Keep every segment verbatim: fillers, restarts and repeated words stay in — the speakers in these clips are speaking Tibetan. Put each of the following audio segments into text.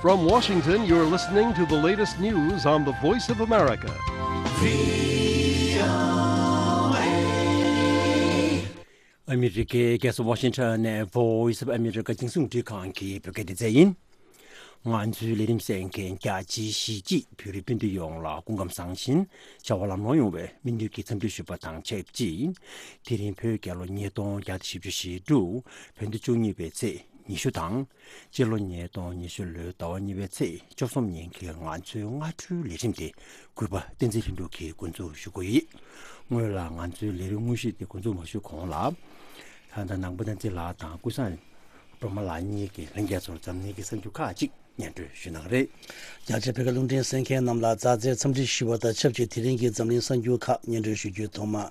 From Washington, you're listening to the latest news on the Voice of America. ཨ་མི་རི་ཀའི་རྒྱལ་ས་ཝ་ཤིང་ཊོན་ནས་Voice of America་རྒྱང་སྲིང་རླུང་འཕྲིན་ཁང་གི་བོད་སྐད་སྡེ་ཚན་ཡིན། ང་ཚོའི་ལས་རིམ་གསན་མཁན་རྒྱ་ཆེའི་གཞིས་བྱེས་བོད་རིགས་སྤུན་ཟླ་ཡོངས་ལ་སྐུ་ཁམས་བཟང་ཞིང་བྱ་བ་ལམ་ལྷོང་ཡོང་བའི་སྨོན་འདུན་གྱི་འཚམས་འདྲི་ཞུ་བ་དང་ཆབས་ཅིག་དེ་རིང་བོད་རྒྱལ་ལོ་ཉིས་སྟོང་བརྒྱ་དང་བཞི་བཅུ་ཞེ་དྲུག་བོད་ཟླ་བཅུ་གཉིས་པའི་ཚེས་ཉི་ཤུ་དང་། སྤྱི་ལོ་ཉིས་སྟོང་ཉི་ཤུ་ལོའི་ཟླ་བ་གཉིས་པའི་ཚེས་བཅུ་གསུམ་ཉིན་གྱི་ང་ཚོའི་སྔ་དྲོའི་ལས་རིམ་དེ་གུས་པ་བསྟན་འཛིན་ལྷུན་གྲུབ་ཀྱིས་འགོ་འཛུགས་ཞུ་གི་ཡོད། སྔོན་ལ་ང་ཚོའི་ལས་རིམ་དངོས་གཞི་དེ་འགོ་འཛུགས་མ་ཞུས་གོང་ལ། ད་ལྟ་ནང་པ་བསྟན་འཛིན་ལགས་དང་ཀུན་བཟང་སྒྲོལ་མ་ལགས་གཉིས་ཀྱིས་ལྷན་རྒྱས་ཚོར་འཛམ་གླིང་གི་གསར་འགྱུར་ཁག་ཅིག་སྙན་སྒྲོན་ཞུ་གནང་གི་རེད། རྒྱ་ཆེ་བོད་སྐད་རླུང་འཕྲིན་གསན་མཁན་རྣམས་ལ་མཛའ་བརྩེའི་འཚམས་འདྲི་ཞུ་བ་དང་ཆབས་ཅིག་དེ་རིང་གི་འཛམ་གླིང་གསར་འགྱུར་ཁག་སྙན་སྒྲོན་ཞུ་རྒྱུའི་ཐོག་མ།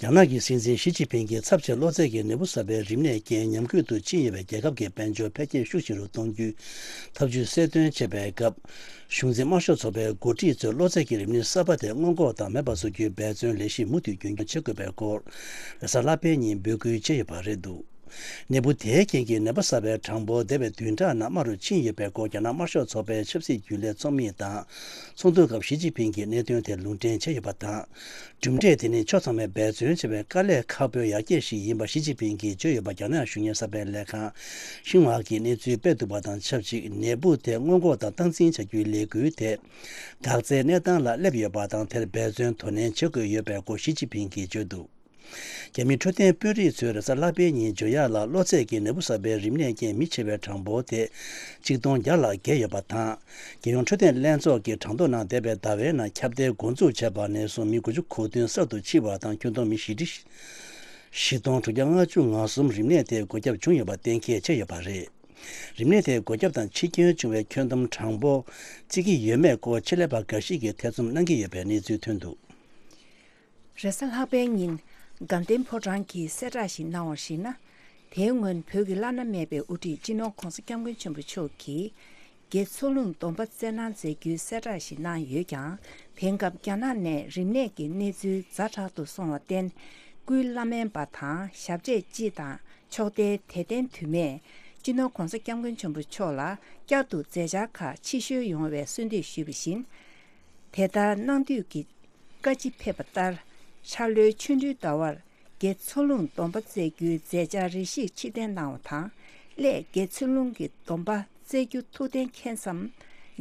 རྒྱ་ནག་གི་སྲིད་འཛིན་ཞི་ཅིན་ཕིང་གིས་ཚབས་ཆེ་གློ་ཚད་ཀྱི་ནད་འབུ་གསར་པའི་རིམས་ནད་རྐྱེན་ཉམས་རྒུད་དུ་ཕྱིན་ཡོད་པའི་རྒྱལ་ཁབ་ཀྱི་དཔལ་འབྱོར་འཕེལ་རྒྱས་ཤུགས་ཆེ་རུ་གཏོང་རྒྱུའི་ཐབས་ཇུས་གསལ་སྟོན་བྱེད་པའི་སྐབས། གཞུང་འཛིན་དམར་ཤོག་ཚོགས་པའི་འགོ་ཁྲིད་ཚོས་གློ་ཚད་ཀྱི་རིམས་ནད་གསར་པ་དེ་སྔོན་འགོག་དང་མེད་པར་བཟོ་རྒྱུའི་འབད་བརྩོན་ལས་གཞི་མུ་མཐུད་རྒྱུན་འཁྱོངས་བྱེད་དགོས་པའི་སྐོར། རེས་གཟའ་ལྷག་པའི་ཉིན་འབོད་སྐུལ་བྱས་ཡོད་པ་རེད་འདུག་ནད་འབུ་དེའི་རྐྱེན་གྱིས་ནད་པ་གསར་པའི་གྲངས་འབོར་འདས་པའི་བདུན་ཕྲག་ནང་དམའ་རུ་ཕྱིན་ཡོད་པའི་སྐོར་རྒྱ་ནག་དམར་ཤོག་ཚོགས་པའི་ཆབ་སྲིད་རྒྱུན་ལས་ཚོགས་མི་དང་ཚོགས་འདུའི་སྐབས་ཞི་ཅིན་ཕིང་གིས་གནད་དོན་དེར་ལུང་འདྲེན་བྱས་ཡོད་པ་དང་། གྲུབ་འབྲས་དེ་ནི་ཕྱོགས་ཚང་མས་འབད་བརྩོན་བྱས་པའི་དཀའ་ལས་ཁག་པོའི་ཡར་རྒྱས་ཤིག་ཡིན་པ་ཞི་ཅིན་ཕིང་གིས་བརྗོད་ཡོད་པ་རྒྱ་ནག་གཞོན་ངར་གསར་པའི་ལས་ཁང་ཤིན་ཧྭ་གིས་གནས་ཚུལ་སྤེལ་འདུག་པ་དང་ཆབས་ཅིག་ནད་འབུ་དེ་སྔོན་འགོག་དང་སྟངས་འཛིན་བྱ་རྒྱུའི་ལས་འགུལ་དེ་འགག་རྩའི་གནས་སྟངས་ལ་སླེབས་ཡོད་པ་དང་དེར་འབད་བརྩོན་དོ་ནན་བྱེད་དགོས་ཡོད་པའི་སྐོར་ཞི་ཅིན་ཕིང་གིས་བརྗོད་འདུག་རྒྱ་མིའི་འཕྲོད་བསྟེན་དཔོན་རིགས་ཚོས་རེས་གཟའ་ལྷག་པའི་ཉིན་བརྗོད་ཡག་ལ་གློ་ཚད་ཀྱི་ནད་འབུ་གསར་པའི་རིམས་ནད་རྐྱེན་མི་ཆེ་བའི་གྲངས་འབོར་དེ་ཆིག་སྟོང་བརྒྱ་ལ་བརྒལ་ཡོད་པ་དང་། རྒྱལ་ཡོངས་འཕྲོད་བསྟེན་ལྷན་ཚོགས་ཀྱིས་གྲངས་ཐོ་ནང་འདས་པའི་ཟླ་བའི་ནང་ཁྱབ་གདལ་འགོ་འཛུགས་བྱས་པ་ནས་བཟུང་མི་དགུ་བཅུ་གོ་བདུན་གསར་དུ་འཆི་བ་དང་ཁྱོན་བསྡོམས་མི་བཞི་ཁྲི་བཞི་སྟོང་དྲུག་བརྒྱ་ལྔ་བཅུ་ང་གསུམ་རིམས་ནད་དེའི་འགོས་ཁྱབ་བྱུང་ཡོད་པ་གཏན་འཁེལ་བྱས་ཡོད་པ་རེད། རིམས་ནད་དེའི་འགོས་ཁྱབ་དང་འཆི་སྐྱོན་བྱུང་བའི་ཁྱོན་བསྡོམས་གྲངས་འབོར་བརྩི་གི་ཡོད་མེད་སྐོར་ཆེད་ལས་པ་འགའ་ཞིག་གིས་ཐེ་ཚོམ་གནང་གི་ཡོད་པའི་གནས་ཚུལ་ཐོན་འདུག་རེས་གཟའ་ལྷག་པའི་ཉིན་དགའ་ལྡན་ཕོ་བྲང་གིས་གསལ་བསྒྲགས་ཤིག་གནང་བར་གཞིགས་ན། དེའི་སྔོན་བོད་ཀྱི་བླ་ན་མེད་པའི་དབུ་ཁྲིད་སྤྱི་ནོར་༧གོང་ས་༧སྐྱབས་མགོན་ཆེན་པོ་མཆོག་གིས་དགེ་ཚུལ་སློང་སྡོམ་པ་སྩལ་གནང་མཛད་རྒྱུའི་གསལ་བསྒྲགས་ཤིག་གནང་ཡོད་ཀྱང་། དེང་སྐབས་རྒྱ་ནག་ནས་རིམས་ནད་ཀྱི་གནས་ཚུལ་ཛ་དྲག་ཏུ་སོང་བར་བརྟེན། སྐུའི་བླ་སྨན་པ་དང་ཞབས་རྗེས་སྤྱི་དང་ཕྱོགས་མཐའི་དད་ལྡན་དུ་མས་སྤྱི་ནོར་༧གོང་ས་༧སྐྱབས་མགོན་ཆེན་པོ་མཆོག་ལ་བསྐྱར་དུ་མཛད་འཆར་ཁག་ཕྱིར་བཤོལ་ཡོང་བའི་གསོལ་འདེབས་ཞུས་པ་བཞིན། དེ་ལྟར་གནང་འདོད་ཀྱི་བཀའ་ཅི་ཕེབས་པ་ལྟར། འཆར་ལོའི་ཆོ་འཕྲུལ་ཟླ་བར་དགེ་ཚུལ་སློང་སྡོམ་པ་སྩལ་རྒྱུའི་མཛད་འཆར་རེ་ཞིག་ཕྱིར་འཐེན་གནང་བ་དང་། སླད་དགེ་ཚུལ་སློང་གི་སྡོམ་པ་སྩལ་རྒྱུ་ཐུགས་གཏན་འཁེལ་མཚམས་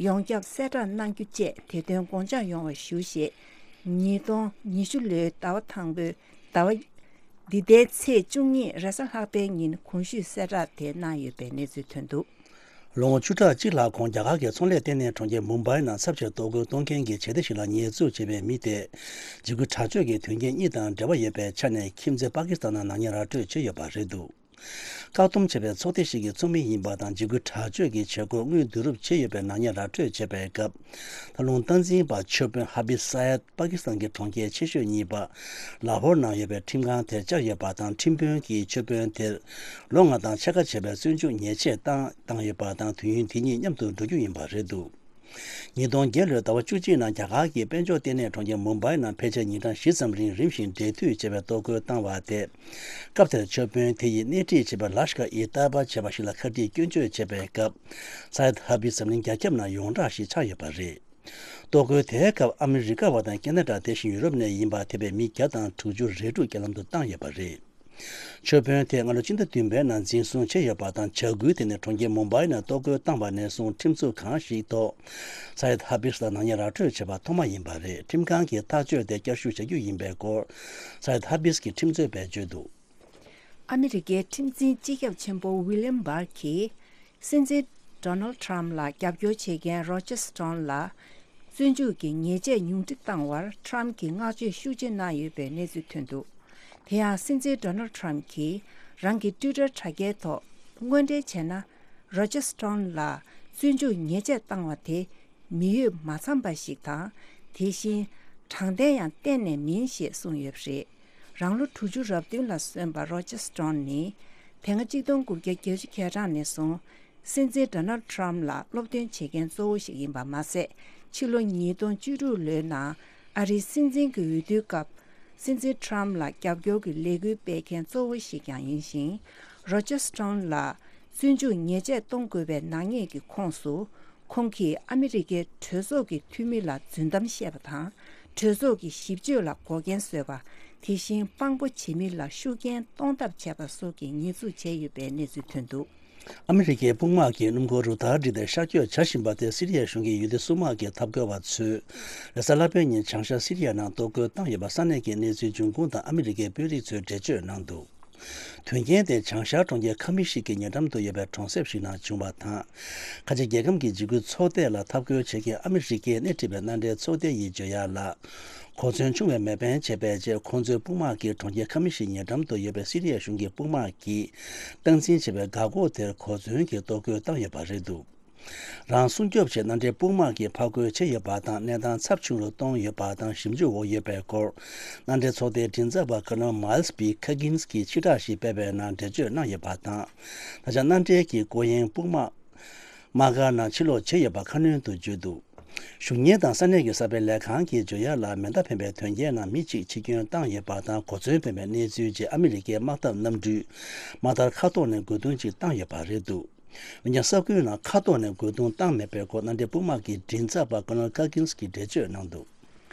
ཡོངས་ཁྱབ་གསལ་བསྒྲགས་གནང་རྒྱུ་བཅས་དེ་དོན་དགོངས་འཇགས་ཡོང་བ་ཞུ་ཞེས། ཉིས་སྟོང་ཉི་ཤུ་ལོའི་ཟླ་བ་དང་པོའི་ཟླ་བ་འདི་ཟླའི་ཚེས་བཅུ་གཉིས་རེས་གཟའ་ལྷག་པའི་ཉིན་གོང་ཞུས་གསལ་བསྒྲགས་དེ་གནང་ཡོད་པའི་གནས་ཚུལ་ཐོན་འདུག་ལོ་ངོ་བཅུ་ཕྲག་གཅིག་ལྷག་གོང་རྒྱ་གར་གྱི་ཚོང་ལས་ལྟེ་གནས་གྲོང་ཁྱེར་མུམ་བྷའི་ནང་ཚབས་ཆེ་གཏོར་རྒོལ་གཏོང་མཁན་གྱི་བྱེད་གཏེ་ཞིག་ལ་ཉེས་འཛུགས་བྱས་པའི་མི་དེ། འཇིགས་སྐུལ་དྲག་སྤྱོད་ཀྱི་དོན་རྐྱེན་གཉིས་དང་འབྲེལ་བ་ཡོད་པའི་ཆ་ནས་ཁྱིམ་མཚེས་པ་ཀི་སི་ཐན་ནང་ནག་ཉེས་ར་སྤྲོད་བྱས་ཡོད་པ་རེད་འདུག་བཀག་སྡོམ་བྱས་པའི་ཚོགས་སྡེ་ཞིག་གི་ཚོགས་མི་ཡིན་པ་དང་འཇིགས་སྐུལ་དྲག་སྤྱོད་ཀྱི་བྱེད་སྒོར་དངུལ་བསྡུ་རུབ་བྱས་ཡོད་པའི་ནག་ཉེས་ར་སྤྲོད་བྱས་པའི་སྐབས། ད་ལུང་སྟངས་འཛིན་པ་ཆོས་དཔོན་ཧ་བི་སཱ་ཡད་པ་ཀི་སི་ཐན་གྱི་གྲོང་ཁྱེར་ཆེ་ཤོས་གཉིས་པ་ལ་ཧོར་ནང་ཡོད་པའི་ཁྲིམས་ཁང་དེར་བཅར་ཡོད་པ་དང་ཁྲིམས་དཔོན་གྱིས་ཆོས་དཔོན་དེར་ལོ་ལྔ་དང་ཕྱེད་ཀ་བྱས་པའི་བཙོན་འཇུག་ཉེས་ཆད་བཏང་བཏང་ཡོད་པ་དང་དུས་ཡུན་དེ་གཉིས་མཉམ་དུ་འགྲོ་རྒྱུ་ཡིན་པ་རེད་འདུག་ཉིས་སྟོང་བརྒྱད་ལོའི་ཟླ་བ་བཅུ་གཅིག་ནང་རྒྱ་གར་གྱི་དཔལ་འབྱོར་ལྟེ་གནས་གྲོང་ཁྱེར་མུམ་བྷའི་ནང་ཕལ་ཆེར་ཉིན་གྲངས་བཞི་ཙམ་རིང་རིམ་བཞིན་འབྲེལ་མཐུད་བྱས་པའི་གཏོར་རྒོལ་བཏང་བ་དེ། སྐབས་དེར་ཆོས་དཔོན་དེ་ཡིས་སྣེ་ཁྲིད་བྱས་པའི་ལ་ཤ་ཀ་ཨི་ཏཱ་ཡེ་བ་བྱས་པ་ཞིག་ལ་ཁ་ཁྲིད་སྐྱོན་བརྗོད་བྱས་པའི་སྐབས། སཱ་ཡད་ཧ་བི་འཛམ་གླིང་རྒྱ་ཁྱབ་ནང་ཡོངས་གྲགས་ཤིག་ཆགས་ཡོད་པ་རེད། གཏོར་རྒོལ་དེའི་སྐབས་ཨ་མི་རི་ཀ་བ་དང་ཁེ་ན་ཌ་དེ་བཞིན་ཡུ་རོབ་ནས་ཡིན་པ་ཐེ་བའི་མི་བརྒྱ་དང་དྲུག་ཅུ་རེ་དྲུག་རྐྱེན་ལམ་དུ་བཏང་ཡོད་པ་རེད། ཆོས་དཔོན་དེ་སྔ་ལོ་ཕྱི་ཟླ་བདུན་པའི་ནང་འཛིན་བཟུང་བྱས་ཡོད་པ་དང་། བྱ་འགུལ་དེ་ནི་གྲོང་ཁྱེར་མུམ་བྷའི་ནང་གཏོར་རྒོལ་བཏང་བ་ནས་བཟུང་ཁྲིམས་འཛུགས་ཁང་ཞིག་ཐོག་སཱ་ཡད་ཧ་བིས་ལ་ནག་ཉེས་ར་སྤྲོད་བྱས་པ་ཐོག་མ་ཡིན་པ་རེད། ཁྲིམས་ཁང་གིས་ཐག་གཅོད་དེ་བསྐྱར་ཞིབ་བྱ་རྒྱུ་ཡིན་པའི་སྐོར་སཱ་ཡད་ཧ་བིས་ཀྱི་ཁྲིམས་རྩོད་པས་བརྗོད་འདུག་ཨ་མི་རི་ཀའི་ཁྲིམས་འཛིན་སྤྱི་ཁྱབ་ཆེན་པོ་ཝི་ལིམ་བྷར་གྱིས། སྲིད་འཛིན་ཌོ་ནལ་ཁྲམ་ལ་རྒྱབ་སྐྱོར་བྱེད་མཁན་རོ་ཇར་སྟོན་ལ་བཙོན་འཇུག་གི་ཉེས་ཆད་ཉུང་འཕྲི་བཏང་བར་ཁྲམ་གྱིས་བསྔགས་བརྗོད་ཤུགས་ཆེ་གནང་ཡོད་པའི་གནས་ཚུལ་ཐོན་འདུག་དེ་ཡང་སྲིད་འཛིན་ཌོ་ནལ་ཁྲམ་གྱིས་རང་གི་ཊུའི་ཊར་དྲ་རྒྱའི་ཐོག་དངོས་འབྲེལ་བྱས་ན། རོ་ཇར་སྟོན་ལ་བཙོན་འཇུག་ཉེས་ཆད་བཏང་བ་དེ་མི་འོས་མ་འཚམས་པ་ཞིག་དང་། དེ་བཞིན་དྲང་བདེན་ཡང་གཏན་ནས་མིན་ཞེས་གསུངས་ཡོད་པ་རེད། རང་ལོ་དྲུག་ཅུ་རབ་བདུན་ལ་སོན་པ་རོ་ཇར་སྟོན་ནི་དེ་སྔ་གཅིག་སྟོང་དགུ་བརྒྱ་བརྒྱད་ཅུ་གྱ་གྲངས་ནས་བཟུང་སྲིད་འཛིན་ཌོ་ནལ་ཁྲམ་ལ་སློབ་སྟོན་བྱེད་མཁན་གཙོ་བོ་ཞིག་ཡིན་པ་མ་ཟད། ཕྱི་ལོ་ཉིས་སྟོང་བཅུ་དྲུག་ལོའི་ནང་ཨ་རིའི་སྲིད་འཛིན་གྱི་འོས་བསྡུའི་སྐབས། སྲིད་འཛིན་ཁྲམ་ལ་རྒྱབ་སྐྱོར་གྱི་ལས་འགུལ་སྤེལ་མཁན་གཙོ་བོ་ཞིག་ཀྱང་ཡིན་ཞིང་། རོ་ཇར་སྟོན་ལ་ བཙོན་འཇུག་ཉེས་ཆད་གཏོང་དགོས་པའི་ནག་ཉེས་ཀྱི་ཁོངས་སུ། ཁོང་གིས་ཨ་མི་རི་ཀའི་གྲོས་ཚོགས་ཀྱི་འཐུས་མི་ལ་རྫུན་གཏམ་བཤད་པ་དང་། གྲོས་ཚོགས་ཀྱི་ཞིབ་དཔྱོད་ལ་འགོག་རྐྱེན་བཟོས་པ། དེ་བཞིན་དཔང་པོ་བྱེད་མི་ལ་ཤུགས་རྐྱེན་གཏོང་ཐབས་བྱས་པ་སོགས་ཀྱི་ཉེས་འཛུགས་བྱས་ཡོད་པའི་གནས་ཚུལ་ཐོན་འདུག། ཨ་མི་རི་ཀའི་དཔུང་དམག་གིས་སྣུམ་འཁོར་རུ་སྟར་བསྒྲིགས་ཏེ་གཤག་བཅོས་བྱ་བཞིན་པ་དེ་སི་རི་ཡའི་གཞུང་གི་ཡུལ་སྡེ་སྲུང་དམག་གིས་འཐབ་རྒོལ་བ་ཚོས་རེས་གཟའ་ལྷག་པའི་ཉིན་བྱང་ཤར་སི་རི་ཡ་ནང་གཏོར་རྒོལ་བཏང་ཡོད་པ་ས་གནས་ཀྱི་གནས་ཚུལ་འབྱུང་ཁུངས་དང་ཨ་མི་རི་ཀའི་དཔོན་རིགས་ཚོས་འགྲེལ་བརྗོད་གནང་འདུག། དོན་རྐྱེན་དེ་བྱང་ཤར་གྲོང་ཁྱེར་ཁ་མི་ཤི་ཀི་ཉེ་འགྲམ་དུ་ཡོད་པའི་གྲོང་གསེབ་ཞིག་ནང་བྱུང་བ་དང་། ཁ་ཆེ་རྒྱལ་ཁམས་ཀྱི་འཇིགས་སྐུལ་ཚོགས་སྡེ་ལ་འཐབ་རྒོལ་བྱེད་མཁན་ཨ་མི་རི་ཀས་སྣེ་ཁྲིད་པའི་མནའ་འབྲེལ་ཚོགས་སྡེ་ཡིས་བརྗོད་ཡག་ལ། གོ་མཚོན་ཆུང་བས་མེད་པན་བྱས་པའི་རྗེས་ཁོང་ཚོའི་དཔུང་དམག་གིས་གྲོང་ཁྱེར་ཁ་མི་ཤི་ཉེ་འགྲམ་དུ་ཡོད་པའི་སི་རི་ཡའི་གཞུང་གི་དཔུང་དམག་གིས་སྟངས་འཛིན་བྱས་པའི་འགག་སྒོ་དེར་གོ་མཚོན་གྱིས་གཏོར་རྒོལ་བཏང་ཡོད་པ་རེད་འདུག། རང་སྲུང་སྐྱོབ་ཆེད་མནའ་འབྲེལ་དཔུང་དམག་གིས་ཕར་རྒོལ་བྱས་ཡོད་པ་དང་། གནས་སྟངས་ཚབས་ཆུང་རུ་གཏོང་ཡོད་པ་དང་། ཞིབ་འཇུག་འོག་ཡོད་པའི་སྐོར། མནའ་འབྲེལ་ཚོགས་སྡེའི་མགྲིན་ཚབ་པ་ཀར་ནལ་མཱལ་སི་པི་ཁ་གིན་སི་གིས་ཕྱིར་བསྒྲགས་ཤིག་སྤེལ་བའི་ནང་འགྲེལ་བརྗོད་གནང་ཡོད་པ་དང་། ད་ཆ་མནའ་འབྲེལ་གྱི་སྐོར་གཡེང་དཔུང་དམག་དམག་སྒར་ནང་ཕྱིར་ལོག་བྱས་ཡོད་པ་ཁ་སྣོན་དུ་བརྗོད་འདུག། གཞུང་གཉེར་དང་ས་གནས་ཀྱི་གསར་སྤེལ་ལས་ཁང་གིས་བརྗོད་ཡག་ལ། མེ་མདའ་འཕེན་པའི་དོན་རྐྱེན་ནང་མི་གཅིག་འཆི་སྐྱོན་བཏང་ཡོད་པ་དང་། གོ་མཚོན་འཕེན་པའི་གནས་ཚུལ་རྗེས་ཨ་མི་རི་ཀའི་དམག་འཐབ་གནམ་གྲུས་དམག་དར་མཁའ་ཐོག་ནས་རྒོལ་རྡུང་གཅིག་བཏང་ཡོད་པ་རེད་འདུག། འོན་ཀྱང་ས་ཁུལ་ནང་མཁའ་ཐོག་ནས་རྒོལ་རྡུང་བཏང་མེད་པའི་སྐོར་མནའ་འབྲེལ་དཔུང་དམག་གི་མགྲིན་ཚབ་པ་ཀར་ནལ་ཁ་གིན་སི་གིས་འགྲེལ་བརྗོད་གནང་འདུག།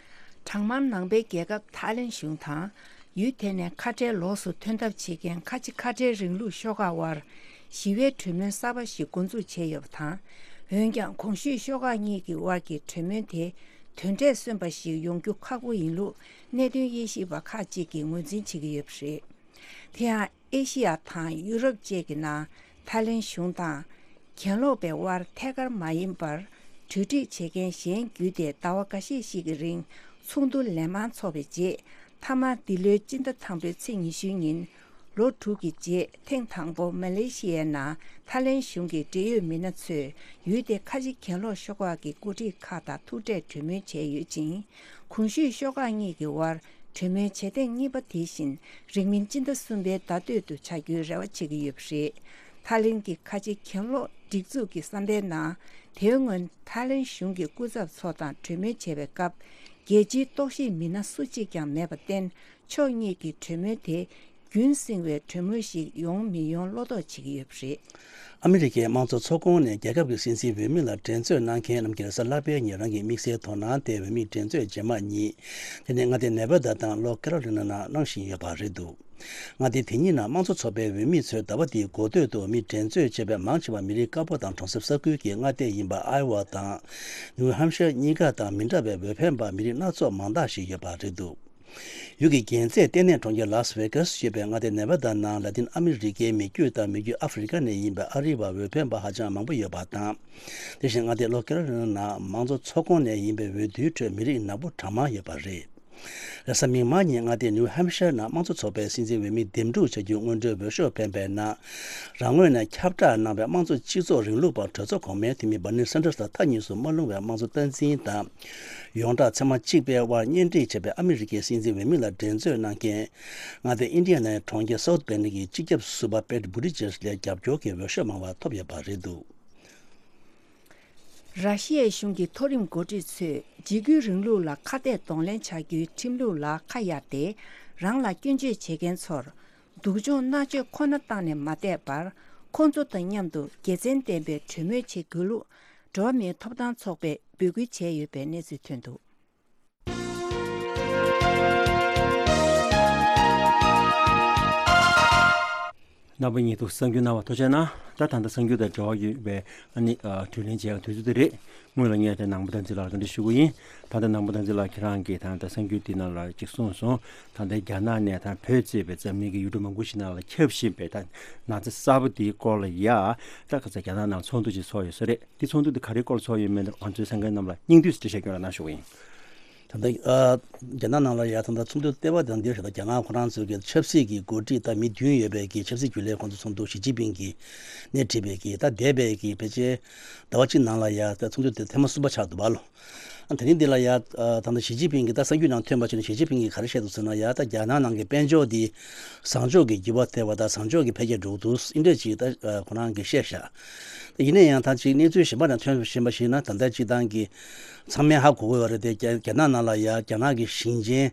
གྲང་དམར་ནང་པའི་རྒྱལ་ཁབ་ཐའི་ལེན་གཞུང་དང་། ཡུལ་དེ་ནས་ཁ་བྲལ་ལོགས་སུ་ཐོན་ཐབས་བྱེད་མཁན་ཁ་ཆེ་ཁ་བྲལ་རིང་ལུགས་ཤོག་ཁག་དབར་ཞི་བའི་གྲོས་མོལ་གསར་པ་ཞིག་འགོ་འཛུགས་བྱས་ཡོད་པ་དང་། འོན་ཀྱང་གོང་ཞུས་ཤོག་ཁག་གཉིས་ཀྱི་དབར་གྱི་གྲོས་མོལ་དེ་དོན་འབྲས་སོན་པ་ཞིག་ཡོང་རྒྱུ་ཁག་པོ་ཡིན་ལུགས་གནད་དོན་དབྱེ་ཞིབ་པ་ཁག་ཅིག་གིས་ངོས་འཛིན་བྱེད་ཀྱི་ཡོད་པ་རེད། དེ་ཡང་། ཨེ་ཤི་ཡ་དང་ཡུ་རོབ་བཅས་ཀྱི་ནང་ཐའི་ལེན་གཞུང་དང་། གྱེན་ལོག་པའི་དབར་ཐད་ཀར་མ་ཡིན་པར་གྲོས་འགྲིག་བྱེད་མཁན་གཞན་བརྒྱུད་དེ་ཟླ་བ་འགའ་ཤས་ཤིག་གི་རིང་ཚོགས་འདུ་ལན་མང་འཚོགས་པའི་རྗེས། མཐའ་མར་འདི་ལོའི་སྤྱི་ཟླ་དང་པོའི་ཚེས་ཉི་ཤུའི་ཉིན། ལོ་དྲུག་གི་རྗེས་ཐེངས་དང་པོ་མ་ལེ་ཤི་ཡའི་ནང་ཐའི་ལེན་གཞུང་གི་འབྲེལ་ཡོད་མི་སྣ་ཚོས་ཡུལ་དེའི་ཁ་ཆེ་གྱེན་ལོག་ཤོག་ཁག་གི་འགོ་ཁྲིད་ཁག་དང་ཐུག་འཕྲད་གྲོས་མོལ་བྱས་ཡོད་ཅིང་། གོང་ཞུས་ཤོག་ཁག་གཉིས་ཀྱི་དབར་གྲོས་མོལ་བྱེད་ཐེངས་གཉིས་པ་དེ་བཞིན་རིང་མིན་སྤྱི་ཟླ་གསུམ་པའི་ཟླ་སྟོད་དུ་བྱ་རྒྱུའི་རེ་བ་བྱེད་ཀྱི་ཡོད་པ་རེད། ཐའི་ལེན་གྱི་ཁ་ཆེ་གྱེན་ལོག་སྒྲིག་འཛུགས་ཀྱི་བསམ་པའི་ནང་། དེའི་སྔོན་ཐའི་ལེན་གཞུང་གི་སྐུ་ཚབ་ཚོ་དང་གྲོས་མོལ་བྱེད་པའི་སྐབས། རྒྱལ་སྤྱིའི་རྟོག་ཞིབ་མི་སྣ་སུ་གཅིག་ཀྱང་མེད་པར་བརྟེན། ཕྱོགས་གཉིས་ཀྱི་གྲོས་མོལ་དེ། རྒྱུན་བསྲིང་བའི་གྲོས་མོལ་ཞིག་ཡོང་མི་ཡོང་བློ་དོགས་བྱེད་ཀྱི་ཡོད་པ་རེད། ཨ་མི་རི་ཀའི་དམངས་གཙོ་ཚོགས་ཁོངས་ནས་རྒྱལ་ཁབ་ཀྱི་སྲིད་འཛིན་འོས་མི་ལ་འགྲན་རྩོད་གནང་མཁན་རྣམས་ཀྱིས་རེས་གཟའ་ལྷག་པའི་ཉིན་རང་གི་དམིགས་བསལ་དོ་སྣང་དེ་འོས་མི་འགྲན་རྩོད་རྗེས་མ་གཉིས། དེ་ནི་མངའ་སྡེ་ནེ་བྷ་དཱ་དང་ལྷོ་ཁེ་རོ་ལི་ན་ནང་གནང་བཞིན་ཡོད་པ་རེད་འདུག། མངའ་སྡེ་དེ་གཉིས་ནང་དམངས་གཙོ་ཚོགས་པའི་འོས་མི་ཚོས་ཟླ་བ་འདིའི་འགོ་སྟོད་དུ་འོས་མི་འགྲན་རྩོད་བྱས་པའི་མང་ཆེ་བ་མི་རིགས་དཀར་པོ་དང་གྲོང་གསེབ་ས་ཁུལ་གྱི་མངའ་སྡེ་ཡིན་པ་ཨའེ་ཝ་དང་ནིའུ་ཧམ་ཤར་གཉིས་ཀ་དང་མི་འདྲ་བའི་འོས་འཕེན་པ་མི་རིགས་སྣ་ཚོགས་མང་དག་ཞིག་ཡོད་པ་རེད་འདུག། ཡུལ་གྱི་རྒྱལ་རྩེ་ལྟེ་གནས་གྲོང་ཁྱེར་ལཱས་ཝེ་གཱས་ཞེས་པའི་མངའ་སྡེ་ནེ་བྷ་དཱ་ནང་ལ་ཏིན་ཨ་མི་རི་ཀའི་མི་རྒྱུད་དང་མི་རྒྱུད་ཨ་ཧྥེ་རི་ཀ་ནས་ཡིན་པའི་ཨ་རི་བ་འོས་འཕེན་པ་ཧ་ཅང་མང་པོ་ཡོད་པ་དང་། དེ་བཞིན་མངའ་སྡེ་ལྷོ་ཁེ་རོ་ལི་ན་ནང་མང་གཙོ་ཚོགས་ཁོངས་ནས་ཡིན་པའི་འོས་བསྡུའི་ཁྲོད་མི་རིགས་ནག་པོ་གྲངས་མང་ཡོད་པ་རེད། རེས་གཟའ་མིག་དམར་ཉིན་མངའ་སྡེ་ནིའུ་ཧམ་ཤར་ནང་དམངས་གཙོ་ཚོགས་པའི་སྲིད་འཛིན་འོས་མི་འདེམས་སྒྲུག་བྱ་རྒྱུའི་སྔོན་འགྲོའི་འོས་ཤོག་འཕེན་པའི་ནང་། རང་ངོས་ནས་ཁྱབ་བསྒྲགས་གནང་བའི་དམངས་གཙོ་སྤྱི་ཚོགས་རིང་ལུགས་པ་གྲོས་ཚོགས་གོང་མའི་འཐུས་མི་བར་ནི་སན་ཏར་སི་ལ་མཐའ་གཉིས་སུ་མ་ལྷུང་བའི་དམངས་གཙོ་སྟངས་འཛིན་དང་། ཡོངས་གྲགས་ཚད་མ་གཅིག་པའི་དབར་གཉེན་སྒྲིག་བྱས་པའི་ཨ་མི་རི་ཀའི་སྲིད་འཛིན་འོས་མི་ལ་འགྲན་རྩོད་གནང་མཁན། མངའ་སྡེ་ཨིན་ཌི་ཡ་ནའི་གྲོང་ཁྱེར་སའུ་ཐི་བེན་ཌི་གི་སྤྱི་ཁྱབ་ཟུར་པ་པེ་ཊི་བྷུ་ཏི་ཇེཇ་ལས་རྒྱབ་སྐྱོར་གྱི་འོས་ཤོག་མང་བ་ཐོབ་ཡོད་པ་རེད་འདུག། ར་ཤི་ཡའི་གཞུང་གི་མཐོ་རིམ་འགོ་ཁྲིད་ཚོས་འཇིགས་སྐུལ་རིང་ལུགས་ལ་ཁ་གཏད་གདོང་ལེན་བྱ་རྒྱུའི་ཁྲིམས་ལུགས་ལ་ཁ་གཡར་ཏེ། རང་ལ་སྐྱོན་བརྗོད་བྱེད་མཁན་ཚོར། སྡུག་སྦྱོང་མནར་གཅོད་ཁོ་ན་བཏང་ནས་མ་བསྡད་པར། ཁོང་ཚོ་དང་མཉམ་དུ་དགེ་མཚན་ལྡན་པའི་གྲོས་མོལ་བྱེད་དགོས་ལུགས། འགྲོ་བ་མིའི་ཐོབ་ཐང་ཚོགས་པས་འབོད་སྐུལ་བྱས་ཡོད་པའི་གནས་ཚུལ་ཐོན་འདུག། རྣམ་པ་གཉིས་འདུག་གསར་འགྱུར་གནང་བ་ཐུགས་རྗེ་གནང་། ད་ད་ལྟ་གསར་འགྱུར་དང་འབྲེལ་བ་ཡོད་པའི་ཨ་ནི་ཨ་དྲིས་ལན་བྱེད་ཡག་དུས་ཚོད་དེ་རེད། སྔོན་ལ་ངས་དེ་ནང་པ་བསྟན་འཛིན་ལགས་ལ་བཀའ་འདྲི་ཞུ་གི་ཡིན། ད་ལྟ་ནང་པ་བསྟན་འཛིན་ལགས་ཁྱེད་རང་གིས་ད་ལྟ་གསར་འགྱུར་འདི་ནང་ལ་ཅིག་གསུངས་སོང་། ད་ལྟ་རྒྱ་ནག་ནས་ད་བོད་གཙོས་པའི་འཛམ་གླིང་གི་ཡུལ་གྲུ་མང་པོ་ཞིག་ནང་ལ་ཁྱབ་བཞིན་པའི་ད་ན་ཚ་གསར་པ་འདིའི་སྐོར་ལ་ཡ། ད་ཁ་ས་རྒྱ་ནག་ནང་ཚོགས་འདུ་ཅིག་ཚོགས་ཡོད་ས་རེད། འདི་ཚོགས་འདུ་འདི་ག་རེའི་སྐོར་ལ་ཚོགས་ཡོད་མེད་ང་ཚོའི་གསན་མཁན་རྣམས་ལ་སྙིང་བསྡུས་སུ་འགྲེལ་བཤད་སྐྱོན་རོགས་གནང་ཞུ་གི་ཡིན། ད་ལྟ་ཨ་རྒྱ་ནག་ནང་ལ་ཡ་ད་ལྟ་ཚོགས་འདུ་ལྟེ་བ་དང་འདིར་ད་རྒྱ་ནག་ཁོ་རང་ཚོའི་གི་ཆབ་སྲིད་ཀྱི་འགོ་ཁྲིད་དང་མི་བདུན་ཡོད་པའི་གི་ཆབ་སྲིད་རྒྱུན་ལས་ཁོང་ཚོ་ཚོགས་འདུ་ཞི་ཅིན་ཕིང་གིས་སྣེ་ཁྲིད་པའི་གི་ད་འདས་པའི་གི་ཕལ་ཆེར་ཟླ་བ་གཅིག་ནང་ལ་ཡ་ད་ཚོགས་འདུ་དེ་ཐེངས་མ་གསུམ་པ་ཆགས་འདུག་པ་ལོ། དེ་རིང་འདི་ལ་ཡ་ད་ལྟ་ཞི་ཅིན་ཕིང་གིས་ད་གསར་འགྱུར་ནང་ཐོན་པ་བྱས་ན། ཞི་ཅིན་ཕིང་གིས་ག་རེ་བཤད་འདུག་ཟེར་ན། ཡ་ད་རྒྱ་ནག་ནང་གི་དཔལ་འབྱོར་འདི་བཟང་ཕྱོགས་ཀྱི་འགྱུར་བ་ཐེབས་པ་དང་། བཟང་ཕྱོགས་ཀྱི་འཕེལ་རྒྱས་འགྲོ་གི་འདུག་ཨིན་འདྲ་ཅིག་ད་ཁོ་རང་གིས་བཤད་ཤག་ཡིན་ན་ཡང་ད་ཅིག་གནས་ཚུལ་གཞན་པ་ནང་ཐོན་བཞིན་པ་ཞིག་ན། ད་ལྟ་སྤྱིར་བཏང་གི་ཚང་མས་ཧ་གོ་གི་ཡོད་རེད་དེ། རྒྱ་རྒྱ་ནག་ནང་ལ་ཡ་རྒྱ་ནག་གི་ཞིང་ཆེན་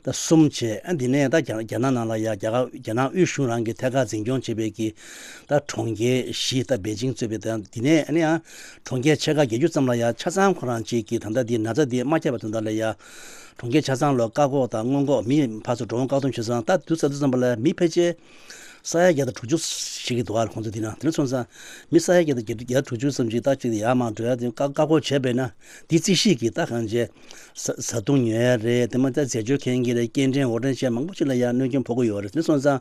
ད་གསུམ་བྱས། ཨ་འདི་ནས་ད་རྒྱ་རྒྱ་ནག་ནང་ལ་ཡ་རྒྱ་གར་རྒྱ་ནག་དབུས་གཞུང་རང་གིས་ཐད་ཀར་འཛིན་སྐྱོང་བྱེད་པའི་གི་ད་གྲོང་ཁྱེར་བཞི། ད་པེ་ཅིང་གཙོས་པའི། ད་འདི་ནས་ཨ་ནི་ཡང་གྲོང་ཁྱེར་ཆེ་ཁག་བརྒྱད་ཅུ་ཙམ་ལ་ཡ་ཆ་ཚང་ཁོ་རང་ཅིག་གིས་ད་ལྟ་འདི་ན་ཚ་འདི་མ་ཁྱབ་པ་དོན་དག་ལ་ཡ་གྲོང་ཁྱེར་ཆ་ཚང་ལ་བཀག་འགོག་དང་སྔོན་འགོག། མི་ཕར་ཚུར་འགྲོ་འོང་བཀག་སྡོམ་བྱས་ཙང་། ད་དུས་ཙམ་དུས་ཙམ་པ་ལ་མི་ཕལ་ཆེར་ས་ཡ་བརྒྱ་དང་དྲུག་ཅུ་ཞིག་གི་འདུག་ཨ། ཁོང་ཚོ་འདི་ན། དེ་འདྲ་སོང་ཙང་མི་ས་ཡ་བརྒྱ་དང་བརྒྱད་ཅུ་དྲུག་ཅུ་ཙམ་ཅིག་ད་ཅིག་ཡར་མར་འགྲོ་ཡ་དེ་བཀག་བཀག་འགོག་བྱས་པས་ན། འདི་རྩིས་ཞིབ་ཀྱིས་ད་གང་བྱས། བཟའ་བཟའ་བཏུང་ཉོ་ཡ་རེད། དེ་མ་ད་རྫས་སྦྱོར་མཁན་གྱི་རེད། སྐྱེལ་འདྲེན་འོར་འདྲེན་བྱས་མང་པོ་ཅིག་ལ་ཡ་གནོད་སྐྱོན་ཕོག་གི་ཡོད་རེད། དེ་སོང་ཙང་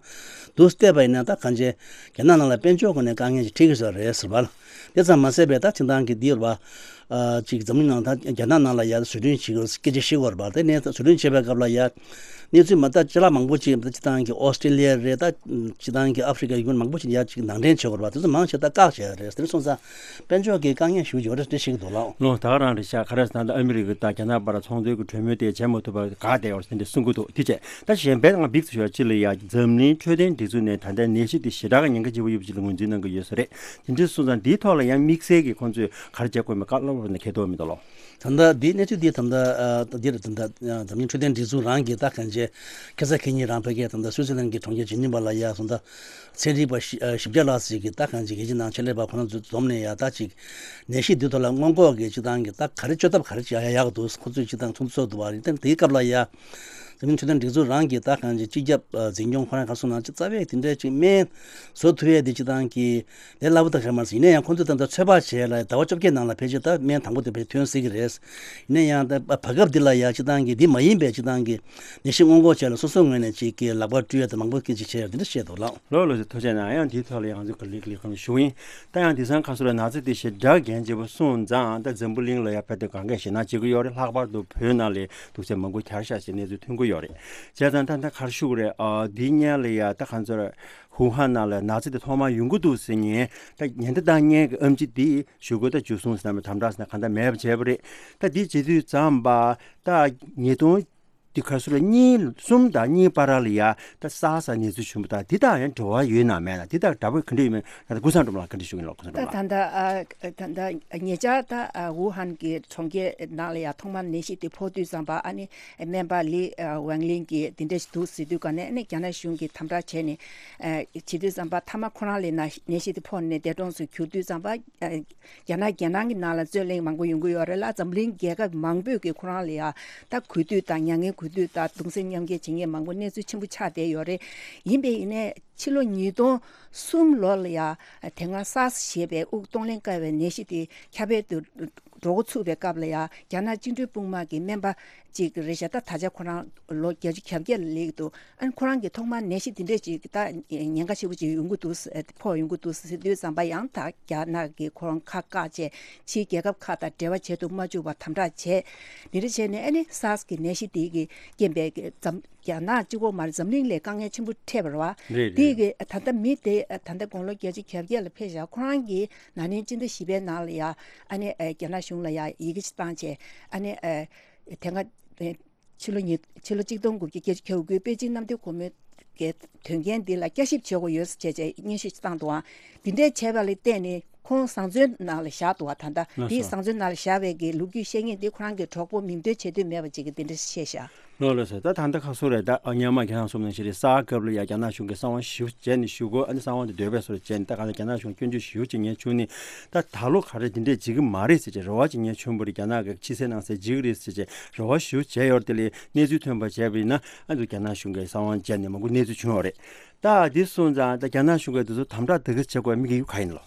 འདུག་བལྟས་པ་ཡིན་ན་ད་གང་བྱས། རྒྱ་ནག་ནང་ལ་དཔལ་འབྱོར་སྒོ་ནས་དཀའ་ངལ་ཅིག་འཕྲད་ཀྱི་ཡོད་རེད་ཟེར་བ་ལ། དེ་ཙམ་མ་ཟད་པའི་ད་ཐེངས་དང་གི་འདི་ཡོད་པ། ཨ་ཅིག་འཛམ་གླིང་ནང་ད་རྒྱ་ནག་ནང་ལ་ཡ་བཟོ་སྐྲུན་བྱེད་དགོས་སྐད་ཆ་བཤད་ཀྱི་ཡོད་རེད་པ། དེ་ནས་བཟོ་སྐྲུན་བྱེད་པའི་སྐབས་ལ་ཡ་གནས་ཚུལ་མ་ད་ཅ་ལག་མང་པོ་ཅིག་ད་སྤྱིར་བཏང་གི་ཨོ་སི་ཀྲི་ལི་ཡ་རེད། ད་སྤྱིར་བཏང་གི་ཨ་ཧྥི་རི་ཀ་ཡུལ་མང་པོ་ཅིག་ཡ་ཅིག་ནང་འདྲེན་བྱེད་ཀྱི་ཡོད་རེད་པ། དེ་ཚོ་མང་ཆེ་ད་བཀག་བྱས་ཡོད་རེད། དེ་འདྲ་སོང་ཙང་དཔལ་འབྱོར་གྱི་དཀའ་ངལ་ཞེ་པོ་ཅིག་ཡོད་རེད་ཅེས་བཤད་ཀྱི་འདུག་ལགས། ལོ་ད་ག་རང་རེད་ཤག་ག་རེ་ཟེར་ན། ད་ཨ་མི་རི་ཀ་དང་རྒྱ་ནག་བར་ཚོང་དོན་གྱི་གྲོས་མོལ་དེ་བྱེད་མ་ཐུབ་པར་འགག་བསྡད་ཡོད་རེད་ཟེར་འདི་གསུང་གི་འདུག་དེ་བྱས་ད་གཞན་པའི་ང་འབིགས་སུ་ཡོད་ཅི་ལ་ཡ། འཛམ་གླིང་འཕྲོད་བསྟེན་སྒྲིག་འཛུགས་ནས་ད་ལྟའི་ནད་གཞི་དེ་ཞེ་དྲག་གི་ཉེན་ཁ་ཆེན་པོ་ཡོད་པ་ཅིག་ལ་ངོས་འཛིན་གནང་གི་ཡོད་ས་རེད། དེ་འདྲ་སོང་ཙང་འདིའི་ཐོག་ལ་ཡང་དམིགས་བསལ་གྱི་ཁོང་ཚོས་ག་རེ་བྱེད་དགོས་མེད་བཀའ་སློབ་རོགས་གནང་། ཁྱེད་ཐོག་མི་འདུག་ལོ། ད་ལྟ་འདིའི་གནས་ཚུལ་འདི་ད་ལྟ་ཨ་འདིར་ད་ལྟ་འཛམ་གླིང་འཕྲོད་བསྟེན་སྒྲིག་འཛུགས་རང་གིས་ད་གང་བྱས། ཁ་སང་ཁ་ཉིན་རང་ཕ་གིར་ད་ལྟ་སུའི་ཙི་ལན་གྱི་གྲོང་ཁྱེར་ཇི་ནི་ཝ་ལ་ཡ་སོང་ད། ཚན་རིག་པ་བཞི་ཨ་བཞི་བརྒྱ་ལྷག་ཙམ་གྱིས་ད་གང་ཅིག་གལ་ཆེ་ནང་ཆེད་ལས་པ་ཁོ་རང་ཚོ་འཛོམས་ནས་ཡ་ད་ཅིག་ནད་གཞི་འདི་ཐོག་ལ་སྔོན་འགོག་གི་སྤྱིར་བཏང་གི་ད་ག་རེ་བཅོས་ཐབས་ག་རེ་བྱ་ཡ་ཡག་འདུག་ཁོ་ཚོས་སྤྱིར་བཏང་ཚོགས་འདུ་ཚོགས་འདུག་བ་རེད། ད་དེའི་སྐབས་ལ་ཡ་འཛམ་གླིང་འཕྲོད་བསྟེན་སྒྲིག་འཛུགས་རང་གིས་ད་གང་ཅིག་སྤྱི་ཁྱབ་ཨ་འཛིན་སྐྱོང་ཁོ་རང་ག་རེ་གསུངས་ན། ཅིག་རྩ་བའི་དེ་འདྲའི་ཅིག་སྨན་བཟོ་ཐུབ་ཡས་དེ་སྤྱིར་བཏང་གི་ལས་སླ་པོ་ད་ག་རེ་མ་རེད། ཡིན་ན་ཡང་ཁོ་ཚོས་ད་ལྟ་ཚོད་དཔག་བྱས་ལ་ཟླ་བ་བཅོ་བརྒྱད་ནང་ལ་ཕལ་ཆེར་ད་སྨན་དང་པོ་དེ་ཕལ་ཐོན་སྲིད་ཀྱི་རེད། ཡིན་ན་ཡང་ད་བར་སྐབས་འདི་ལ་ཡ་སྤྱིར་བཏང་གི་འདི་མ་ཡིན་པའི་སྤྱིར་བཏང་གི་ནད་གཞི་སྔོན་འགོག་བྱས་ལ་སོ་སོའི་ངོས་ནས་ཅིག་གི་ལག་པ་བཀྲུ་ཡ་དང་མང་པོ་སྐད་ཆ་བྱས་ཡ་དེ་འདྲ་བཤད་འདུག་ལགས། ལོ་ལོ་ཞེས་ཐུགས་རྗེ་གནང་། ཡང་དེའི་ཐོག་ལ་ཡང་ང་ཚོས་ག་ལེར་ལས་ཁུངས་ཞུ་ཡིན། ད་ཡང་དེང་སང་ཁ་སོ་ལ་ན་ཚ་དེ་ཞེ་དྲག་འགན་ཆེ་པོ་སོང་ཙང་། ད་འཛམ་བུ་གླིང་ལ་ཡང་ཕལ་དུ་གང་གས་ཞེད་སྣང་བྱེད་ཀྱི་ཡོད་རེད། ལྷག་པར་དུ་བོད་ནང་ལ་དུག་སེལ་མང་པོ་གྱར་ཤག་ཅེས་གནས་ཚུལ་ཐོན་གྱི་ཡོད་རེད། བྱས་ཙང་ད་ད་ག་རེ་ཞུ་དགོས་རེད། ཨ་འདི་སྔོན་ལ་ཡ་ད་ཁ་སོ་ཧུ་ཧན་ནང་ལ་ན་ཚ་དེ་ཐོག་མར་ཡོང་གི་འདུག་ཟེར་མཁན། ད་ཉེན་བརྡ་བཏང་མཁན་གྱི་ཨེམ་ཆི་དེ་ཞུ་སྒོ་ད་འཇུ་བཟུང་ཟེར་ན་མེད། དམ་དྲག་ཟེར་ན་གང་ལྟར་མེད་པ་བྱས་པ་རེད། ད་འདི་བྱེད་དུས་ཙམ་པ་ད་ཉིས་སྟོང་འདི་ཁ་སོ་ལ་གཉིས་གསུམ་དང་གཉིས་བར་ལ་ཡ་ད་སཱར་སི་གནས་ཚུལ་བྱུང་བ་དང་། འདི་དང་ཡང་འབྲེལ་བ་ཡོད་ན་མེད་ན། འདི་དང་འདྲ་པོ་ག་འདྲ་ཡོད་མེད་ད་ཀུན་བཟང་སྒྲོལ་མ་ལགས་ག་འདྲ་ཞུ་གི་ཡིན་ལགས། ཀུན་བཟང་སྒྲོལ་མ་ལགས། ད་ད་ལྟ་ཨ་ད་ལྟ་ཉེ་ཆར་ད་ཨ་ཝུ་ཧན་གྱི་གྲོང་ཁྱེར་ནང་ལ་ཡ་ཐོག་མར་ནད་གཞི་དེ་ཕོག་དུས་ཙམ་པ། ཨ་ནི་སྨན་པ་ལི་ཨ་ཝང་ལིན་གྱིས་འདི་འདྲ་ཞིག་འདུག་ཟེར་དུས་ག་ནས། ཨ་ནི་རྒྱ་ནག་གཞུང་གིས་དམ་དྲག་བྱས་ནས་ཨ་བྱེད་དུས་ཙམ་པ། མཐའ་མ་ཁོ་རང་ལ་ན་ནད་གཞི་དེ་ཕོག་ནས་འདས་གྲོངས་སུ་གྱུར་དུས་ཙམ་པ། ཨ་རྒྱ་ནག་རྒྱལ་ནང་གི་ནང་ལ་རྩོད་གླེང་མང་པོ་ཡོང་གི་ཡོད་རེད་ལ། འཛམ་གླིང་རྒྱལ་ཁབ་མང་པོས་ཀྱིས་ཁོ་རང་ལ་ཡ་ད་གུས་འདུད་དང་མྱ་ངན་གུས་འདུད་དང་གདུང་སེམས་མཉམ་སྐྱེད་བྱེད་མཁན་མང་པོ་གནས་ཚུལ་ཆེན་པོ་ཆགས་བསྡད་ཡོད་རེད། ཡིན་པས་ཡིན་ནའི་ཕྱི་ལོ་ཉིས་སྟོང་གསུམ་ལོ་ལ་ཡ་དེ་སྔ་སཱར་སི་ཞེས་པའི་དབུགས་གཏོང་ལེན་དཀའ་བའི་ནད་གཞི་དེ་ཁྱབ་སྤེལ་དུ་འགྲོ་འགོ་ཚུགས་པའི་སྐབས་ལ་ཡ། རྒྱ་ནག་བཅིངས་འགྲོལ་དཔུང་དམག་གི་སྨན་པ་ཅིག་རེད་ཤག་ད་ད་ཆ་ཁོ་རང་ལོ་བརྒྱད་ཅུ་གྱ་བརྒྱད་ལ་སླེབས་འདུག་ཨ་ནི་ཁོ་རང་གིས་ཐོག་མར་ནད་གཞི་འདི་འདྲས་ཅིག་ད་ཉེན་ཁ་ཆེ་པོ་ཅིག་ཡོང་གི་འདུག་ཟེར། ཕོག་ཡོང་གི་འདུག་ཟེར་དུས་ཙམ་པ། ཡང་ད་རྒྱ་ནག་གིས་ཁོ་རང་ཁ་བཀག་བྱས། ཕྱིའི་རྒྱལ་ཁབ་ཁག་དང་འབྲེལ་བ་བྱེད་དུ་མ་བཅུག་པར་དམ་དྲག་བྱས། འདི་འདྲ་བྱས་ནས་ཨ་ནི་སཱར་སི་གི་ནད་གཞི་དེ་གི་རྐྱེན་པས་འཛམ་རྒྱ་ནག་གཅིག་པོ་མ་རེད། འཛམ་གླིང་ལ་དཀའ་ངལ་ཆེན་པོ་འཕྲད་པ་རེད་བ། རེད་རེད། དེ་གི་ད་ལྟ་མི་དེ་ད་ལྟ་དགུང་ལོ་བརྒྱད་ཅུ་གྱ་བརྒྱད་ལ་ཕེབས་ཤག་ཁོ་རང་གིས་ན་ནིང་སྤྱི་ཟླ་བཞི་པའི་ནང་ལ་ཡ་ཨ་ནི་ཨ་རྒྱ་ནག་གཞུང་ལ་ཡ་ཡི་གེ་ཞིག་བཏང་བྱས། ཨ་ནི་ཨ་དེ་སྔ་ཕྱི་ལོ་ཉིས་ཕྱི་ལོ་གཅིག་སྟོང་དགུ་བརྒྱ་བརྒྱད་ཅུ་གྱ་དགུའི་པེ་ཅིང་གནམ་བདེ་སྒོ་མོའི་གི་དོན་རྐྱེན་འདི་ལ་བསྐྱར་ཞིབ་བྱེད་དགོས་ཡོད་ཟེར་བྱས་བྱས་སྙན་ཞུ་ཞིག་བཏང་འདུག་ཨང་། འདི་འདྲས་བྱས་པ་ལ་བརྟེན་ནས་ཁོང་བཟང་བཙོན་ནང་ལ་བཞག་འདུག་ཨ། ད་ལྟ་ལགས་འདི་སོ། བཟང་བཙོན་ནང་ལ་བཞག་པའི་གི་ལོ་རྒྱུས་བཤད་མཁན་འདི་ཁོ་རང་གི་གྲོགས་པོ་མིང་འདོན་བྱེད་འདོད་མེད་པ་ཅིག་གིས་འདི་འདྲ་བཤད་ཤག་ལགས་ལགས་སོ། ད་ད་ལྟ་ཁ་སོ་རེད། ད་ཨ་སྔོན་མ་ཁྱེད་རང་གསུངས་ནང་བཞིན་རེད། གསར་སྐབས་ལ་ཡ་རྒྱ་ནག་གཞུང་གིས་གསང་བ་ཞེ་པོ་བྱས་ནས་ཞུ་དགོས། ཨ་ནི་གསང་བ་འདི་འདོད་པའི་བཟོ་འདྲ་བྱས་ནས། ད་ག་ལ་རྒྱ་ནག་གཞུང་སྐྱོན་བརྗོད་ཞེ་པོ་བྱེད་མཁན་བྱུང་ནས། ད་ད་ལོ་ག་རེ་འདི་འདྲས་བྱེད་ཀྱི་མ་རེད་ཟེར་བྱས་རེ་བ་བྱེད་མཁན་བྱུང་བ་རེད། རྒྱ་ནག་གི་ཕྱི་གསལ་ནང་གསལ་བྱེད་ཀྱི་རེད་ཟེར་བྱས་རེ་བ་ཞེ་པོ་བྱས་ཡོད་རེད། དེ་ལས་གནས་ཚུལ་ཐོན་པ་བྱས་པ་ཡིན་ན། ཨ་ནི་རྒྱ་ནག་གཞུང་གིས་གསང་བ་བྱས་ནས་མང་པོ་གནས་ཚུལ་བྱུང་ཡོད་རེད། ད་འདི་སོང་ཙང་ད་རྒྱ་ནག་གཞུང་གིས་འདི་ཚོ་དམ་དྲག་ད་ག་བྱེད་དགོས་དམིགས་ཡུལ་ག་ཡིན་ལོ།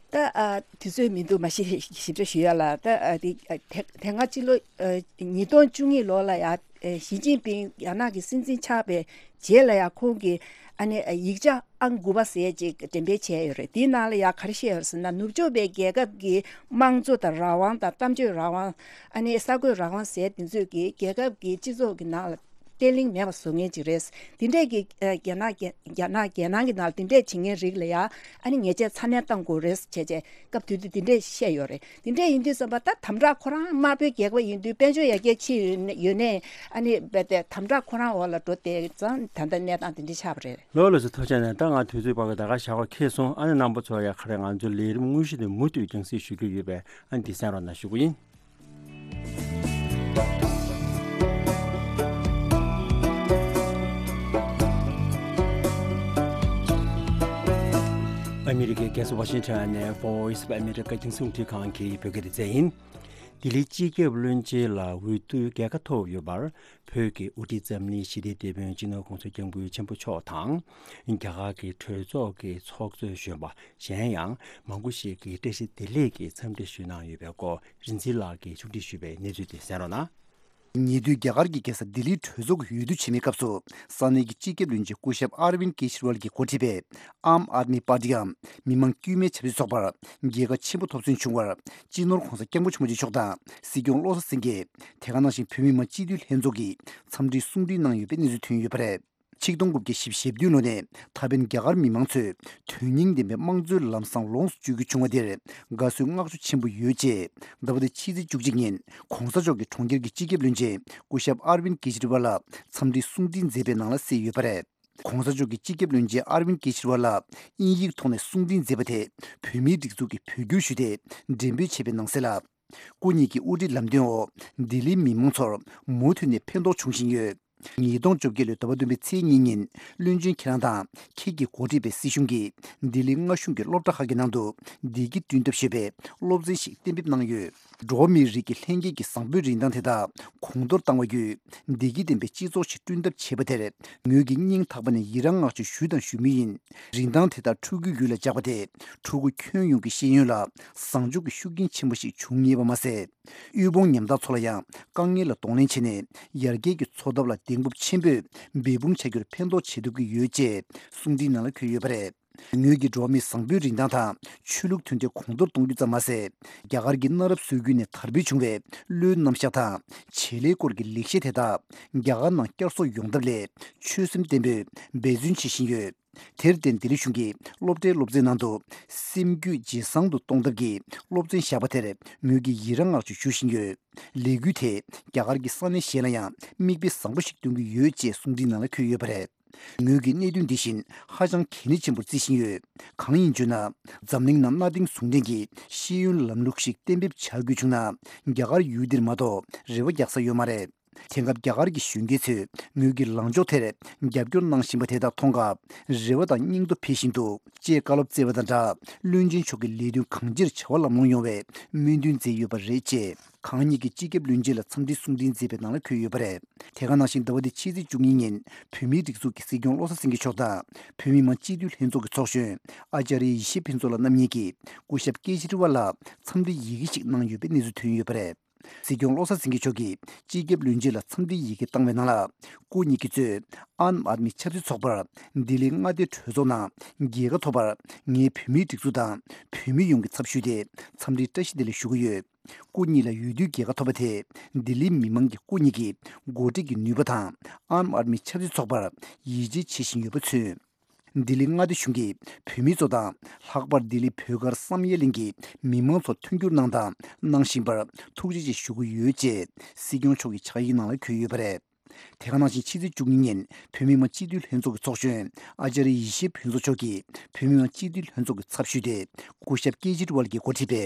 ད་ཨ་དུས་ཚོད་མི་འདུག་མ་གཞི་ཞིབ་ཕྲ་ཞུ་ཡ་ལ། ད་ཨ་དེ་ཨ་དེ་དེ་སྔ་ཕྱི་ལོ་ཨ་ཉིས་སྟོང་བཅུ་གཉིས་ལོ་ལ་ཡ། ཨ་ཞི་ཅིན་ཕིང་རྒྱ་ནག་གི་སྲིད་འཛིན་ཆགས་པའི་རྗེས་ལ་ཡ་ཁོང་གིས་ཨ་ནི་ཨ་ཡིག་ཆ་ཨང་དགུ་པ་ཟེར་ཅིག་འགྲེམས་སྤེལ་བྱས་ཡོད་རེད། དེའི་ནང་ལ་ཡ་ག་རེ་བཤད་ཡོད་ཟེར་ན། ནུབ་ཕྱོགས་པའི་རྒྱལ་ཁབ་ཀྱི་དམངས་གཙོ་དང་རང་དབང་དང་། གཏམ་བརྗོད་རང་དབང་། ཨ་ནི་གསར་འགོད་རང་དབང་ཟེར་དེ་ཚོས་ཀྱིས་རྒྱལ་ཁབ་ཀྱི་སྤྱི་ཚོགས་ཀྱི་ནང་ལ་ བརྟན་བརླིང་མེད་པ་བཟོ་མཁན་ཅིག་རེད། འདི་འདྲས་ཀྱི་ཨ་རྒྱ་ནག་རྒྱ་རྒྱ་ནག་རྒྱལ་ནང་གི་ནང་འདི་འདྲས་བྱེད་མཁན་རིགས་ལ་ཡ་ཨ་ནི་ཉེས་ཆད་ཚ་ནན་གཏང་དགོས་རེད་བྱས་བྱས་སྐབས་དུས་དུས་འདི་འདྲས་བཤད་ཡོད་རེད། འདི་འདྲས་ཡིན་དུས་ཙམ་པ་ད་དམ་དྲག་ཁོ་རང་དམར་པོའི་རྒྱལ་ཁབ་ཡིན་དུས་དཔལ་འབྱོར་ཡར་རྒྱས་ཕྱིན་ཡོད་ནས་ཡོད་ནས་ཨ་ནི་རྦད་དེ་དམ་དྲག་ཁོ་རང་འོག་ལ་འགྲོ་བསྡད་ཙང་ད་ལྟ་གནས་སྟངས་འདི་འདྲས་ཆགས་པ་རེད། ལོ་ལ་སུ་ཐུགས་རྗེ་ཆེ། ད་ང་དུས་ཚོད་བར་བའི་ད་ག་ཞག་པ་ཁེལ་སོང་། ཨ་ནི་རྣམ་པ་ཚོ་ཡ་ག་རེ་ང་ཚོའི་ལས་རིམ་དངོས་གཞི་དེ་མུ་མཐུད་རྒྱང་སྲིང་ཞུ་རྒྱུ་ཡོད་པས་ཨ་ནི་འདི་གསན་རོགས་གནང་ཞུ་གི་ཡིན། ཨ་མི་རི་ཀའི་རྒྱལ་ས་ཝ་ཤིང་ཊོན་ནས་Voice of America རྒྱང་སྲིང་རླུང་འཕྲིན་ཁང་གི་བོད་སྐད་སྡེ་ཚན་ཡིན། ལྡི་ལི་སྤྱི་ཁྱབ་བློན་ཆེན་ལ་འོས་བསྡུ་རྒྱལ་ཁ་ཐོབ་ཡོད་པར། བོད་ཀྱི་དབུ་ཁྲིད་འཛམ་གླིང་ཞི་བདེའི་དེད་དཔོན་སྤྱི་ནོར་གོང་ས་སྐྱབས་མགོན་ཆེན་པོ་མཆོག་དང་། རྒྱ་གར་གྱི་གྲོས་ཚོགས་ཀྱི་ཚོགས་གཙོས་གཞོན་པ་གཞན་ཡང་མང་པོ་ཞིག་གིས་བཀྲ་ཤིས་བདེ་ལེགས་ཀྱི་འཚམས་འདྲི་ཞུས་གནང་ཡོད་པའི་སྐོར་རིན་འཛིན་ལགས་ཀྱིས་ཕྱོགས་སྒྲིག་ཞུས་པའི་གནས་ཚུལ་དེ་གསན་རོགས་གནང་། ཉེ་དུས་རྒྱ་གར་གྱི་རྒྱལ་ས་ལྡི་ལིའི་གྲོས་ཚོགས་ཀྱི་འོས་བསྡུ་བྱེད་མིའི་སྐབས་སུ་ས་གནས་ཀྱི་སྤྱི་ཁྱབ་བློན་ཆེན་སྐུ་ཞབས་ཨར་ཝིན་ཀེ་ཇི་རི་ཝལ་གྱིས་འགོ་ཁྲིད་པའི་ཨམ་ཨཱད་མི་པར་ཏི་འམ་མི་མང་དཀྱུས་མའི་ཆབ་སྲིད་ཚོགས་པར་རྒྱལ་ཁ་ཆེན་པོ་ཐོབ་ཚུལ་བྱུང་བར་སྤྱི་ནོར་གོང་ས་སྐྱབས་མགོན་ཆེན་པོ་མཆོག་དང་སྲིད་སྐྱོང་བློ་བཟང་སེང་གེ། དེ་ག་ནང་བཞིན་བོད་མི་མང་སྤྱི་འཐུས་ལྷན་ཚོགས་ཀྱིས་འཚམས་འདྲིའི་གསུང་འཕྲིན་གནང་ཡོད་པའི་གནས་ཚུལ་ཐོན་ཡོད་པ་རེད། ཆིག་སྟོང་དགུ་བརྒྱ་བཞི་བཅུ་ཞེ་བདུན་ལོ་ནས་ད་ཕན་རྒྱ་གར་མི་མང་ཚོས་དོན་སྙིང་ལྡན་པའི་དམངས་གཙོའི་ལམ་བཟང་ལོངས་སུ་སྤྱོད་རྒྱུ་བྱུང་བ་དེར་དགའ་བསུའི་བསྔགས་བརྗོད་ཆེན་པོ་ཡོད་ཅེས་ཟླ་བ་འདིའི་ཕྱི་ཚེས་བཅུ་གཅིག་ཉིན་གོང་ས་མཆོག་གིས་གྲོང་ཁྱེར་གྱི་སྤྱི་ཁྱབ་བློན་ཆེན་སྐུ་ཞབས་ཨར་ཝིན་ཀེ་ཇི་རི་ཝལ་ལ་འཚམས་འདྲིའི་གསུང་འཕྲིན་མཛད་པའི་ནང་ལ་གསལ་ཡོད་པ་རེད། གོང་ས་མཆོག་གིས་སྤྱི་ཁྱབ་བློན་ཆེན་ཨར་ཝིན་ཀེ་ཇི་རི་ཝལ་ལ་དབྱིན་ཡིག་ཐོག་ནས་གསུང་འཕྲིན་མཛད་པ་དེ་བོད་མིའི་སྒྲིག་འཛུགས་ཀྱི་བོད་བསྒྱུར་ཞུས་ཏེ་འགྲེམས་སྤེལ་བྱས་པའི་ནང་གསལ་ལ། སྐུ་ཉིད་ཀྱི་དབུ་ཁྲིད་ལམ་སྟོན་འོག་ལྡི་ལིའི་མི་མང་ཚོར་མུ་མཐུད་ནས་ཕན་ཐོགས་བྱུང་བཞིན་ཡོད། ཉིས་སྟོང་བཅོ་བརྒྱད་ལོའི་ཟླ་བ་བདུན་པའི་ཚེས་གཉིས་ཉིན་བློན་ཆེན་ཁྱེད་རང་དང་ཁྱེད་ཀྱིས་འགོ་ཁྲིད་པའི་སྲིད་གཞུང་གིས་ལྡི་ལི་མངའ་གཞུང་གི་སློབ་གྲྭ་ཁག་གི་ནང་དུ་བདེ་སྐྱིད་བསྐྲུན་ཐབས་ཞེས་པའི་སློབ་ཚན་ཞིག་གཏན་འབེབས་གནང་ཡོད། འགྲོ་བ་མིའི་རིགས་ཀྱི་ལྷན་སྐྱེས་ཀྱི་བཟང་པོའི་རིན་ཐང་དེ་དག་གོང་མཐོར་བཏང་བ་བརྒྱུད་བདེ་སྐྱིད་ལྡན་པའི་སྤྱི་ཚོགས་ཤིག་བསྐྲུན་ཐབས་བྱེད་པ་དེར་ངོས་ཀྱིས་སྙིང་ཐག་པ་ནས་ཡི་རང་བསྔགས་བརྗོད་ཞུས་དང་ཞུ་མུས་ཡིན། རིན་ཐང་དེ་དག་ཕྲུ་གུའི་རྒྱུད་ལ་འཇགས་པ་དེ་ཕྲུ་གུ་ཁྱོན་ཡོངས་ཀྱི་ཤེས་ཡོན་ལ་བཟང་ཕྱོགས་ཀྱི་ཤུགས་རྐྱེན་ཆེན་པོ་ཞིག་འབྱུང་ངེས་པ་མ་ཟད། དབུལ་ཕོངས་ཉམ་ཐག་ཚོ་ལ་ཡང་དཀའ་ངལ་ལ་གདོང་ལེན་བྱས་ནས་ཡར་རྒྱས་ཀྱི་འཚོ་ཐབས་ལ་གདེང་སྤོབས་ཆེན་པོས་འབད་འབུངས་བྱ་རྒྱུར་ཕན་ཐོགས་བྱེད་ཐུབ་ཀྱི་ཡོད་ཅེས་གསུང་འཕྲིན་ནང་ལ་འཁོད་ཡོད་པ་རེད། ངོས་ཀྱིས་འགྲོ་བ་མིའི་བཟང་པོའི་རིན་ཐང་དང་ཆོས་ལུགས་མཐུན་སྒྲིལ་གོང་མཐོར་གཏོང་རྒྱུ་ཙམ་མ་ཟད། རྒྱ་གར་གྱི་གནའ་རབས་སྲོལ་རྒྱུན་ནས་དར་འཕེལ་བྱུང་བའི་བློའི་རྣམ་གཞག་དང་བྱེད་ལས་སྐོར་གྱི་ལེགས་བཤད་དེ་དག་རྒྱ་གར་ནང་བསྐྱར་གསོ་ཡོང་ཐབས་སླད་ཆོད་སེམས་བརྟན་པོས་འབད་བརྩོན་བྱེད་བཞིན་ཡོད། དེར་བརྟེན་ལྡི་ལི་གཞུང་གིས་སློབ་གྲྭའི་སློབ་ཚན་ནང་དུ་སེམས་རྒྱུད་ཇེ་བཟང་དུ་གཏོང་ཐབས་ཀྱི་སློབ་ཚན་བཞག་པ་དེར་ངོས་ཀྱིས་ཡི་རང་བསྔགས་བརྗོད་ཞུ་བཞིན་ཡོད། ལས་འགུལ་དེས་རྒྱ་གར་གྱི་ས་གནས་གཞན་ལ་ཡང་མིག་དཔེ་བཟང་པོ་ཞིག་སྟོན་གྱི་ཡོད་ཅེས་གསུང་འཕྲིན་ནང་ལ་འཁོད་ཡོད་པ་རེད། ངོས་ཀྱིས་གནད་དོན་འདི་བཞིན་ཧ་ཅང་གལ་གནད་ཆེན་པོར་བརྩི་བཞིན་ཡོད། གང་ཡིན་ཞུ་ན། འཛམ་གླིང་ནང་གནའ་དེང་ཟུང་ལྡན་གྱི་ཤེས་ཡོན་ལམ་ལུགས་ཤིག་གཏན་འབེབས་བྱ་དགོས་བྱུང་ན། རྒྱ་གར་ཡུལ་འདིར་མ་གཏོགས་རེ་བ་རྒྱག་ས་ཡོད་མ་རེད། དེང་སྐབས་རྒྱ་གར་གྱི་གཞོན་སྐྱེས་ཚོས་ངོས་ཀྱི་ལངས་ཕྱོགས་དེར་རྒྱབ་སྐྱོར་གནང་བཞིན་པ་དེ་དག་མཐོང་སྐབས་རེ་བ་དང་སྙིང་སྟོབས་འཕེལ་བཞིན་འདུག་ཅེས་བཀའ་སློབ་སྩལ་བ་དང་སྦྲགས། བློན་ཆེན་མཆོག་གི་ལས་དོན་གང་ཅིར་བྱ་བ་ལམ་ལྷོང་ཡོང་བའི་སྨོན་འདུན་མཛད་ཡོད་པ་རེད། ཅེས་གང་ཉིད་ཀྱིས་སྤྱི་ཁྱབ་བློན་ཆེན་ལ་འཚམས་འདྲིའི་གསུང་འཕྲིན་མཛད་པའི་ནང་ལ་འཁོད་ཡོད་པ་རེད། དེ་ག་ནང་བཞིན་ཟླ་བ་འདིའི་ཕྱི་ཚེས་བཅུ་གཉིས་ཉིན་བོད་མིའི་སྒྲིག་འཛུགས་ཀྱི་སྲིད་སྐྱོང་བློ་བཟང་སེང་གེ་མཆོག་དང་བོད་མི་མང་སྤྱི་འཐུས་ལྷན་ཚོགས་ཀྱི་ཚོགས་གཞོན་ཨ་ཅཱ་རི་ཡེ་ཤེས་ཕུན་ཚོགས་ལགས་རྣམ་གཉིས་ཀྱིས་སྐུ་ཞབས་ཀེ་ཇི་རི་ཝལ་ལ་འཚམས་འདྲིའི་ཡི་གེ་ཞིག་གནང་ཡོད་པའི་གནས་ཚུལ་ཐོན་ཡོད་པ་རེད། སྲིད་སྐྱོང་བློ་བཟང་སེང་གེ་མཆོག་གིས་སྤྱི་ཁྱབ་བློན་ཆེན་ལ་འཚམས་འདྲིའི་ཡི་གེ་བཏང་བའི་ནང་ལ། སྐུ་ཉིད་ཀྱིས་གཙོས་ཨམ་ཨཱད་མི་ཆབ་སྲིད་ཚོགས་པར་ལྡི་ལི་མངའ་སྡེའི་གྲོས་ཚོགས་ནང་རྒྱལ་ཁ་ཐོབ་པར་ངས་བོད་མིའི་སྒྲིག་འཛུགས་དང་བོད་མི་ཡོངས་ཀྱི་ཚབ་ཞུས་ཏེ་འཚམས་འདྲིའི་བཀྲ་ཤིས་བདེ་ལེགས་ཞུ་གི་ཡོད། སྐུ་ཉིད་ལ་འོས་བསྡུའི་རྒྱལ་ཁ་ཐོབ་པ་དེས་ལྡི་ལིའི་མི་མང་གིས་སྐུ་ཉིད་ཀྱི་འགོ་ཁྲིད་ཀྱི་ནུས་པ་དང་ཨམ་ཨཱད་མི་ཆབ་སྲིད་ཚོགས་པར་ཡིད་ཆེས་བྱེད་བཞིན་ཡོད་པ་མཚོན། ལྡི་ལི་མངའ་སྡེ་གཞུང་གིས་བོད་མི་ཚོ་དང་ལྷག་པར་ལྡི་ལི་བོད་སྒར་བསམ་ཡས་གླིང་གི་མི་མང་ཚོར་མཐུན་འགྱུར་གནང་དང་གནང་བཞིན་པར་ཐུགས་རྗེ་ཆེ་ཞུ་གི་ཡོད་ཅེས་སྲིད་སྐྱོང་མཆོག་གི་ཕྱག་ཡིག་ནང་ལ་འཁོད་ཡོད་པ་རེད། དེ་ག་ནང་བཞིན་ཕྱི་ཚེས་བཅུ་གཉིས་ཉིན་བོད་མི་མང་སྤྱི་འཐུས་ལྷན་ཚོགས་ཀྱི་ཚོགས་གཞོན་ཨ་ཅཱ་རི་ཡེ་ཤེས་ཕུན་ཚོགས་མཆོག་གིས་བོད་མི་མང་སྤྱི་འཐུས་ལྷན་ཚོགས་ཀྱི་ཚབ་ཞུས་ཏེ་སྐུ་ཞབས་ཀེ་ཇི་རི་ཝལ་གྱིས་འགོ་ཁྲིད་པའི་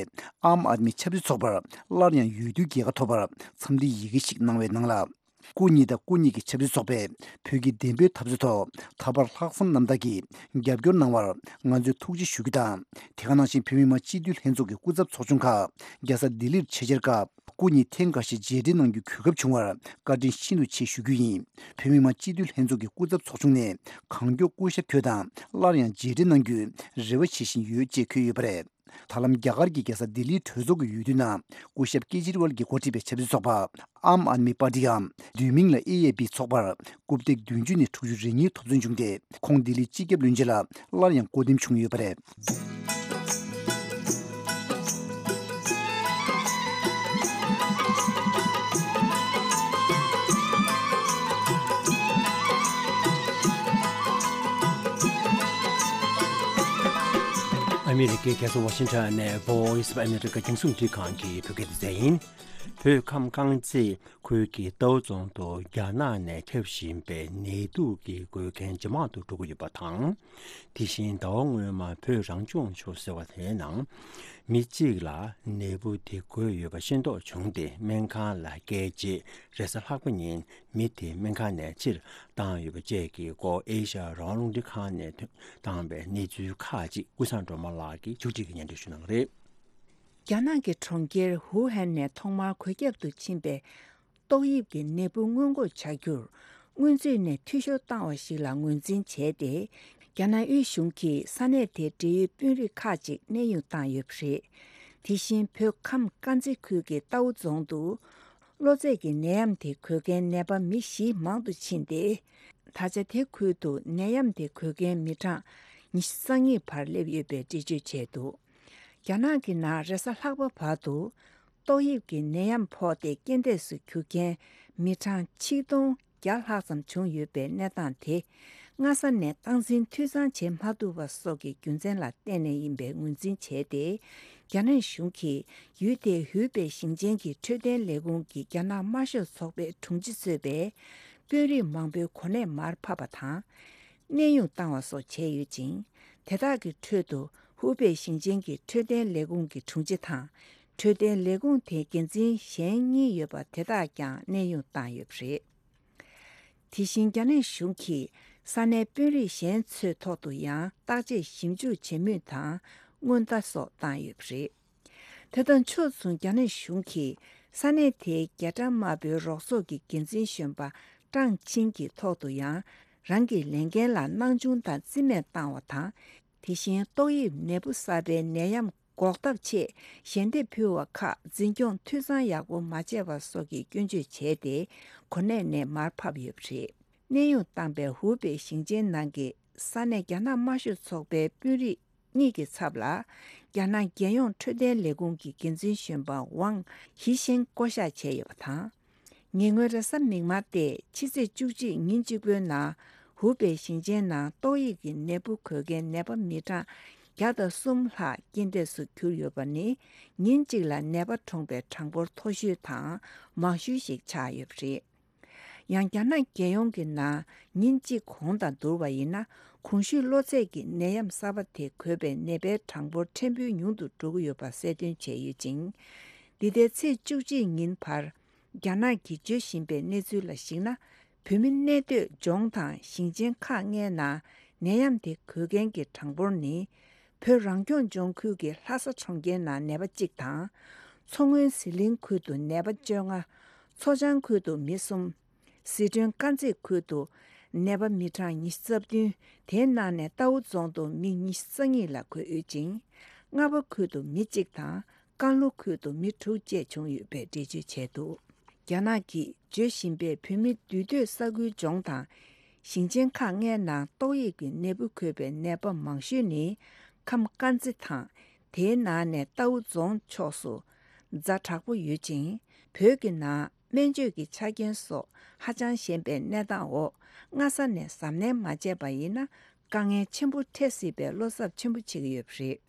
ཨམ་ཨཱད་མི་ཆབ་སྲིད་ཚོགས་པར་སླར་ཡང་འོས་བསྡུའི་རྒྱལ་ཁ་ཐོབ་པར་འཚམས་འདྲིའི་ཡི་གེ་ཞིག་གནང་བའི་ནང་ལ། སྐུ་ཉིད་དང་སྐུ་ཉིད་ཀྱི་ཆབ་སྲིད་ཚོགས་པས་བོད་ཀྱི་བདེན་པའི་འཐབ་རྩོད་ཐོག་ད་བར་ལྷག་བསམ་རྣམ་དག་གིས་རྒྱབ་སྐྱོར་གནང་བར་ང་ཚོས་ཐུགས་རྗེ་ཞུ་རྒྱུ་དང་། དེ་ག་ནང་བཞིན་བོད་མི་མང་སྤྱི་འཐུས་ལྷན་ཚོགས་ཀྱི་སྐུ་ཚབ་ཚོགས་ཆུང་ཁག་རྒྱལ་ས་ལྡི་ལིར་ཆེད་བཅར་སྐབས་སྐུ་ཉིད་ཐེངས་འགའ་ཞིག་མཇལ་འཕྲད་གནང་རྒྱུའི་གོ་སྐབས་བྱུང་བར་བཀའ་དྲིན་ཤིན་ཏུ་ཆེ་ཞུ་རྒྱུ་ཡིན། བོད་མི་མང་སྤྱི་འཐུས་ལྷན་ཚོགས་ཀྱི་སྐུ་ཚབ་ཚོགས་ཆུང་ནས་གང་མགྱོགས་སྐུ་ཞབས་ཁྱོད་དང་སླར་ཡང་མཇལ་འཕྲད་གནང་རྒྱུའི་རེ་བ་བྱེད་བཞིན་ཡོད་ཅེས་འཁོད་ཡོད་པ་རེད། ད་ལམ་རྒྱ་གར་གྱི་རྒྱལ་ས་ལྡི་ལིའི་གྲོས་ཚོགས་ཀྱི་འོས་བསྡུ་ནང་སྐུ་ཞབས་ཀེ་ཇི་རི་ཝལ་གྱིས་འགོ་ཁྲིད་པའི་ཆབ་སྲིད་ཚོགས་པ་ཨམ་ཨཱད་མི་པར་ཏི་འམ་བསྡུས་མིང་ལ་ཨེ་ཨེ་པི་ཚོགས་པར་རྐུབ་སྟེགས་བདུན་ཅུ་ནས་དྲུག་ཅུ་རེ་གཉིས་ཐོབ་ཚོད་བྱུང་སྟེ་ཁོང་ལྡི་ལིའི་སྤྱི་ཁྱབ་བློན་ཆེན་ལ་སླར་ཡང་བསྐོ་འདེམས་བྱུང་ཡོད་པ་རེད། ཨ་མི་རི་ཀའི་རྒྱལ་ས་ཝ་ཤིང་ཊོན་ནས་Voice of America རྒྱང་སྲིང་རླུང་འཕྲིན་ཁང་གི་བོད་སྐད་སྡེ་ཚན་ཡིན། བོད་ཁམས་དཀར་མཛེས་ཁུལ་གྱི་རྟའུ་རྫོང་དུ་རྒྱ་ནག་ནས་ཁྱབ་བཞིན་པའི་ནད་དུག་གི་འགོས་མཁན་ཇེ་མང་དུ་འགྲོ་གི་ཡོད་པ་དང་། དེ་བཞིན་ཟླ་བ་སྔོན་མ་བོད་རང་སྐྱོང་ལྗོངས་ཟེར་བ་དེའི་ནང་མི་གཅིག་ལ་ནད་འབུ་དེ་འགོས་ཡོད་པ་ཤེས་རྟོགས་བྱུང་སྟེ་སྨན་ཁང་ལ་བསྐྱལ་རྗེས་རེས་གཟའ་ལྷག་པ་ཉིན་མི་དེ་སྨན་ཁང་ནས་ཕྱིར་བཏང་ཡོད་པ་བཅས་ཀྱི་སྐོར་ཨེ་ཤ་ཡ་རང་དབང་རླུང་འཕྲིན་ཁང་ནས་བཏང་བའི་གནས་ཚུལ་ཁག་ཅིག་ཀུན་བཟང་སྒྲོལ་མ་ལགས་ཀྱིས་མཇུག་སྒྲིལ་གྱིས་སྙན་སྒྲོན་ཞུ་གནང་གི་རེད། རྒྱ་ནག་གི་གྲོང་ཁྱེར་ཧུའུ་ཧན་ནས་ཐོག་མར་འགོས་ཁྱབ་ཏུ་ཕྱིན་པའི་ཏོག་དབྱིབས་ཀྱི་ནད་འབུ་སྔོན་འགོག་བྱ་རྒྱུར་སྔོན་ཚུད་ནས་འཐུས་ཤོར་བཏང་བ་ཞིག་ལ་ངོས་འཛིན་བྱས་ཏེ། རྒྱ་ནག་དབུས་གཞུང་གིས་ས་གནས་དེར་འབྲེལ་ཡོད་དཔོན་རིགས་ཁག་ཅིག་གནས་དབྱུང་བཏང་ཡོད་པ་རེད། དེ་བཞིན་བོད་ཁམས་དཀར་མཛེས་ཁུལ་གྱི་རྟའུ་རྫོང་དུ། གློ་ཚད་ཀྱི་ནད་ཡམས་དེ་འགོས་མཁན་ནད་པ་མི་བཞི་མང་དུ་ཕྱིན་ཏེ། ད་ཆ་དེ་ཁུལ་དུ་ནད་ཡམས་དེ་འགོས་མཁན་མི་གྲངས་ཉི་ཤུ་རྩ་གཉིས་བར་སླེབས་ཡོད་པའི་འགྲེལ་བརྗོད་བྱས་འདུག་རྒྱ་ནག་གི་ནང་རེས་གཟའ་ལྷག་པ་བར་དུ་ཏོག་དབྱིབས་ཀྱི་ནད་ཡམས་ཕོག་སྟེ་རྐྱེན་འདས་སུ་གྱུར་མཁན་མི་གྲངས་ཆིག་སྟོང་བརྒྱ་ལྷག་ཙམ་བྱུང་ཡོད་པའི་གནས་སྟངས་དེ། སྔ་ས་ནས་སྟངས་འཛིན་འཐུས་ཚང་བྱེད་མ་ཐུབ་པ་སོགས་ཀྱི་རྒྱུ་མཚན་ལ་བརྟེན་ནས་ཡིན་པའི་ངོས་འཛིན་བྱས་ཏེ། རྒྱ་ནག་གཞུང་གིས་ཡུལ་དེའི་ཧུའུ་པེ་ཞིང་ཆེན་གྱི་འཕྲོད་བསྟེན་ལས་ཁུངས་ཀྱི་རྒྱ་ནག་དམར་ཤོག་ཚོགས་པའི་དྲུང་ཆེ་གཙོས་པའི་དཔོན་རིགས་མང་པོའི་གོ་གནས་མར་ཕབ་པ་དང་། གནས་དབྱུང་བཏང་བ་སོགས་བྱས་ཡོད་ཅིང་། དེ་དག་གི་ཁྲོད་དུ་ཧུའུ་པེ་ཞིང་ཆེན་གྱི་འཕྲོད་བསྟེན་ལས་ཁུངས་ཀྱི་དྲུང་ཆེ་དང་། འཕྲོད་བསྟེན་ལས་ཁུངས་དེའི་འགན་འཛིན་གཞན་གཉིས་ཡོད་པ་དེ་དག་ཀྱང་གནས་དབྱུང་བཏང་ཡོད་པ་རེད། དེ་བཞིན་རྒྱ་ནག་གཞུང་གིས་ས་གནས་དཔོན་རིགས་གཞན་ཚོའི་ཐོག་ཏུ་ཡང་བརྟག་དཔྱད་ཞིབ་འཇུག་བྱེད་མུས་དང་སྔོན་བརྡ་སོགས་བཏང་ཡོད་པ་རེད། དེ་དང་ཕྱོགས་མཚུངས་རྒྱ་ནག་གཞུང་གིས་ས་གནས་དེའི་རྒྱ་གྲམ་དམར་པོའི་རོགས་ཚོགས་ཀྱི་འགན་འཛིན་གཞོན་པ་ཀྲང་ཆིང་གི་ཐོག་ཏུ་ཡང་རང་གི་ལས་འགན་ལ་སྣང་ཆུང་དང་རྩིས་མེད་བཏང་བ་དང་། དེ་བཞིན་ཏོག་དབྱིབས་ནད་འབུ་གསར་པའི་ནད་ཡམས་འགོག་ཐབས་ཆེད་ཞལ་འདེབས་ཕུལ་བ་ཁག་འཛིན་སྐྱོང་འཐུས་ཚང་ཡག་པོ་མ་བྱས་པ་སོགས་ཀྱི་སྐྱོན་བརྗོད་བྱས་ཏེ་གོ་གནས་ནས་མར་ཕབ་ཡོད་པ་རེད། གནས་དབྱུང་བཏང་པའི་ཧུའུ་པེ་ཞིང་ཆེན་ནང་གི་ས་གནས་རྒྱ་ནག་དམར་ཤོག་ཚོགས་པའི་དཔོན་རིགས་གཉིས་ཀྱི་ཚབ་ལ་རྒྱ་ནག་རྒྱལ་ཡོངས་འཕྲོད་བསྟེན་ལས་ཁུངས་ཀྱི་འགན་འཛིན་གཞོན་པ་ཝང་ཧི་ཤན་བསྐོ་གཞག་བྱས་ཡོད་པ་དང་། ཉེ་སྔོན་རེས་གཟའ་མིག་དམར་སྟེ་ཕྱི་ཚེས་བཅུ་གཅིག་ཉིན་གཅིག་པོའི་ནང་ཧུའུ་པེ་ཞིང་ཆེན་ནང་ཏོག་དབྱིབས་ཀྱི་ནད་འབུ་འགོས་མཁན་ནད་པ་མི་གྲངས་བརྒྱ་དང་གསུམ་ལྷག་རྐྱེན་འདས་སུ་གྱུར་ཡོད་པ་ནི་ཉིན་གཅིག་ལ་ནད་པ་གྲོངས་པའི་གྲངས་འབོར་མཐོ་ཤོས་དང་མང་ཤོས་ཤིག་ཆགས་ཡོད་པ་རེད། ཡང་རྒྱ་ནག་རྒྱལ་ཡོངས་ཀྱི་ནང་ཉིན་གཅིག་གོང་དང་བསྡུར་བ་ཡིན་ན་གོང་ཞུས་གློ་ཚད་ཀྱི་ནད་ཡམས་གསར་པ་དེ་འགོས་པའི་ནད་པའི་གྲངས་འབོར་ཕྲན་བུ་ཉུང་དུ་འགྲོ་གི་ཡོད་པ་གསལ་སྟོན་བྱས་ཡོད་ཅིང་། འདི་ཟླའི་ཚེས་བཅུ་གཅིག་ཉིན་བར། རྒྱ་ནག་གིས་བརྗོད་བཞིན་པའི་གནས་ཚུལ་ལ་གཞིགས་ན། བོད་མི་གནས་སྡོད་ལྗོངས་དང་ཞིང་ཆེན་ཁག་ལྔའི་ནང་ནད་ཡམས་དེ་འགོས་མཁན་གྱི་གྲངས་འབོར་ནི། བོད་རང་སྐྱོང་ལྗོངས་ཁུལ་གྱི་ལྷ་ས་གྲོང་ཁྱེར་ནང་ནད་པ་གཅིག་དང་། མཚོ་སྔོན་ཟི་ལིང་ཁུལ་དུ་ནད་པ་བཅོ་ལྔ། མཚོ་བྱང་ཁུལ་དུ་མི་གསུམ། ཟི་ཁྲོན་དཀར་མཛེས་ཁུལ་དུ་ནད་པ་མི་གྲངས་ཉི་ཤུ་རྩ་བདུན། དེའི་ནང་ནས་རྟའུ་རྫོང་དུ་མི་ཉི་ཤུ་རྩ་གཉིས་ལ་འགོས་ཡོད་ཅིང་། རྔ་པ་ཁུལ་དུ་མི་གཅིག་དང་། ཀན་ལྷོ་ཁུལ་དུ་མི་དྲུག་བཅས་བྱུང་ཡོད་པའི་འགྲེལ་བརྗོད་བྱས་འདུག་རྒྱ་ནག་གིས་བརྗོད་བཞིན་པའི་བོད་མི་འདུས་སྡོད་ས་ཁུལ་ལྗོངས་དང་། ཞིང་ཆེན་ཁག་ལྔའི་ནང་ཏོག་དབྱིབས་ཀྱི་ནད་འབུ་འགོས་པའི་ནད་པ་མང་ཤོས་ནི་ཁམས་དཀར་མཛེས་དང་། དེའི་ནང་ནས་རྟའུ་རྫོང་ཕྱོགས་སུ་ཛ་དྲག་པོ་ཡོད་ཅིང་། བོད་ཀྱི་ནང་སྨན་བཅོས་ཀྱི་ཆ་རྐྱེན་སོགས་ཧ་ཅང་ཞན་པའི་གནས་སྟངས་འོག་སྔ་ས་ནས་གཟབ་ནན་མ་བྱས་པ་ཡིན་ན་དཀའ་ངལ་ཆེན་པོ་འཕྲད་སྲིད་པའི་བློ་འཚབ་ཆེན་པོ་བྱེད་ཀྱི་ཡོད་པ་རེད།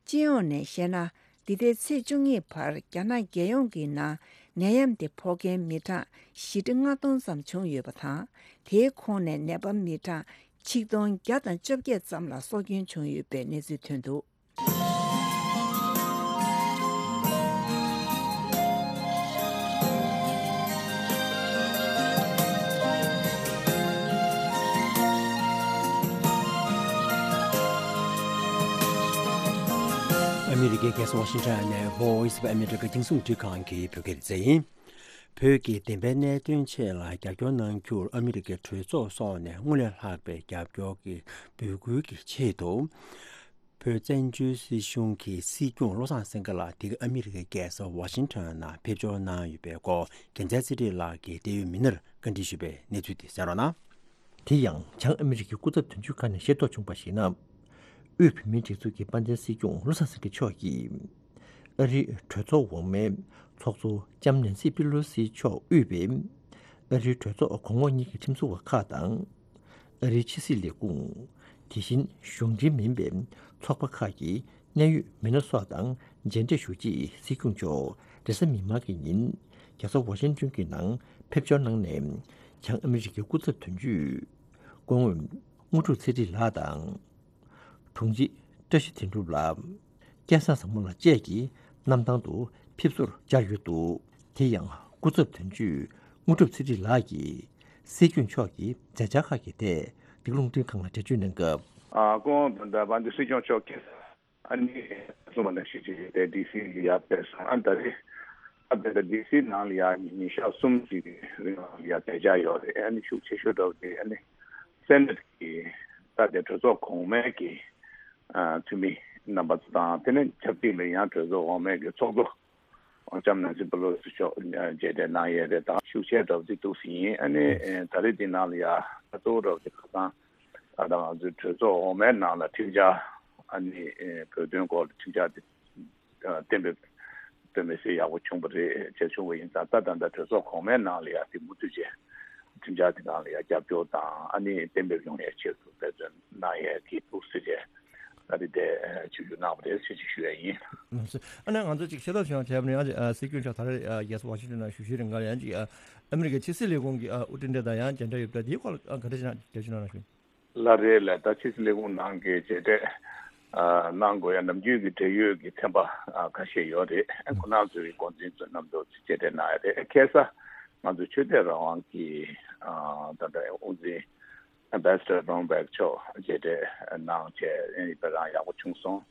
སྤྱི་ཡོངས་ནས་བཤད་ན། འདི་ཟླའི་ཚེས་བཅུ་གཉིས་བར་རྒྱ་ནག་རྒྱལ་ཡོངས་ཀྱི་ནང་ནད་ཡམས་དེ་ཕོག་མཁན་མི་གྲངས་བཞི་ཁྲི་ལྔ་སྟོང་ཙམ་བྱུང་ཡོད་པ་དང་། དེའི་ཁོངས་ནས་ནད་པ་མི་གྲངས་ཆིག་སྟོང་བརྒྱ་དང་བཅོ་བརྒྱད་ཙམ་ལ་སྲོག་སྐྱོན་བྱུང་ཡོད་པའི་གནས་ཚུལ་ཐོན་འདུག་ཨ་མི་རི་ཀའི་རྒྱལ་ས་ཝ་ཤིང་ཊོན་ནས་Voice of America རྒྱང་སྲིང་རླུང་འཕྲིན་ཁང་གི་བོད་སྐད་སྡེ་ཚན་ཡིན། བོད་ཀྱི་བདེན་པའི་གནད་དོན་ཆེད་ལ་རྒྱབ་སྐྱོར་གནང་རྒྱུར་ཨ་མི་རི་ཀའི་གྲོས་ཚོགས་སོགས་ནས་སྔར་ལས་ལྷག་པའི་རྒྱབ་སྐྱོར་གྱི་འབོད་སྐུལ་གྱི་ཆེད་དུ། བོད་བཙན་བྱོལ་སྲིད་གཞུང་གི་སྲིད་སྐྱོང་བློ་བཟང་སེང་གེ་ལགས་འདི་ག་ཨ་མི་རི་ཀའི་རྒྱལ་ས་ཝ་ཤིང་ཊོན་ནང་ཕེབས་འབྱོར་གནང་ཡོད་པའི་སྐོར། རྒྱལ་མཚན་ཚེ་རིང་ལགས་ཀྱིས་འབྲེལ་ཡོད་མི་སྣར་བཀའ་འདྲི་ཞུས་པའི་གནས་ཚུལ་དེ་གསན་རོགས་གནང་། དེ་ཡང་། བྱང་ཨ་མི་རི་ཀའི་སྐུ་ཚབ་དོན་གཅོད་ཁང་ནས་ཤེས་རྟོགས་བྱུང་བར་གཞིགས་ན། དབུས་བོད་མིའི་སྒྲིག་འཛུགས་ཀྱི་དཔལ་ལྡན་སྲིད་སྐྱོང་བློ་བཟང་སེང་གེ་མཆོག་གིས། ཨ་རིའི་གྲོས་ཚོགས་འོག་མའི་ཚོགས་གཙོ་ལྕམ་ནེན་སི་པི་ལོ་སི་མཆོག་དབུས་པའི་ཨ་རིའི་གྲོས་ཚོགས་གོང་འོག་གཉིས་ཀྱི་ཁྲིམས་བཟོ་བ་ཁག་དང་། ཨ་རིའི་ཕྱི་སྲིད་ལས་ཁུངས། དེ་བཞིན་གཞུང་འབྲེལ་མིན་པའི་ཚོགས་པ་ཁག་གི་ གནད་ཡོད་མི་སྣ་སོགས་དང་མཇལ་འཕྲད་ཞུ་ཆེད་སྲིད་སྐྱོང་མཆོག་རེས་གཟའ་མིག་དམར་གྱི་ཉིན་རྒྱལ་ས་ཝ་ཤིང་ཏོན་གྱི་ནང་ཕེབས་འབྱོར་གནང་ནས། བྱང་ཨ་མི་རི་ཀའི་སྐུ་ཚབ་དོན་གཅོད་སྐུ་ངོ་དངོས་གྲུབ་ཚེ་རིང་ལགས་དང་། དྲུང་ཆེ་བཀྲ་ཤིས་དོན་གྲུབ་ལགས། སྐལ་བཟང་བཟང་མོ་ལགས་བཅས་ཀྱི་གནམ་ཐང་དུ་ཕེབས་བསུར་བཅར་ཡོད་འདུག་དེ་ཡང་སྐུ་ཚབ་དོན་གཅོད་དངོས་གྲུབ་ཚེ་རིང་ལགས་ཀྱིས་སྲིད་སྐྱོང་མཆོག་གི་མཛད་འཆར་ཁག་གི་ཐད་འདི་ག་རླུང་འཕྲིན་ཁང་ལ་འགྲེལ་བརྗོད་གནང་སྐབས། ཨ། སྐུ་ངོ་དང་ད་བན་དེ་སྲིད་སྐྱོང་མཆོག་གིས། ཨ་ནི་གསུངས་པ་ནང་བཞིན་བྱས་ཏེ་ཌི་སི་ལ་ཡར་ཕེབས་སོང་། ཨ་ད་རེས་ཨ་ཕེབས་ཏེ་ཌི་སི་ནང་ལ་ཡར་ཉིན་ཞག་གསུམ་ཅིག་གི་རིང་ལ་ཡར་བསྡད་འཆར་ཡོད་རེད། ཨ་ནི་ཤུགས་ཆེ་ཤོས་འདྲ་བོ་དེ་ཨ་ནི་སེ་ནེ་ཊི་གི་ད་ལྟའི་གྲོས་ཚོགས་གོང་མའི་གི་ཨ་འཐུས་མི་རྣམ་པ་ཚོ་དང་། དེ་ནས་ཆབས་ཅིག་ལ་ཡང་གྲོས་ཚོགས་འོག་མའི་གི་ཚོགས་གཙོ་ལྕམ་ནན་སི་པེ་ལོ་སི་མཆོག་མཇལ་འཕྲད་གནང་ཡས་རེད། ད་ཤུགས་ཆེ་འདྲ་བོ་ཅིག་འདུག་ཟིན་ཡིན། ཨ་ནི་ཨེ་ད་རེས་འདི་ནང་ལ་ཡ་ད་གཙོ་བོ་འདྲ་བོ་ཅིག་ཁ་སང་ད་ལྟ་ང་ཚོའི་གྲོས་ཚོགས་འོག་མའི་ནང་ལ་ཁྲིམས་འཆར་ཨ་ནི་ཨེ་བོད་དོན་སྐོར་ལ་ཁྲིམས་འཆར་དེ་ཨ་གཏན་འབེབས་དཔེ་མི་སྲིད་ཡག་པོ་བྱུང་བ་རེད། བྱས་བྱུང་བ་ཡིན་ཙང་ད་ད་ལྟ་གྲོས་ཚོགས་གོང་མའི་ནང་ལ་ཡ་དེ་མུ་མཐུད་བྱས་ཁྲིམས་འཆར་དེ་ནང་ལ་ཡ་རྒྱབ་སྐྱོར་དང་ཨ་ནི་གཏན་འབེབས་ཡོང་ཡས་ཆེད་དུ་འབད་བརྩོན་གནང་ཡས་ཀྱི་འདུག་ཟེར་བྱས། ད་རེས་དེ་ཨ་ཆིབས་བསྒྱུར་གནང་བ་རེད་ཟེར་ཅིག་ཞུ་ཡ་ཡིན། ཨ་ནི་ང་ཚོ་ཅིག་ཤེས་རྟོགས་བྱུང་བ་བྱས་པ་ནི་ཡང་ཅིག་ཨ་སྲིད་སྐྱོང་མཆོག་ད་རེས་ཨ་རྒྱལ་ས་ཝ་ཤིང་ཊོན་ནང་བཞུགས་བཞུགས་རིང་ག་ལ་ཡང་ཅིག་ཨ་ཨ་མི་རི་ཀའི་ཕྱི་སྲིད་ལས་ཁུངས་ཀྱི་ཨ་དབུ་ཁྲིད་འདྲ་དང་ཡང་མཇལ་འཕྲད་ཡོད་པ་འདིའི་སྐོར་ལ་ཨ་ག་འདྲ་ཞིག་གནང་རྒྱབ་ཞིག་གནང་ན་ཞུ། ལགས་རེད་ལགས། ད་ཕྱི་སྲིད་ལས་ཁུངས་ནང་གི་མཇལ་འཕྲད་ཨ་གནང་དགོས་ཡ་ནམ་རྒྱུན་གྱི་འབྲེལ་ཡོད་ཀྱི་ཚན་པ་ཨ་ཁ་ཤས་ཡོད་རེད། ཁོ་རང་ཚོའི་འགོ་འཛིན་ཚོ་རྣམ་པ་ཚོ་མཇལ་འཕྲད་གནང་ཡ་རེད། ཁ་སང་ང་ཚོ་ཆོས་དད་རང་དབང་གི་ཨ་ད་ལྟ་དབུ་འཛིན་ཨེམ་བྷེ་སི་ཌར་རོན་བྷེག་མཆོག་མཇལ་འཕྲད་གནང་བྱས་ཨ་ནི་དཔེ་རང་ཡག་པོ་བྱུང་སོང་།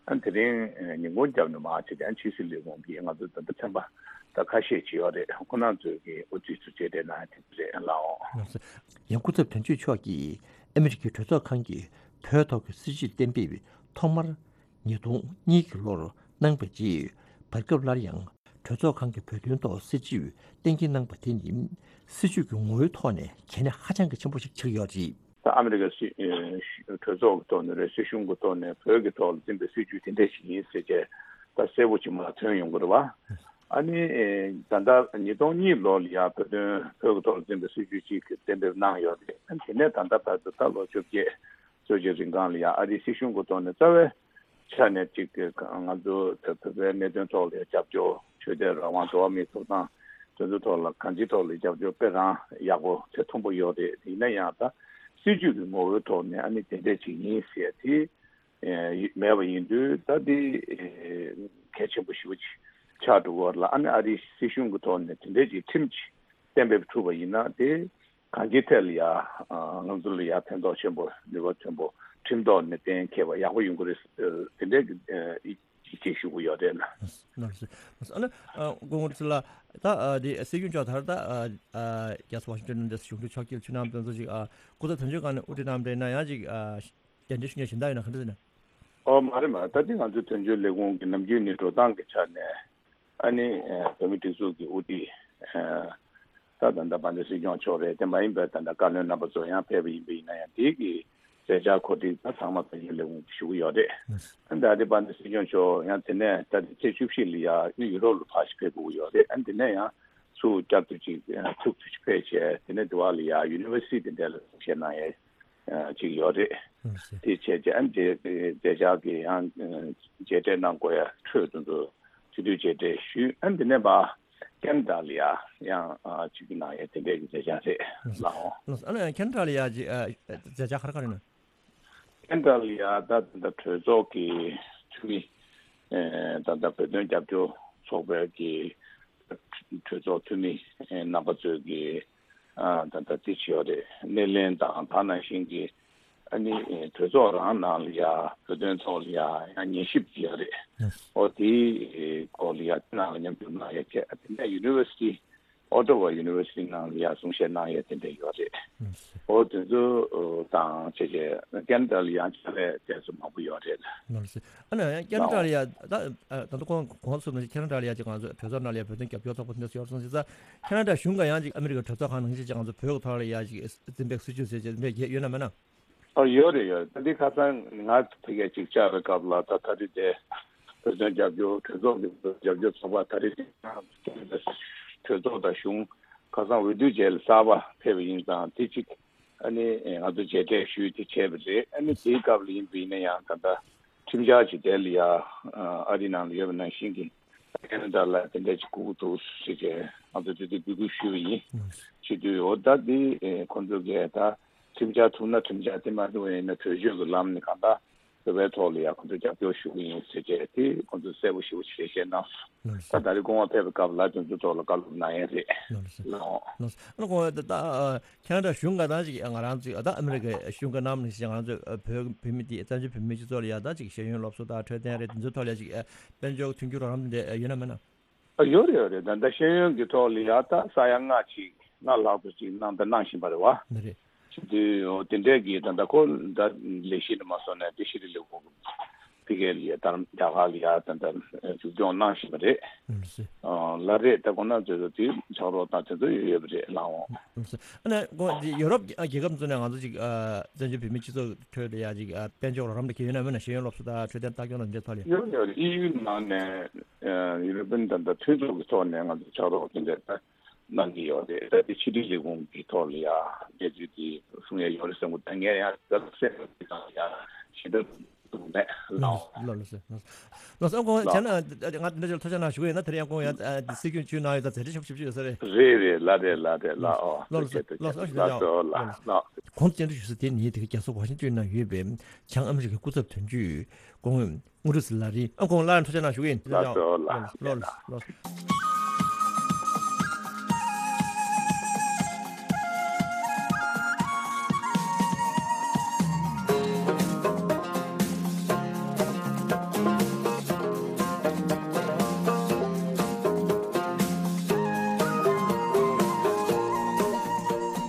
ཨ་དེ་རིང་ཉིན་གུང་རྒྱབ་ནས་མར་བྱས་ཏེ་ཕྱི་སྲིད་ལས་ཁུངས་ཀྱི་ང་ཚོ་ད་ལྟ་ཚན་པ་ད་ཁ་ཤས་ཅིག་ཡོད་རེད། ཁོ་རང་ཚོའི་གི་དབུ་ཁྲིད་ཚོ་མཇལ་འཕྲད་གནང་ཡ་དེ་རེད་ལགས། ཡང་སྐུ་ཚབ་དོན་གཅོད་མཆོག་གིས་ཨ་མི་རི་ཀའི་གྲོས་ཚོགས་ཁང་གི་བོད་ཐོག་གི་སྲིད་བྱུས་གཏན་འབེབས་ཐོག་མར་ཉིས་སྟོང་གཉིས་ཀྱི་ལོར་གནང་བའི་རྗེས། བར་སྐབས་སླར་ཡང་གྲོས་ཚོགས་ཁང་གི་བོད་དོན་ཐོག་སྲིད་བྱུས་གཏན་འཁེལ་གནང་པ་དེ་ནི་སྲིད་བྱུས་ཀྱི་ངོ་བོའི་ཐོག་ནས་གལ་གནད་ཧ་ཅང་གི་ཆེན་པོ་ཞིག་ཆགས་ཡོད་རེད། ད་ཨ་མི་རི་ཀ་སྲིད་ཨེ་གྲོས་ཚོགས་ཀྱི་ཐོག་ནས་རེད། སྲིད་གཞུང་གི་ཐོག་ནས་བོད་ཀྱི་ཐོག་ལ་འཛིན་པའི་སྲིད་བྱུས་དེ་འདྲ་ཞིག་ཡིན་ཟེར་བྱས་ད་གསལ་པོ་ཅིག་མར་ཐོན་ཡོང་གི་རེད་བ། ཨ་ནི་ཨེ་ད་ལྟ་ཉིས་སྟོང་གཉིས་ལོ་ལ་ཡང་བོད་དོན་བོད་ཀྱི་ཐོག་ལ་འཛིན་པའི་སྲིད་བྱུས་གཅིག་གཏན་འབེབས་གནང་ཡོད་རེད། ཨ་ནི་དེ་ནས་ད་ལྟ་བར་དུ་ད་ལོ་བཅོ་བརྒྱད་ཙམ་ཅིག་རིང་གང་ལ་ཡང་ཨ་རིའི་སྲིད་གཞུང་གི་ཐོག་ནས་རྩ་བའི་ཆ་ནས་ཅིག་གི་ང་ཚོ་བོད་པའི་གནད་དོན་ཐོག་ལ་རྒྱབ་སྐྱོར། ཆོས་དད་རང་དབང་འགྲོ་བ་མིའི་ཐོབ་ཐང་དེ་ཚོའི་ཐོག་ལ་གང་ཅིའི་ཐོག་ལ་རྒྱབ་སྐྱོར་དཔེ་རང་ཡག་པོ་ཚད་མཐོན་པོ་ཡོད་རེད། ཡིན་ན་ཡང་ད་སྲིད་བྱུས་ཀྱི་ངོ་བོའི་ཐོག་ནས་ཨ་ནི་དེ་འདྲས་ཅིག་ཡིན་ཟེར་དེ་ཨེ་མེད་པ་ཡིན་དུས་ད་དེ་ཨེ་གལ་ཆེན་པོ་ཞེ་པོ་ཅིག་ཆགས་འགྲོ་གི་ཡོད་རེད་ལ། ཨ་ནི་ཨ་རིའི་སྲིད་གཞུང་གི་ཐོག་ནས་དེ་འདྲས་ཅིག་ཁྲིམས་ཅིག་གཏན་འབེབས་ཐུབ་པ་ཡིན་ན་དེ་གང་ཅིའི་ཐད་ལ་ཡ་ང་ཚོ་ལ་ཡ་ཕན་ཐོགས་ཆེན་པོ་ནུས་པ་ཆེན་པོ་ཁྲིམས་ཐོག་ནས་གཏན་འཁེལ་བ་ཡག་པོ་ཡོང་གི་རེད། དེ་འདྲའི་གི་ཡིད་ཆེས་ཞུ་གི་ཡོད་རེད་ལ། ལགས་སོ། ལགས་སོ། ཨ་ནི་སྐུ་ངོ་ཚེ་ལགས་ད་འདི་སྲིད་སྐྱོང་མཆོག་ད་རེས་ད་རྒྱལ་ས་ཝ་ཤིང་ཊོན་ནས་གཞུང་འབྲེལ་ཕྱོགས་ཀྱི་ཕྱི་ནང་དོན་ཚོགས་ཅིག་སྐུ་ཚབ་དོན་གཅོད་ཁང་ནས་དབུ་ཁྲིད་གནང་བ་རེད་ན་ཡང་ཅིག་རྒྱ་འབྲེལ་ཞུ་མཁན་གཞན་དག་ཡོད་ན་ག་འདྲ་ཟེར་ན། ཨོ་མ་རེད་མ་རེད། ད་ལྟ་ང་ཚོའི་དོན་གཅོད་ལས་ཁུངས་ཀྱི་ནམ་རྒྱུན་ནས་འགྲོ་སྟངས་ཀྱི་ཆ་ནས། ཨ་ནི་ཨ་བོད་མིའི་སྒྲིག་འཛུགས་ཀྱི་དབུ་ཁྲིད་ཨ་ད་ད་ལྟ་དཔལ་ལྡན་སྲིད་སྐྱོང་མཆོག་རེད། དེ་མ་ཡིན་པའི་ད་ལྟ་བཀའ་བློན་རྣམ་པ་ཚོ་ཡང་ཕེབས་པ་ཡིན་པ་ཡིན་ན་ཡང་དེ་གི་མཛད་འཆར་གོ་སྒྲིག་ད་ཚང་མ་དོན་གཅོད་ལས་ཁུངས་ཀྱིས་ཞུ་གི་ཡོད་རེད། ཨ་ནི་ད་ལྟ་དཔལ་ལྡན་སྲིད་སྐྱོང་མཆོག་ཡང་དེ་ནས་ད་ལྟ་ཚེས་བཅུ་བཞི་ལ་ཡ་ཡུ་རོབ་ལ་ཕར་ཞིག་ཕེབས་དགོས་ཀྱི་ཡོད་རེད། ཨ་ནི་དེ་ནས་ཡང་ཚུར་བསྐྱར་དུ་ཅིག་ཚུར་དུ་ཅིག་ཕེབས་བྱས་དེ་ནས་དེ་བ་ལ་ཡ་ཡུ་ནི་ཝར་སི་ཊི་དེ་འདྲ་ལ་གསུང་བཤད་གནང་ཡས། ཅིག་ཡོད་རེད། ཨ་ནི་དེ་བྱས་རྗེས་ཨ་ནི་དེ་མཛད་འཆར་གྱི་ཡང་མཇལ་འཕྲད་གནང་དགོས་ཡ་འཕྲོས་དེ་ཚོ་ཆེད་དུ་མཇལ་འཕྲད་ཞུས། ཨ་ནི་དེ་ནས་ཕར་ཁེ་ན་ཌ་ལ་ཡ་ཡང་ཅིག་གནང་ཡ་དེ་འདྲའི་གི་མཛད་འཆར་རེད་ལགས། ཨ་ནི་ཁེ་ན་ཌ་ལ་ཡ་ཅིག་མཛད་འཆར་ག་རེ་ག་རེ་ཡིན་ན། ཁེ་ན་ཌ་ལ་ཡ་ད་ད་གྲོས་ཚོགས་ཀྱི་འཐུས་མི་ད་ལྟ་བོད་དོན་རྒྱབ་སྐྱོར་ཚོགས་པའི་གི་གྲོས་ཚོགས་འཐུས་མི་རྣམ་པ་ཚོས་ཀྱི་ཨ་ད་ལྟ་དེ་བྱས་ཡོད་རེད། སྣེ་ལེན་དང་ད་ནང་བཞིན་གྱི་ཨ་ནི་གྲོས་ཚོགས་རང་ནང་ལ་ཡ་བོད་དོན་ཐོག་ལ་ཡ་ཡང་ཉན་ཞིབ་བྱས་ཡོད་རེད། ཨོ་དེའི་སྐོར་ལ་ཡ་དེ་ནང་ལ་མཉམ་ཞུགས་གནང་ཡ་བྱས། ཨ་དེ་ནས་ཡུ་ནི་ཝར་སི་ཊི་ཨོ་ཊ་ཝ་ཡུ་ནི་ཝར་སི་ཊི་ནང་ལ་ཡ་གསུང་བཤད་གནང་ཡ་དེ་འདྲ་ཡོད་རེད། ཨོ་དེ་ཚོ་དང་བྱས་རྗེས་ཁེ་ན་ཌ་ལ་ཡང་ཕྱག་ལས་བྱས་ཚོ་མང་པོ་ཡོད་རེད། ནོར་སྲིད། ཨ་ནི་ཁེ་ན་ཌ་ལ་ཡ་ད་ད་ལྟ་གོང་གོང་གསུངས་ནང་བཞིན་ཁེ་ན་ཌ་ལ་ཡ་ཅིག་ང་ཚོ་གྲོས་ཚོགས་ནང་ལ་ཡ་བོད་དོན་རྒྱབ་སྐྱོར་ཚོགས་པ་དེ་འདྲ་ཡོད་སོང་ཟེར་ཙང་། ཁེ་ན་ཌ་གཞུང་ག་ཡང་ཅིག་ཨ་མི་རི་ཀའི་གྲོས་ཚོགས་ཁང་ནང་བཞིན་ཅིག་ང་ཚོ་བོད་ཀྱི་ཐོག་ལ་ཡ་ཅིག་འཛིན་པའི་སྲིད་བྱུས་ཟེར་ཅིག་འཛིན་པའི་ཡོད་ན་མེད་ན། ཨ་ཡོད་རེད་ཡོད། ད་འདི་ཁ་སང་ང་ཕ་གིར་ཅིག་བཅར་བའི་སྐབས་ལ་ད་ད་རེས་དེ་བོད་དོན་རྒྱབ་སྐྱོར་གྲོས་ཚོགས་ཀྱི་རྒྱབ་སྐྱོར་ཚོགས་པ་ད་རེས་དེ་གྲོས་ཚོགས་དང་གཞུང་ཁ་སང་འོས་བསྡུ་རྗེས་ལ་གསར་པ་ཕེབས་པ་ཡིན་ཙང་དེ་ཅིག་ཨ་ནི་ང་ཚོ་མཇལ་འཕྲད་ཞུས་ཏེ་བྱས་པ་རེད། ཨ་ནི་དེའི་སྐབས་ལ་ཡིན་པ་ཡིན་ན་ཡང་ད་ལྟ་ ཁྲིམས་འཆར་ཅིག་དེ་ལ་ཡ་ཨ་རི་ནང་ལ་ཡོད་པ་ནང་བཞིན་གྱི་ཁེ་ན་ཌ་ལ་དེ་འདྲ་ཅིག་དགོས་ཀྱི་འདུག་ཟེར་བྱས་ང་ཚོ་དེ་དུས་འབོད་སྐུལ་ཞུས་པ་ཡིན། བྱེད་དུས་འོ་ད་འདི་ཁོང་ཚོ་གིས་ད་ཁྲིམས་འཆར་ཐུག་ན་ཁྲིམས་འཆར་དེ་མ་ཐུག་པ་ཡིན་ན་གྲོས་ཆོད་ཀྱི་ལམ་ནས་གང་ལྟར་བོད་པའི་ཐོག་ལ་ཡང་ཁོང་ཚོས་རྒྱབ་སྐྱོར་ཞུ་གི་ཡིན་ཟེར་བྱས་དེ་ཁོང་ཚོས་གསལ་པོ་ཞེ་པོ་ཅིག་འགྲེལ་བཤད་གནང་སོང་། ད་ད་རེས་སྐུ་ངོ་ཕེབས་པའི་སྐབས་ལ་དེ་ཚོའི་ཐོག་ལ་བཀའ་སློབ་གནང་ཡས་རེད། ལགས་འོང་། ལགས་སོ། ཨ་ནི་ཁོང་ད་ད་ཁེ་ན་ཌ་གཞུང་ག་ད་ཅིག་ང་རང་ཚོས་ད་ཨ་མི་རི་ཀའི་གཞུང་ག་ནང་ནས་ང་རང་ཚོས་བོད་བོད་མི་དེ་བཙན་བྱོལ་བོད་མི་སྤྱི་ཚོགས་ལ་ཡ་ད་ཅིག་ཤེས་ཡོན་སློབ་གསོ་དང་འཕྲོད་བསྟེན་རེད་དེ་ཚོའི་ཐོག་ལ་ཡ་ཅིག་དཔལ་འབྱོར་མཐུན་འགྱུར་རོགས་རམ་དེ་འདྲ་ཡོད་ན་མེད་ན། ཨ་ཡོད་རེད་ཡོད་རེད། ད་ལྟ་ཤེས་ཡོན་གྱི་ཐོག་ལ་ཡ་ད་ས་ཡ་ལྔ་ཅིག་ལྔ་ལྷག་ཙམ་ཅིག་གནང་ད་གནང་བཞིན་པ་རེད་བ། ནི་རེད། བྱེད་དུས་འོ་དེ་འདྲས་ཀྱི་ད་ལྟ་ཁོ་ད་ལས་གཞི་ནས་མ་སོང་ནས་དེ་ཤེས་རིག་ལས་ཁུངས་ཕ་གི་ལ་ཡ་ད་རྒྱ་གར་ལ་ཡ་ད་ལྟ་མཇུག་སྐྱོང་གནང་བཞིན་པ་རེད། ལགས་སོ། ལ་རེད་ད་ཁོ་ན་ཚོས་དེ་ཕྱག་རོགས་དང་དེ་ཚོ་ཡོད་ཡོད་པ་རེད་ལགས་འོང་། ལགས་སོ། ཨ་ནི་ཁོ་འདི་ཡོ་རོབ་རྒྱལ་ཁབ་ཚོ་ནས་ང་ཚོ་ཅིག་བཙན་བྱོལ་བོད་མི་སྤྱི་ཚོགས་ཁྲོད་ལ་ཡ་ཅིག་དཔལ་འབྱོར་རོགས་རམ་དེ་གལ་ཡོད་ན་མེད་ན་ཤེས་ཡོན་སློབ་གསོ་དང་འཕྲོད་བསྟེན་ལྟ་སྐྱོང་དང་འདི་ཐོག་ལ་ཡ། ཡོད་ཡོད་ཨི་ཡུ་ནང་ནས་ཡུ་རོ་པན་ད་ལྟ་མཐུན་ཚོགས་ཀྱི་ཐོག་ནས་ང་ཚོ་ཕྱག་རོགས་དེ་འདྲས་ད། གནང་གི་ཡོད་རེད། ད་དེ་ཕྱི་དྲིལ་ལས་ཁུངས་ཀྱི་ཐོག་ལ་ཡ་འབྲེལ་མཐུད་དེ་གསུང་ཡ་ཡོད་རེད་བསམ་གི་འདུག་ད་ངས་ཡང་ད་གསལ་པོ་དེ་དང་ཡ་ཞེ་དྲག་གསུང་མེད་ལགས། ལགས་ལགས་ལགས་སོ། ལགས་སོ། ཨ་ཁོང་བྱས་ན་ང་འདི་འདྲ་ཅིག་ཐུགས་ཆ་གནང་ཞུ་གི་ཡིན་ན་དེ་རིང་ཡང་ཁོང་ཡང་འདི་སྲིད་སྐྱོང་བྱུས་གནང་ཡོད་ད་མཛད་རྗེས་ཆེན་པོ་ཞེ་པོ་ཅིག་ཡོད་ས་རེད། རེད་རེད་ལགས་རེད་ལགས་རེད་ལགས། ཨོ་ལགས་ལགས་ལགས་ལགས་སོ། ལགས་སོ། ལགས་སོ་ལགས། གོང་དུ་བཅར་འདྲི་ཞུ་ས་དེ་ནི་དེ་ག་རྒྱལ་ས་ཝ་ཤིང་ཏོན་ནང་ཡོད་པའི་བྱང་ཨ་མི་རི་ཀའི་སྐུ་ཚབ་དོན་གཅོད་སྐུ་ངོ་དངོས་གྲུབ་ཟི་ལ་རི། ཨ་ཁོང་སླར་ཡང་ཐུགས་རྗེ་གནང་ཞུ་གི་ཡིན། ལགས་སོ་ལགས། ལགས་ལགས་ལགས།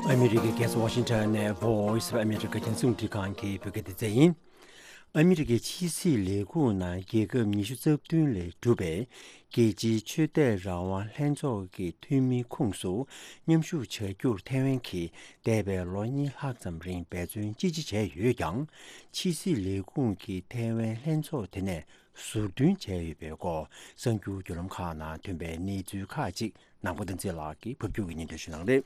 ཨ་མི་རི་ཀའི་རྒྱལ་ས་ཝ་ཤིང་ཊོན་ནས་Voice of America རྒྱང་སྲིང་རླུང་འཕྲིན་ཁང་གི་བོད་སྐད་སྡེ་ཚན་ཡིན། ཨ་མི་རི་ཀའི་ཕྱི་སྲིད་ལས་ཁུངས་ནང་རྒྱལ་ཁབ་ཉི་ཤུ་རྩ་བདུན་ལས་གྲུབ་པའི་རྒྱལ་སྤྱིའི་ཆོས་དད་རང་དབང་ལྷན་ཚོགས་ཀྱི་འཐུས་མིའི་ཁོངས་སུ་མཉམ་ཞུགས་བྱ་རྒྱུར་ཐའེ་ཝན་གྱིས་འདས་པའི་ལོ་གཉིས་ལྷག་ཙམ་རིང་འབད་བརྩོན་ཅི་ཆེ་བྱས་ཡོད་ཀྱང་། ཕྱི་སྲིད་ལས་ཁུངས་ཀྱིས་ཐའེ་ཝན་ལྷན་ཚོགས་དེ་ནས་ཟུར་འདོན་བྱས་ཡོད་པའི་སྐོར་གསར་འགྱུར་བརྒྱུད་ལམ་ཁག་ནང་ཐོན་པའི་གནས་ཚུལ་ཁག་ཅིག་ནང་པ་བསྟན་འཛིན་ལགས་ཀྱིས་ཕབ་སྒྱུར་གྱིས་སྙན་སྒྲོན་ཞུ་གནང་རེད།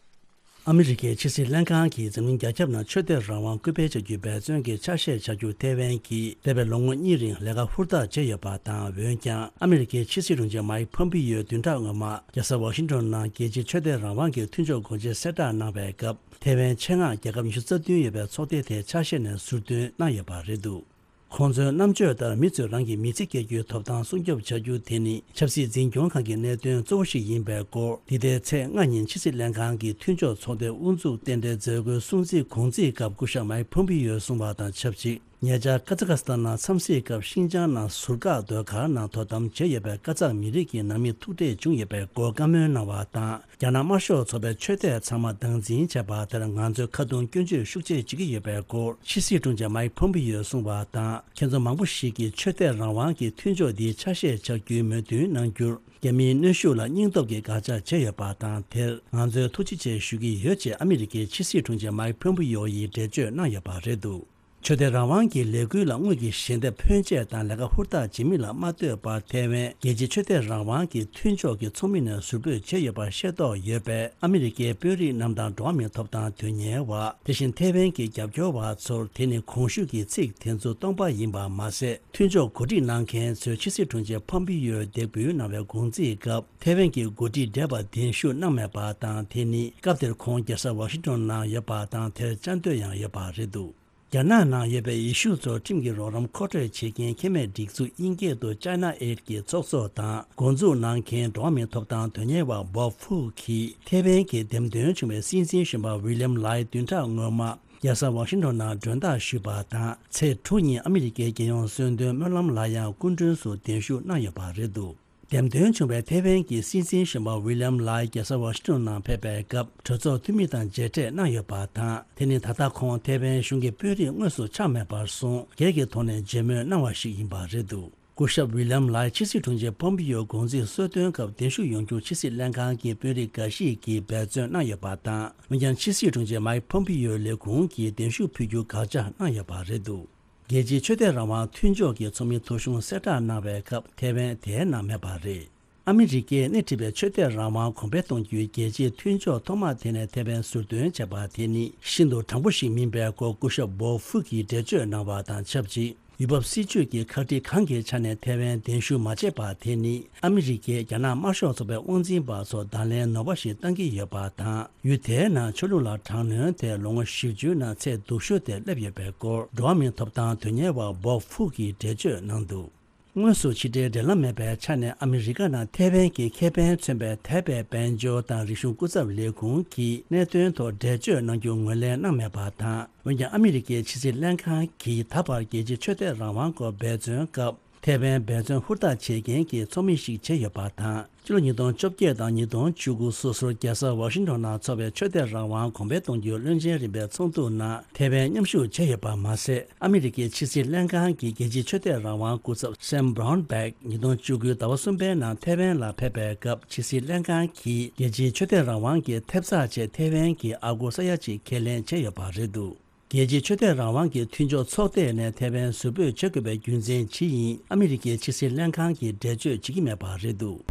ཨ་མི་རི་ཀའི་ཕྱི་སྲིད་ལྷན་ཁང་གིས་འཛམ་གླིང་རྒྱ་ཁྱབ་ནང་ཆོས་དད་རང་དབང་སྐུལ་སྤེལ་བྱ་རྒྱུའི་འབད་བརྩོན་གྱི་ཆ་ཤས་བྱ་རྒྱུར་ཐའེ་ཝན་གྱིས་འདས་པའི་ལོ་ངོ་གཉིས་རིང་ལས་ཀ་ཧུར་ཐག་བྱས་ཡོད་པ་དང་། འོན་ཀྱང་ཨ་མི་རི་ཀའི་ཕྱི་སྲིད་དྲུང་ཆེ་མའིག་ཕོམ་པི་ཡོས་བདུན་ཕྲག་སྔོན་མ་རྒྱལ་ས་ཝ་ཤིང་ཊོན་ནང་རྒྱལ་སྤྱིའི་ཆོས་དད་རང་དབང་གི་མཐུན་ཕྱོགས་སྒོ་འབྱེད་གསལ་བསྒྲགས་གནང་བའི་སྐབས། ཐའེ་ཝན་ཆེད་མངགས་རྒྱལ་ཁབ་ཉི་ཤུ་རྩ་བདུན་ཡོད་པའི་ཚོགས་སྡེ་དེའི་ཆ་ཤས་ནས་ཟུར་འདོན་གནང་ཡོད་པ་རེད་འདུག་ཁོང་ཚོའི་རྣམ་དཔྱོད་ལྟར་མི་ཚོས་རང་གི་མི་ཚེ་སྐྱེལ་རྒྱུའི་ཐོབ་ཐང་སྲུང་སྐྱོབ་བྱ་རྒྱུ་དེ་ནི་ཆབ་སྲིད་འཛིན་སྐྱོང་ཁང་གི་གནད་དོན་གཙོ་བོ་ཞིག་ཡིན་པའི་སྐོར། འདི་ཟླའི་ཚེས་ལྔ་ཉིན་ཕྱི་སྲིད་ལྷན་ཁང་གི་མཐུན་ཕྱོགས་ཚོགས་སྡེའི་དབུ་འཛུགས་རྟེན་འབྲེལ་མཛད་སྒོའི་སྲུང་བརྩིའི་གུང་ཚིགས་སྐབས་སྐུ་ཞབས་མའིག་ཕོམ་པི་ཡོས་གསུངས་པ་དང་ཆབས་ཅིག་ཉེ་ཆར་ཀ་ཛ་ཁ་སི་ཐན་ནང་འཚམས་གཟིགས་སྐབས་ཤིན་ཅང་ནང་ཟུར་བཀག་སྡོད་སྒར་ནང་དོ་དམ་བྱས་ཡོད་པའི་ཀ་ཛག་མི་རིགས་ཀྱི་ནང་མི་ཐུག་འཕྲད་བྱུང་ཡོད་པའི་སྐོར་བཀའ་མོལ་གནང་བ་དང་། རྒྱ་ནག་དམར་ཤོག་ཚོགས་པའི་ཆོས་དད་ཚང་མ་སྟངས་འཛིན་བྱས་པ་དེར་ང་ཚོས་ཁ་རྡུང་སྐྱོན་བརྗོད་ཤུགས་ཆེ་བྱེད་ཀྱི་ཡོད་པའི་སྐོར་ཕྱི་སྲིད་དྲུང་ཆེ་མའིག་ཕོམ་པི་ཡོས་གསུངས་པ་དང་། ཁྱེད་ཚོ་མང་པོ་ཞིག་གིས་ཆོས་དད་རང་དབང་གི་མཐུན་ཕྱོགས་འདིའི་ཆ་ཤས་ཆགས་རྒྱུའི་མོས་མཐུན་གནང་རྒྱུར། རྒྱ་མིའི་གནོན་ཤུགས་ལ་སྙིང་སྟོབས་ཀྱིས་དགག་བྱ་བྱས་ཡོད་པ་དང་། དེར་ང་ཚོས་ཐུགས་རྗེ་ཆེ་ཞུ་གི་ཡོད་ཅེས་ཨ་མི་རི་ཀའི་ཕྱི་སྲིད་དྲུང་ཆེ་མའིག་ཕོམ་པི་ཡོ་ཡིས་འགྲེལ་བརྗོད་གནང་ཡོད་པ་རེད་འདུག་ཆོས་དད་རང་དབང་གི་ལས་འགུལ་ལ་དངུལ་གྱི་ཞལ་འདེབས་ཕོན་ཆེ་དང་ལས་ཀ་ཧུར་ཐག་བྱེད་མིན་ལ་མ་ལྟོས་པར་ཐའེ་ཝན་རྒྱལ་སྤྱིའི་ཆོས་དད་རང་དབང་གི་མཐུན་ཕྱོགས་ཀྱི་ཚོགས་མི་ནས་ཟུར་འབོད་བྱས་ཡོད་པར་ཤེས་རྟོགས་ཡོད་པས། ཨ་མི་རི་ཀའི་དཔོན་རིགས་རྣམས་དང་འགྲོ་བ་མིའི་ཐོབ་ཐང་དོན་གཉེར་བ། དེ་བཞིན་ཐའེ་ཝན་གྱི་རྒྱབ་སྐྱོར་བ་ཚོར་དེ་ནི་གོང་ཞུས་ཀྱི་ཚིག་དེ་ཚོ་སྟོང་པ་ཡིན་པ་མ་ཟད། མཐུན་ཕྱོགས་གོ་སྒྲིག་གནང་མཁན་ཚོས་ཕྱི་སྲིད་དྲུང་ཆེ་ཕོམ་པི་ཡོས་འདེགས་འབུལ་གནང་བའི་གུང་ཚིགས་སྐབས། ཐའེ་ཝན་གྱི་འགོ་ཁྲིད་བགྲེས་པ་གདན་ཞུ་གནང་མེད་པ་དང་། དེ་ནི་སྐབས་དེར་ཁོང་རྒྱལ་ས་ཝ་ཤིང་ཊོན་ནང་ཡོད་པ་དང་། དེར་བཅའ་སྡོད་ཡང་ཡོད་པ་རེད་འདུག་རྒྱ་ནག་ནང་ཡོད་པའི་ཡེ་ཤུ་ཚོར་ཁྲིམས་ཀྱི་རོགས་རམ་མཁོ་སྤྲོད་བྱེད་མཁན་ཁེ་མེད་སྒྲིག་འཛུགས་དབྱིན་སྐད་དུ་China Aid གྱི་ཚོགས་གཙོ་དང་འགོ་འཛུགས་གནང་མཁན་འགྲོ་བ་མིའི་ཐོབ་ཐང་དོན་གཉེར་བ་Bob Fu གིས་ཐའེ་ཝན་གྱི་འདེམས་ཐོན་བྱུང་བའི་སྲིད་འཛིན་གཞོན་པ་William Lai བདུན་ཕྲག་སྔོན་མ་རྒྱལ་ས་ཝ་ཤིང་ཊོན་ནང་མགྲོན་བདག་ཞུས་པ་དང་། ཚེས་དྲུག་ཉིན་ཨ་མི་རི་ཀའི་རྒྱལ་ཡོངས་གསོལ་འདེབས་སྨོན་ལམ་ལ་ཡང་སྐུ་མགྲོན་སུ་གདན་ཞུ་གནང་ཡོད་པ་རེད་འདུག་འདེམས་ཐོན་བྱུང་བའི་ཐའེ་ཝན་གྱི་སྲིད་འཛིན་གཞོན་པ་ཝི་ལི་ཡམ་ལའི་རྒྱལ་ས་ཝ་ཤིང་ཊོན་ནང་ཕེབས་པའི་སྐབས་གྲོས་ཚོགས་འཐུས་མི་དང་མཇལ་འཕྲད་གནང་ཡོད་པ་དང་། དེ་ནི་ད་ལྟ་ཁོང་ཐའེ་ཝན་གཞུང་གི་དཔོན་རིགས་དངོས་སུ་ཆགས་མེད་པར་སོང་སྒེར་གྱི་ཐོག་ནས་མཇལ་མོལ་གནང་བ་ཞིག་ཡིན་པ་རེད་འདུག་སྐུ་ཞབས་ཝི་ལི་ཡམ་ལའི་ཕྱི་སྲིད་དྲུང་ཆེ་ཕོམ་པི་ཡོ་གུང་ཚིགས་གསོལ་སྟོན་སྐབས་གདན་ཞུ་ཡོང་རྒྱུར་ཕྱི་སྲིད་ལྷན་ཁང་གི་དཔོན་རིགས་འགའ་ཞིག་གིས་འབད་བརྩོན་གནང་ཡོད་པ་དང་། འོན་ཀྱང་ཕྱི་སྲིད་དྲུང་ཆེ་མའིག་ཕོམ་པི་ཡོའི་ལས་ཁུངས་ཀྱིས་གདན་ཞུ་ཕུལ་རྒྱུ་དགག་བྱ་གནང་ཡོད་པ་རེད་འདུག་རྒྱལ་སྤྱིའི་ཆོས་དད་རང་དབང་མཐུན་ཕྱོགས་ཀྱི་ཚོགས་མི་ཐོ་གཞུང་གསལ་བསྒྲགས་གནང་བའི་སྐབས་ཐའེ་ཝན་དེའི་ནང་མེད་པ་རེད། ཨ་མི་རི་ཀས་སྣེ་ཁྲིད་པའི་ཆོས་དད་རང་དབང་གོང་འཕེལ་གཏོང་རྒྱུའི་རྒྱལ་སྤྱིའི་མཐུན་ཕྱོགས་ཐོག་མ་དེ་ནས་ཐའེ་ཝན་ཟུར་འདོན་བྱས་པ་དེ་ནི་ཤིན་ཏུ་དྲང་པོ་ཞིག་མིན་པའི་སྐོར་སྐུ་ཞབས་བོ་ཧྥུ་གིས་འགྲེལ་བརྗོད་གནང་བ་དང་ཆབས་ཅིག་ཡུལ་བབ་སྲིད་ཇུས་ཀྱི་ཁག་དཀྲི་གང་གི་ཆ་ནས་ཐེ་ཝན་གདན་ཞུ་མ་བྱས་པ་དེ་ནི་ཨ་མི་རི་ཀས་རྒྱ་ནག་དམར་ཤོག་ཚོགས་པའི་དབང་འཛིན་པ་ཚོར་བརྡ་ལན་ནོར་བ་ཞིག་བཏང་གི་ཡོད་པ་དང་། ཡུལ་དེའི་ནང་ཆོས་ལུགས་ལ་དྲག་གནོན་དེ་ལོ་ངོ་བཞི་བཅུའི་ནང་ཚད་སྡུག་ཤོས་དེ་སླེབས་ཡོད་པའི་སྐོར་འགྲོ་བ་མིའི་ཐོབ་ཐང་དོན་གཉེར་བ་བོབ་ཧྥུག་གིས་འགྲེལ་བརྗོད་གནང་འདུག་དངོས་སུ་ཕྱི་འབྲེལ་འབྲེལ་ལམ་མེད་པའི་ཆ་ནས་ཨ་མི་རི་ཀ་ནང་ཐེ་ཝན་གྱི་ཁེ་ཕན་མཚོན་པའི་ཐའེ་པེ་དཔལ་འབྱོར་དང་རིག་གཞུང་སྐུ་ཚབ་ལས་ཁུངས་ཀྱིས་གནད་དོན་ཐོག་འགྲེལ་བརྗོད་གནང་རྒྱུ་ངོས་ལེན་གནང་མེད་པ་དང་། འོན་ཀྱང་ཨ་མི་རི་ཀའི་ཕྱི་སྲིད་ལྷན་ཁང་གིས་ད་བར་རྒྱལ་སྤྱིའི་ཆོས་དད་རང་དབང་སྐོར་འབད་བརྩོན་སྐབས། ཐེ་ཝན་འབད་བརྩོན་ཧུར་ཐག་བྱེད་མཁན་གྱི་ཚོགས་མི་ཞིག་བྱས་ཡོད་པ་དང་། ཕྱི་ལོ་ཉིས་སྟོང་བཅོ་བརྒྱད་དང་ཉིས་སྟོང་བཅུ་དགུ་སོ་སོར་རྒྱལ་ས་ཝ་ཤིང་ཊོན་ནང་འཚོགས་པའི་ཆོས་དད་རང་དབང་གོང་འཕེལ་གཏོང་རྒྱུའི་བློན་ཆེན་རིམ་པའི་ཚོགས་འདུ་ནང་ཐེ་ཝན་མཉམ་ཞུགས་བྱས་ཡོད་པ་མ་ཟད། ཨ་མི་རི་ཀའི་ཕྱི་སྲིད་ལྷན་ཁང་གི་རྒྱལ་སྤྱིའི་ཆོས་དད་རང་དབང་སྐུ་ཚབ་སེམ་བྷ་རོན་བྷེག་ཉིས་སྟོང་བཅུ་དགུའི་ཟླ་བ་གསུམ་པའི་ནང་ཐེ་ཝན་ལ་ཕེབས་པའི་སྐབས། ཕྱི་སྲིད་ལྷན་ཁང་གིས་རྒྱལ་སྤྱིའི་ཆོས་དད་རང་དབང་གི་ཐེབས་རྩ་ཆེད་ཐེ་ཝན་གྱི་ཨ་སྒོར་ས་ཡ་གཅིག་ཁས་ལེན་བྱས་ཡོད་པ་རེད་འདུག་རྒྱལ་སྤྱིའི་ཆོས་དད་རང་དབང་གི་མཐུན་ཕྱོགས་ཚོགས་སྡེ་ནས་ཐེ་ཝན་ཟུར་འབོད་བྱེད་དགོས་པའི་རྒྱུ་མཚན་ཇི་ཡིན་ཨ་མི་རི་ཀའི་ཕྱི་སྲིད་ལྷན་ཁང་གིས་འགྲེལ་བརྗོད་བྱེད་ཀྱི་མེད་པ་རེད་འདུག་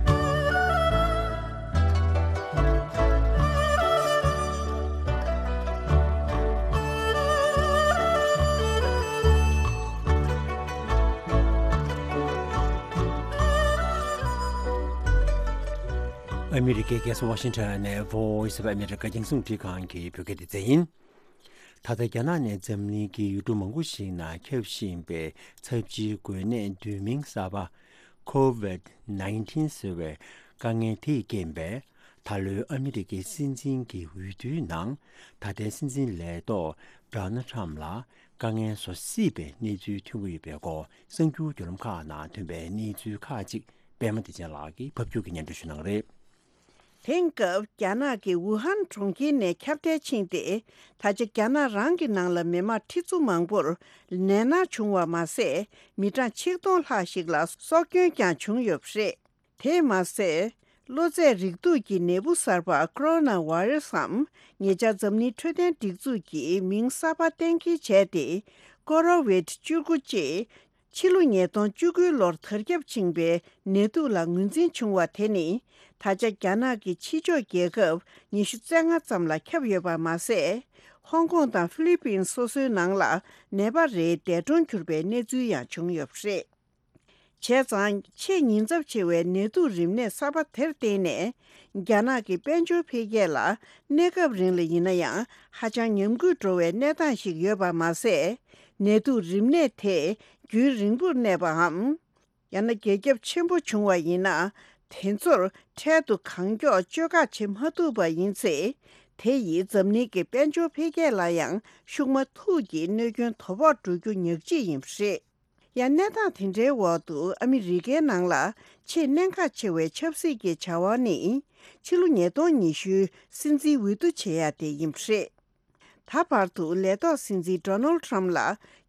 ཨ་མི་རི་ཀའི་རྒྱལ་ས་ཝ་ཤིང་ཊོན་ནས་Voice of America རྒྱང་སྲིང་རླུང་འཕྲིན་ཁང་གི་བོད་སྐད་སྡེ་ཚན་ཡིན། ད་ལྟ་རྒྱ་ནག་ནས་འཛམ་གླིང་གི་ཡུལ་གྲུ་མང་པོ་ཞིག་ནང་ཁྱབ་བཞིན་པའི་ཚབས་ཆེའི་འགོས་ནད་བསྡུས་མིང་གསར་པ་COVID nineteen ཟེར་བའི་དཀའ་ངལ་དེས་རྐྱེན་པས། ད་ལོའི་ཨ་མི་རི་ཀའི་སྲིད་འཛིན་གྱི་འོས་བསྡུའི་ནང་ད་ལྟའི་སྲིད་འཛིན་ལས་ཐོག་Donald Trump ལ་དཀའ་ངལ་བཟོ་སྲིད་པའི་གནས་ཚུལ་ཐོན་གྱི་ཡོད་པའི་སྐོར། གསར་འགྱུར་བརྒྱུད་ལམ་ཁག་ནང་ཐོན་པའི་གནས་ཚུལ་ཁག་ཅིག་པད་མ་བདེ་ཆེན་ལགས་ཀྱིས་ཕབ་སྒྱུར་གྱིས་སྙན་སྒྲོན་ཞུ་གནང་གི་རེད། དེང་སྐབས་རྒྱ་ནག་གི་ཝུ་ཧན་གྲོང་ཁྱེར་ནས་ཁྱབ་གདལ་ཕྱིན་ཏེ། ད་ཆ་རྒྱ་ནག་རང་གི་ནང་ལ་མི་མང་ཁྲི་ཚོ་མང་པོར་ནད་མནར་བྱུང་བ་མ་ཟད། མི་གྲངས་ཆིག་སྟོང་ལྷག་ཞིག་ལ་སྲོག་སྐྱོན་ཀྱང་བྱུང་ཡོད་པ་རེད། དེས་མ་ཟད། གློ་ཚད་རེག་དུག་གི་ནད་འབུ་གསར་པ་Coronavirus འམ། ཉེ་ཆར་འཛམ་གླིང་འཕྲོད་བསྟེན་སྒྲིག་འཛུགས་ཀྱིས་མིང་གསར་པ་གཏན་འཁེལ་བྱས་ཏེ། Covid བཅུ་དགུ་ཅེས། ཕྱི་ལོ་ཉིས་སྟོང་བཅུ་དགུའི་ལོར་དར་ཁྱབ་ཕྱིན་པའི་ནད་དུག་ལ་ངོས་འཛིན་བྱུང་བ་དེ་ནི། ད་ཆ་རྒྱ་ནག་གི་ཕྱི་ཕྱོགས་རྒྱལ་ཁབ་ཉི་ཤུ་རྩ་ལྔ་ཙམ་ལ་ཁྱབ་ཡོད་པ་མ་ཟད། ཧོང་ཀོང་དང་ཧྥི་ལི་པིན་སོ་སོའི་ནང་ལ་ནད་པ་རེའི་འདས་གྲོངས་གྱུར་པའི་གནས་ཚུལ་ཡང་བྱུང་ཡོད་པ་རེད། བྱས་ཙང་ཆེས་ཉེན་ཚབས་ཆེ་བའི་ནད་དུག་རིམས་ནད་གསར་པ་དེར་བརྟེན་ནས། རྒྱ་ནག་གི་དཔལ་འབྱོར་འཕེལ་རྒྱས་ལ་གནས་སྐབས་རིང་ལ་ཡིན་ན་ཡང་ཧ་ཅང་ཉམས་རྒུད་འགྲོ་བའི་གནས་སྟངས་ཤིག་ཡོད་པ་མ་ཟད། ནད་དུག་རིམས་ནད་དེ་རྒྱུན་རིང་པོར་གནས་པའམ། ཡང་ན་རྒྱ་ཁྱབ་ཆེན་པོ་བྱུང་བ་ཡིན་ན། དེ་ཚོར་འཕྲལ་དུ་གང་མགྱོགས་བཅོས་ཁ་བྱེད་མ་ཐུབ་པ་ཡིན་ཚེ། དེ་ཡིས་འཛམ་གླིང་གི་དཔལ་འབྱོར་འཕེལ་རྒྱས་ལ་ཡང་ཤུགས་མ་ཐུག་གི་གནོད་སྐྱོན་དོ་ཕོག་འགྲོ་རྒྱུ་ཉག་གཅིག་ཡིན་པ་རེད། ཡང་གནས་སྟངས་དེ་འདྲའི་འོག་ཏུ་ཨ་མི་རི་ཀའི་ནང་ལ་ཆེས་གནད་འགག་ཆེ་བའི་ཆབ་སྲིད་ཀྱི་བྱ་བ་ནི། ཕྱི་ལོ་ཉིས་སྟོང་ཉི་ཤུའི་སྲིད་འཛིན་འོས་བསྡུ་བྱེད་ཡ་དེ་ཡིན་པ་རེད། ད་བར་དུ་ལས་ཐོག་སྲིད་འཛིན་Donald Trump ལ་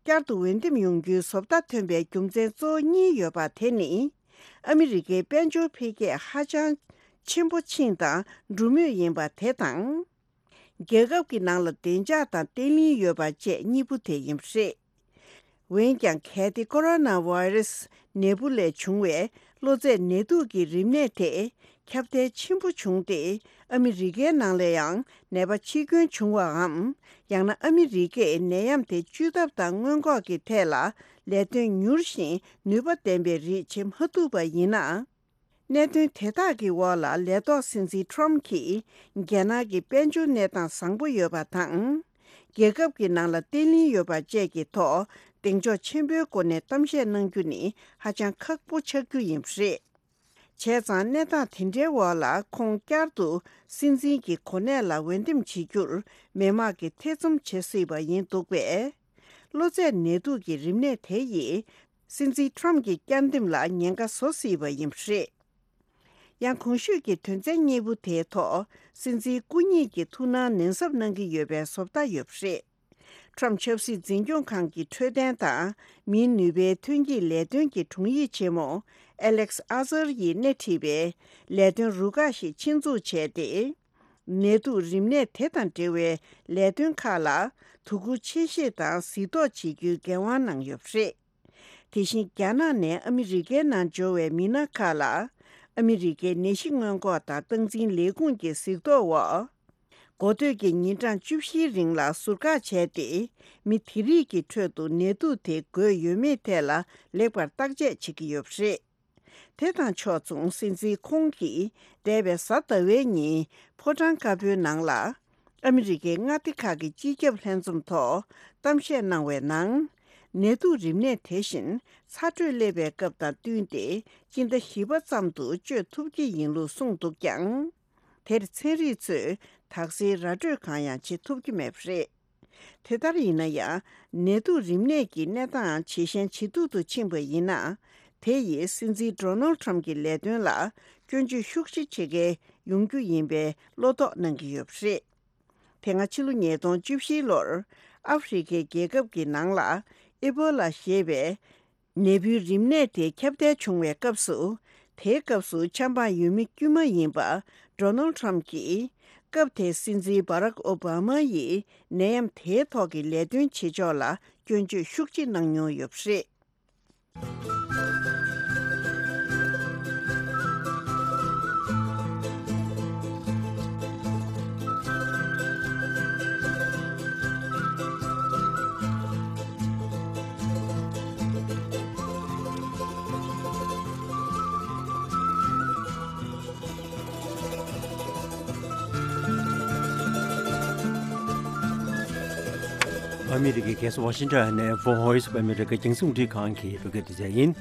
བསྐྱར་དུ་འོས་འདེམས་ཡོང་རྒྱུའི་བཟོ་ལྟ་ཐོན་པའི་རྒྱུ་མཚན་གཙོ་བོ་གཉིས་ཡོད་པ་དེ་ནི། ཨ་མི་རི་ཀའི་དཔལ་འབྱོར་འཕེལ་རྒྱས་ཧ་ཅང་ཆེན་པོ་ཕྱིན་དང་འགྲོ་མུས་ཡིན་པ་དེ་དང་། རྒྱལ་ཁབ་ཀྱི་ནང་ལ་བདེ་འཇགས་དང་བརྟན་ལྷིང་ཡོད་པ་བཅས་གཉིས་པོ་དེ་ཡིན་པ་རེད། འོན་ཀྱང་གལ་ཏེ་Coronavirus ནད་འབུ་ལས་བྱུང་བའི་གློ་ཚད་ནད་དུག་གི་རིམས་ནད་དེ་ཁྱབ་གདལ་ཆེན་པོ་བྱུང་སྟེ། ཨ་མི་རི་ཀའི་ནང་ལ་ཡང་ནད་པ་འཆི་སྐྱོན་བྱུང་བའམ། ཡང་ན་ཨ་མི་རི་ཀས་ནད་ཡམས་དེ་བཅོས་ཐབས་དང་སྔོན་འགོག་གི་ཐད་ལ་ལས་དོན་མྱུར་ཞིང་ནུས་པ་ལྡན་པའི་རིགས་བྱེད་མ་ཐུབ་པ་ཡིན་ན། གནད་དོན་དེ་དག་གི་འོག་ལ་ལས་ཐོག་སྲིད་འཛིན་Trump གྱིས་རྒྱ་ནག་གི་དཔལ་འབྱོར་གནས་སྟངས་བཟང་པོ་ཡོད་པ་དང་། རྒྱལ་ཁབ་ཀྱི་ནང་ལ་བརྟན་ལྷིང་ཡོད་པ་བཅས་ཀྱི་ཐོག་གདེང་འཇོག་ཆེན་པོའི་སྒོ་ནས་གཏམ་བཤད་གནང་རྒྱུ་ནི་ཧ་ཅང་ཁག་པོ་ཆགས་རྒྱུ་ཡིན་པ་རེད། བྱས་ཙང་གནས་སྟངས་དེ་འདྲའི་འོག་ལ་ཁོང་བསྐྱར་དུ་སྲིད་འཛིན་གྱི་གོ་གནས་ལ་འོས་འདེམས་བྱེད་རྒྱུར་མི་མང་གིས་ཐེ་ཚོམ་བྱེད་སྲིད་པ་ཡིན་འདུག་པས། གློ་ཚད་ནད་དུག་གི་རིམས་ནད་དེ་ཡིས་སྲིད་འཛིན་Trump གྱི་བསྐྱར་འདེམས་ལ་ཉེན་ཁ་བཟོ་སྲིད་པ་ཡིན་པ་རེད། ཡང་གོང་ཞུས་ཀྱི་དོན་ཚན་གཉིས་པོ་དེའི་ཐོག་སྲིད་འཛིན་སྐུ་ཉིད་ཀྱི་ཐུགས་སྣང་ནན་གསབ་གནང་གི་ཡོད་པའི་བཟོ་ལྟ་ཡོད་པ་རེད། Trump ཆབ་སྲིད་འཛིན་སྐྱོང་ཁང་གི་འཕྲོད་བསྟེན་དང་མིའི་ནུས་པའི་ཐོན་སྐྱེད་ལས་དོན་གྱི་དྲུང་ཡིག་ཆེན་མོ་Alex Azar ཡིས་སྣེ་ཁྲིད་པའི་ལས་དོན་རུ་ཁག་ཞིག་ཆེད་འཛུགས་བྱས་ཏེ། ནད་དུག་རིམས་ནད་དེ་དང་འབྲེལ་བའི་ལས་དོན་ཁག་ལ་དོ་ཁུར་ཆེ་བཞེས་དང་གཟིགས་རྟོག་བྱེད་རྒྱུའི་འགན་དབང་གནང་ཡོད་པ་རེད། དེ་བཞིན་རྒྱ་ནག་ནས་ཨ་མི་རི་ཀའི་ནང་འབྱོར་བའི་མི་སྣ་ཁག་ལ་ཨ་མི་རི་ཀའི་ནད་གཞི་སྔོན་འགོག་དང་སྟངས་འཛིན་ལས་ཁུངས་ཀྱི་གཟིགས་རྟོག་འོག་ འགོ་སྟོད་ཀྱི་ཉིན་གྲངས་བཅུ་བཞིའི་རིང་ལ་ཟུར་བཀག་བྱས་ཏེ། མི་དེ་རིགས་ཀྱི་ཁྲོད་དུ་ནད་དུག་དེ་འགོས་ཡོད་མེད་ཐད་ལ་ལེགས་པར་བརྟག་དཔྱད་བྱེད་ཀྱི་ཡོད་པ་རེད། དེ་དང་ཕྱོགས་མཚུངས། སྲིད་འཛིན་ཁོང་གིས་འདས་པའི་གཟའ་ཟླ་བའི་ཉིན་ཕོ་བྲང་དཀར་པོའི་ནང་ལ། ཨ་མི་རི་ཀའི་མངའ་སྡེ་ཁག་གི་སྤྱི་ཁྱབ་ལྷན་འཛོམས་ཐོག་གཏམ་བཤད་གནང་བའི་ནང་། ནད་དུག་རིམས་ནད་དེ་བཞིན་ཚ་དྲོད་སླེབས་པའི་སྐབས་དང་བསྟུན་ཏེ། སྤྱི་ཟླ་བཞི་པ་ཙམ་དུ་བཅོས་ཐུབ་ཀྱི་ཡིན་ལུགས་གསུངས་འདུག་ཀྱང་། དེར་ཚན་རིག་ཚོས་དག་སེལ་ར་སྤྲོད་གང་ཡང་བྱེད་ཐུབ་ཀྱི་མེད་པ་རེད། དེ་ལྟར་ཡིན་ན་ཡང་། ནད་དུག་རིམས་ནད་ཀྱི་གནས་སྟངས་ཇེ་ཞན་ཇེ་སྡུག་ཏུ་ཕྱིན་པ་ཡིན་ན། དེ་ཡིས་སྲིད་འཛིན་ཌོ་ནལ་ཊམ་གྱི་ལས་དོན་ལ་སྐྱོན་བརྗོད་ཤུགས་ཆེ་བྱེད་མཁན་ཡོང་རྒྱུ་ཡིན་པའི་བློ་དོགས་གནང་གི་ཡོད་པ་རེད། དེ་སྔ་ཕྱི་ལོ་ཉིས་སྟོང་བཅུ་བཞི་ལོར་ཨ་ཧྥེ་རི་ཁའི་རྒྱལ་ཁབ་ཀྱི་ནང་ལ་ཨི་བྷོ་ལ་ཞེས་པའི་ནད་འབུའི་རིམས་ནད་དེ་ཁྱབ་གདལ་བྱུང་བའི་སྐབས་སུ། དེའི་སྐབས་སུ་ཆབ་འབངས་འོས་མི་དཀྱུས་མ་ཡིན་པ་ཌོ་ནལ་ཊམ་གྱིས། སྐབས་དེའི་སྲིད་འཛིན་བྷ་རག་ཨོ་བྷ་མ་ཡིས་ནད་ཡམས་དེའི་ཐོག་གི་ལས་དོན་བྱེད་ཕྱོགས་ལ་སྐྱོན་བརྗོད་ཤུགས་ཆེ་གནང་མྱོང་ཡོད་པ་རེད། ཨ་མི་རི་ཀའི་རྒྱལ་ས་ཝ་ཤིང་ཊོན་ནས་Voice of America རྒྱང་སྲིང་རླུང་འཕྲིན་ཁང་གི་བོད་སྐད་སྡེ་ཚན་ཡིན།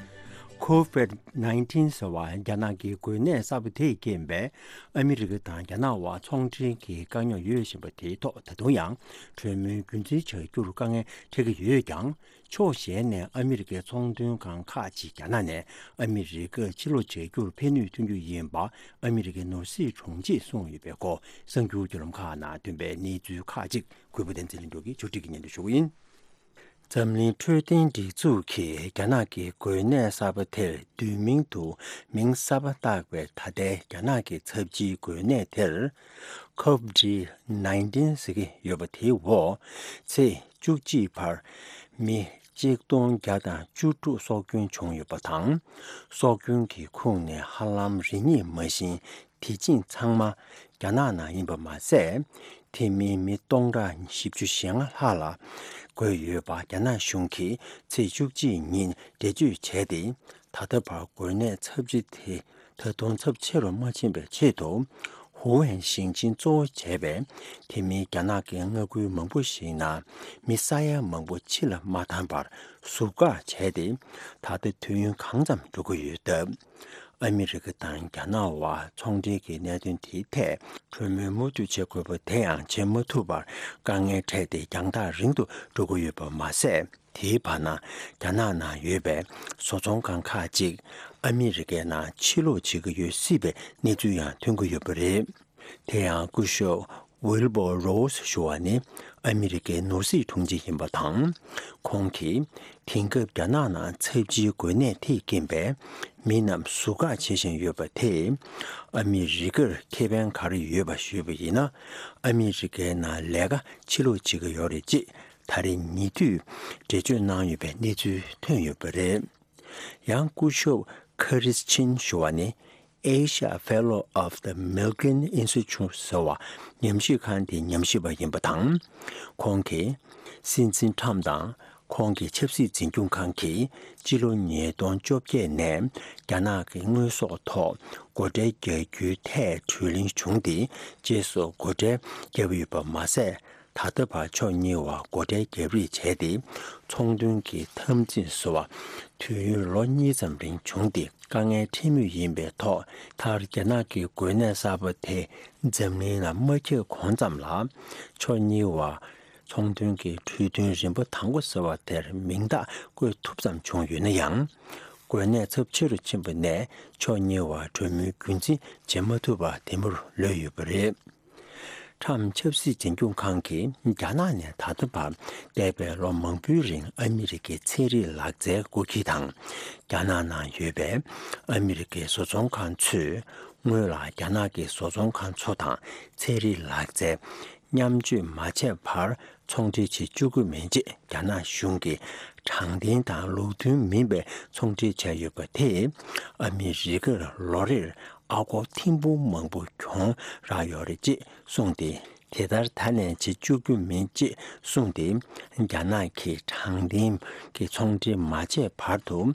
COVID nineteen ཟེར་བ་རྒྱ་ནག་གི་འགོས་ནད་གསར་པ་དེས་རྐྱེན་པས། ཨ་མི་རི་ཀ་དང་རྒྱ་ནག་དབར་ཚོང་འབྲེལ་གྱི་དཀའ་རྙོག་ཡོད་བཞིན་པ་དེའི་ཐོག་ད་དུང་ཡང་གྲོས་མོལ་རྒྱུན་འཛིན་བྱ་རྒྱུར་དཀའ་ངལ་འཕྲད་ཀྱི་ཡོད་ཀྱང་། ཕྱོགས་གཞན་ནས་ཨ་མི་རི་ཀའི་ཚོང་དོན་ཁང་ཁག་ཅིག་རྒྱ་ནག་ནས་ཨ་མི་རི་ཀར་ཕྱིར་ལོག་བྱ་རྒྱུར་ཕན་ནུས་ཐོན་རྒྱུ་ཡིན་པ་ཨ་མི་རི་ཀའི་ནོར་སྲིད་དྲུང་ཆེས་གསུངས་ཡོད་པའི་སྐོར་གསར་འགྱུར་བརྒྱུད་ལམ་ཁག་ནང་ཐོན་པའི་གནས་ཚུལ་ཁག་ཅིག་གུས་པ་བསྟན་འཛིན་ལྷུན་གྲུབ་ཀྱིས་ཕྱོགས་སྒྲིག་གིས་སྙན་སྒྲོན་ཞུ་གི་ཡིན། འཛམ་གླིང་འཕྲོད་བསྟེན་སྒྲིག་འཛུགས་ཀྱིས་རྒྱ་ནག་གི་འགོས་ནད་གསར་པ་དེར་བསྡུས་མིང་དུ་མིང་གསར་པ་བཏགས་པའི་ད་ལྟའི་རྒྱ་ནག་གི་ཚབས་ཆེའི་འགོས་ནད་དེར་COVID nineteen ཟེར་གྱི་ཡོད་པ་དེའི་འོག་ཚེས་བཅུ་གཅིག་བར་མི་གཅིག་སྟོང་བརྒྱ་དང་བཅུ་དྲུག་སྲོག་སྐྱོན་བྱུང་ཡོད་པ་དང་། སྲོག་སྐྱོན་གྱི་ཁོངས་ནས་ཧ་ལམ་རེ་གཉིས་མ་ཟིན་དེ་ཅིང་ཚང་མ་རྒྱ་ནག་ནང་ཡིན་པ་མ་ཟད། དེ་མིན་མི་སྟོང་ཕྲག་བཞི་བཅུ་ཞེ་ལྔ་ལྷག་ལ་འགོས་ཡོད་པ་རྒྱ་ནག་གཞུང་གིས་ཚེས་བཅུ་གཅིག་ཉིན་འགྲེལ་བརྗོད་བྱས་ཏེ། ད་ལྟ་བར་འགོས་ནད་ཚབས་ཆེ་དེ་ད་དུང་ཚབས་ཆེ་རུ་མ་ཕྱིན་པའི་ཆེད་དུ། ཧུའུ་ཝེན་ཞིང་ཆེན་གཙོ་བོ་བྱས་པའི་དེ་མིན་རྒྱ་ནག་གི་མངའ་ཁུལ་མང་པོ་ཞིག་ནང་མི་ས་ཡ་མང་པོ་ཕྱི་ལ་མ་བཏང་བར་ཟུར་བཀག་བྱས་ཏེ། ད་ལྟ་དུས་ཡུན་གང་ཙམ་འགྲོ་གི་ཡོད་སྟབས། ཨ་མི་རི་ཀ་དང་རྒྱ་ནག་དབར་ཚོང་འབྲེལ་གྱི་གནད་དོན་དེའི་ཐད་གྲོས་མོལ་མུ་མཐུད་བྱེད་དགོས་པ་དེ་ཡང་བྱེད་མ་ཐུབ་པར་དཀའ་ངལ་འཕྲད་དེ་རྒྱང་ཐག་རིང་དུ་འགྲོ་གི་ཡོད་པ་མ་ཟད། དེའི་བར་ན་རྒྱ་ནག་ནང་ཡོད་པའི་བཟོ་ཚོང་ཁང་ཁག་ཅིག་ཨ་མི་རི་ཀའི་ནང་ཕྱིར་ལོག་བྱེད་ཀྱི་ཡོད་སྲིད་པའི་གནས་ཚུལ་ཡང་ཐོན་གྱི་ཡོད་པ་རེད། དེ་ཡང་སྐུ་ཞབས་ཝིལ་བོར་རོ་སི་ཞུ་བ་ནི་ཨ་མི་རི་ཀའི་ནོར་སྲིད་དྲུང་ཆེ་ཡིན་པ་དང་། ཁོང་གིས་དེང་སྐབས་རྒྱ་ནག་ནང་ཚབས་ཆེའི་འགོས་ནད་དེས་རྐྱེན་པས་མི་རྣམས་ཟུར་བཀག་བྱེད་བཞིན་ཡོད་པ་དེས་ཨ་མི་རི་ཀར་ཁེ་ཕན་ག་རེ་ཡོད་པ་ཞུས་པ་ཡིན་ན། ཨ་མི་རི་ཀའི་ནང་ལས་ཀ་ཕྱིར་ལོག་བྱེད་ཀྱི་ཡོད་རེད་ཅེས་ད་རེས་ཉེ་དུས་འགྲེལ་བརྗོད་གནང་ཡོད་པའི་གནས་ཚུལ་ཐོན་ཡོད་པ་རེད། ཡང་སྐུ་ཞབས་ཁ་རིས་ཆིན་ཞུ་བ་ནི་Asia Fellow of the Milken Institute ཟེར་བ་ཉམས་ཞིབ་ཁང་དེའི་ཉམས་ཞིབ་པ་ཡིན་པ་དང་། ཁོང་གིས་སྲིད་འཛིན་ཁྲམ་དང་ཁོང་གི་ཆབ་སྲིད་འཛིན་སྐྱོང་ཁང་གིས་སྤྱི་ལོ་ཉིས་སྟོང་བཅོ་བརྒྱད་ནས་རྒྱ་ནག་གི་དངོས་ཟོག་ཐོག་སྒོ་ཁྲལ་རྒྱག་རྒྱུའི་ཐད་གྲོས་གླེང་བྱུང་སྟེ། རྗེས་སུ་སྒོ་ཁྲལ་བརྒྱབ་ཡོད་པ་མ་ཟད། ད་ལྟ་བར་ཕྱོགས་གཉིས་བར་སྒོ་ཁྲལ་བརྒྱབ་རེས་བྱས་ཏེ། ཚོང་དོན་གྱི་འཐབ་འཛིང་བཟོ་བ་དུས་ཡུན་ལོ་གཉིས་ཙམ་རིང་བྱུང་སྟེ། དཀའ་ངལ་འཕྲད་མུས་ཡིན་པའི་ཐོག་མཐར་རྒྱ་ནག་གི་འགོས་ནད་གསར་པ་དེ་འཛམ་གླིང་ལ་མ་ཁྱབ་གོང་ཙམ་ལ། ཕྱོགས་གཉིས་བར་ཚོང་དོན་གྱི་གྲོས་མཐུན་རིམ་པ་དང་པོ་ཟེར་བ་དེར་མིང་རྟགས་བཀོད་ཐུབ་ཙམ་བྱུང་ཡོད་ན་ཡང་། འགོས་ནད་ཚབས་ཆེ་རུ་ཕྱིན་པ་ནས་ཕྱོགས་གཉིས་བར་གྲོས་མོལ་རྒྱུན་འཛིན་བྱེད་མ་ཐུབ་པ་དེ་མུར་ལུས་ཡོད་པ་རེད། ཁྲམ་ཆབ་སྲིད་འཛིན་སྐྱོང་ཁང་གིས་རྒྱ་ནག་ནས་ད་ལྟ་བར་འདས་པའི་ལོ་མང་པོའི་རིང་ཨ་མི་རི་ཀའི་ཚན་རིག་ལག་རྩལ་སྒོ་ཁྱི་དང་། རྒྱ་ནག་ནང་ཡོད་པའི་ཨ་མི་རི་ཀའི་བཟོ་ཚོང་ཁང་ཚོས་སྔོན་ལ་རྒྱ་ནག་གི་བཟོ་ཚོང་ཁང་ཚོ་དང་ཚན་རིག་ལག་རྩལ་མཉམ་སྤྱོད་མ་བྱས་པར་ཚོང་འབྲེལ་བྱེད་བཅུག་གི་མིན་ཅེས་རྒྱ་ནག་གཞུང་གིས་དྲང་བདེན་དང་ལུགས་མཐུན་མིན་པའི་ཚོང་འབྲེལ་བྱས་ཡོད་པ་དེས་ཨ་མི་རི་ཀར་ལོ་རེར་ཨ་སྒོར་ཐེར་འབུམ་མང་པོ་གྱོང་རག་ཡོད་རེད་ཅེས་གསུངས་ཏེ། དེ་ལྟར་ད་ནས་བྱེད་བཅུག་རྒྱུ་མིན་ཅེས་གསུངས་ཏེ། རྒྱ་ནག་གིས་དྲང་བདེན་གྱི་ཚོང་འབྲེལ་མ་བྱས་བར་དུ།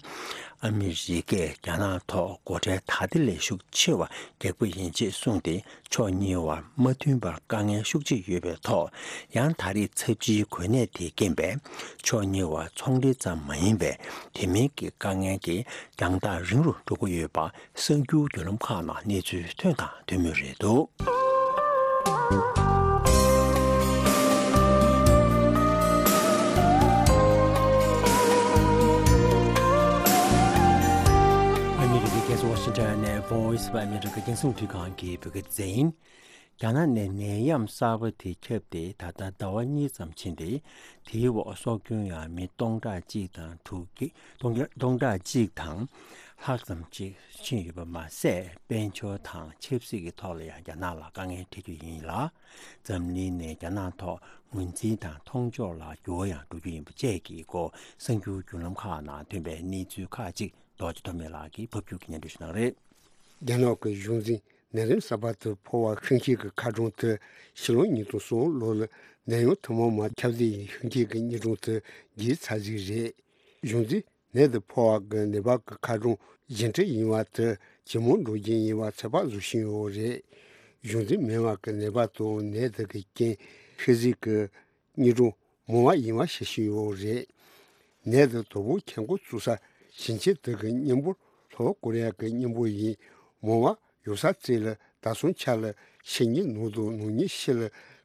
ཨ་མི་རི་ཀས་རྒྱ་ནག་ཐོག་སྒོ་ཁྲལ་ད་ལྟ་ལས་ཤུགས་ཆེ་བ་རྒྱག་པ་ཡིན་ཅེས་གསུངས་ཏེ། ཕྱོགས་གཉིས་བར་མ་མཐུན་པར་དཀའ་ངལ་ཤུགས་ཆེ་ཡོད་པའི་ཐོག། ཡང་ད་རེས་ཚབས་ཆེའི་གོ་གནས་དེས་རྐྱེན་པས། ཕྱོགས་གཉིས་བར་ཚོང་འབྲེལ་ཙམ་མ་ཡིན་པའི་དེ་མིན་གྱི་དཀའ་ངལ་གྱི་རྒྱང་ཐག་རིང་རུ་འགྲོ་གི་ཡོད་པ། གསར་འགྱུར་བརྒྱུད་ལམ་ཁག་ནང་གནས་ཚུལ་ཐོན་དང་ཐོན་མུས་རེད་འདུག། ཨ་མི་རི་ཀའི་རྒྱལ་ས་ཝ་ཤིང་ཊོན་ནས་Voice of America རྒྱང་སྲིང་རླུང་འཕྲིན་ཁང་གི་བོད་སྐད་སྡེ་ཚན་ཡིན། རྒྱ་ནག་ནས་ནད་ཡམས་གསར་པ་དེ་ཁྱབ་སྟེ་ད་ལྟ་ཟླ་བ་གཉིས་ཙམ་ཕྱིན་ཏེ། དེའི་འོག་སྲོག་སྐྱོན་ཡང་མི་སྟོང་ཕྲག་གཅིག་དང་དྲུག་བརྒྱ། སྟོང་ཕྲག་སྟོང་ཕྲག་གཅིག་དང་ལྷག་ཙམ་ཅིག་ཕྱིན་ཡོད་པ་མ་ཟད། དཔལ་འབྱོར་དང་ཆབ་སྲིད་ཀྱི་ཐོག་ལ་ཡང་རྒྱ་ནག་ལ་དཀའ་ངལ་འཕྲད་རྒྱུ་ཡིན་ལ། འཛམ་གླིང་ནས་རྒྱ་ནག་ཐོག་ངོས་འཛིན་དང་མཐོང་ཕྱོགས་ལ་འགྱུར་བ་ཡང་འགྲོ་རྒྱུ་ཡིན་པ་བཅས་ཀྱི་སྐོར། གསར་འགྱུར་བརྒྱུད་ལམ་ཁག་ནང་ཐོན་པའི་གནས་ཚུལ་ཁག་ཅིག་རྡོ་རྗེ་ཐོགས་མེད་ལགས་ཀྱིས་ཕབ་སྒྱུར་གྱིས་སྙན་སྒྲོན་ཞུ་གནང་རེད། རྒྱ་ནག་གི་གཞུང་འཛིན་ནད་རིམས་གསར་པ་དེ་ཕོ་བ་ཤིང་ཁྱི་གི་ཁ་གྲངས་དེ་ཕྱི་ལོ་ཉིས་སྟོང་གསུམ་ལོ་ལ་ནད་ཡམས་ཐེངས་མ་མ་ཁྱབ་གདལ་ཡིན་ཤིང་ཁྱི་གི་རྙིང་གྲངས་དེ་བརྒལ་ཚར་ཟིག་རེད། གཞུང་འཛིན་ནད་དེ་ཕོ་བ་གི་ནད་པ་གི་ཁ་གྲངས་གཞན་འཕྲད་ཡིན་བ་དེ་ཇེ་མང་འགྲོ་རྒྱུ་ཡིན་བ་ཚོད་དཔག་བཟོ་བཞིན་ཡོད་རེད། གཞུང་འཛིན་སྨན་བ་གི་ནད་པ་དང་ནད་དེ་གི་རྐྱེན་ཤི་གཟུགས་གི་རྙིང་གྲངས་མང་བ་ཡིན་བ་ཤེས་བཞིན་ཡོད་རེད། ནད་དེ་དོ་པོ་ཁྱབ་འགོ་ཚུགས་ས་ཞིང་ཆེན་དེ་གི་མཉམ་པོ་ལྷོ་ཀོ་རི་ཡ་གི་མཉམ་པོ་ཡིན། མང་བ་ཡོད་ས་ཚིག་ལ་ད་སོང་ཆ་ལ་ཕྱི་ཉིན་ནང་དང་ནང་ཉིན་ཕྱི་ལ་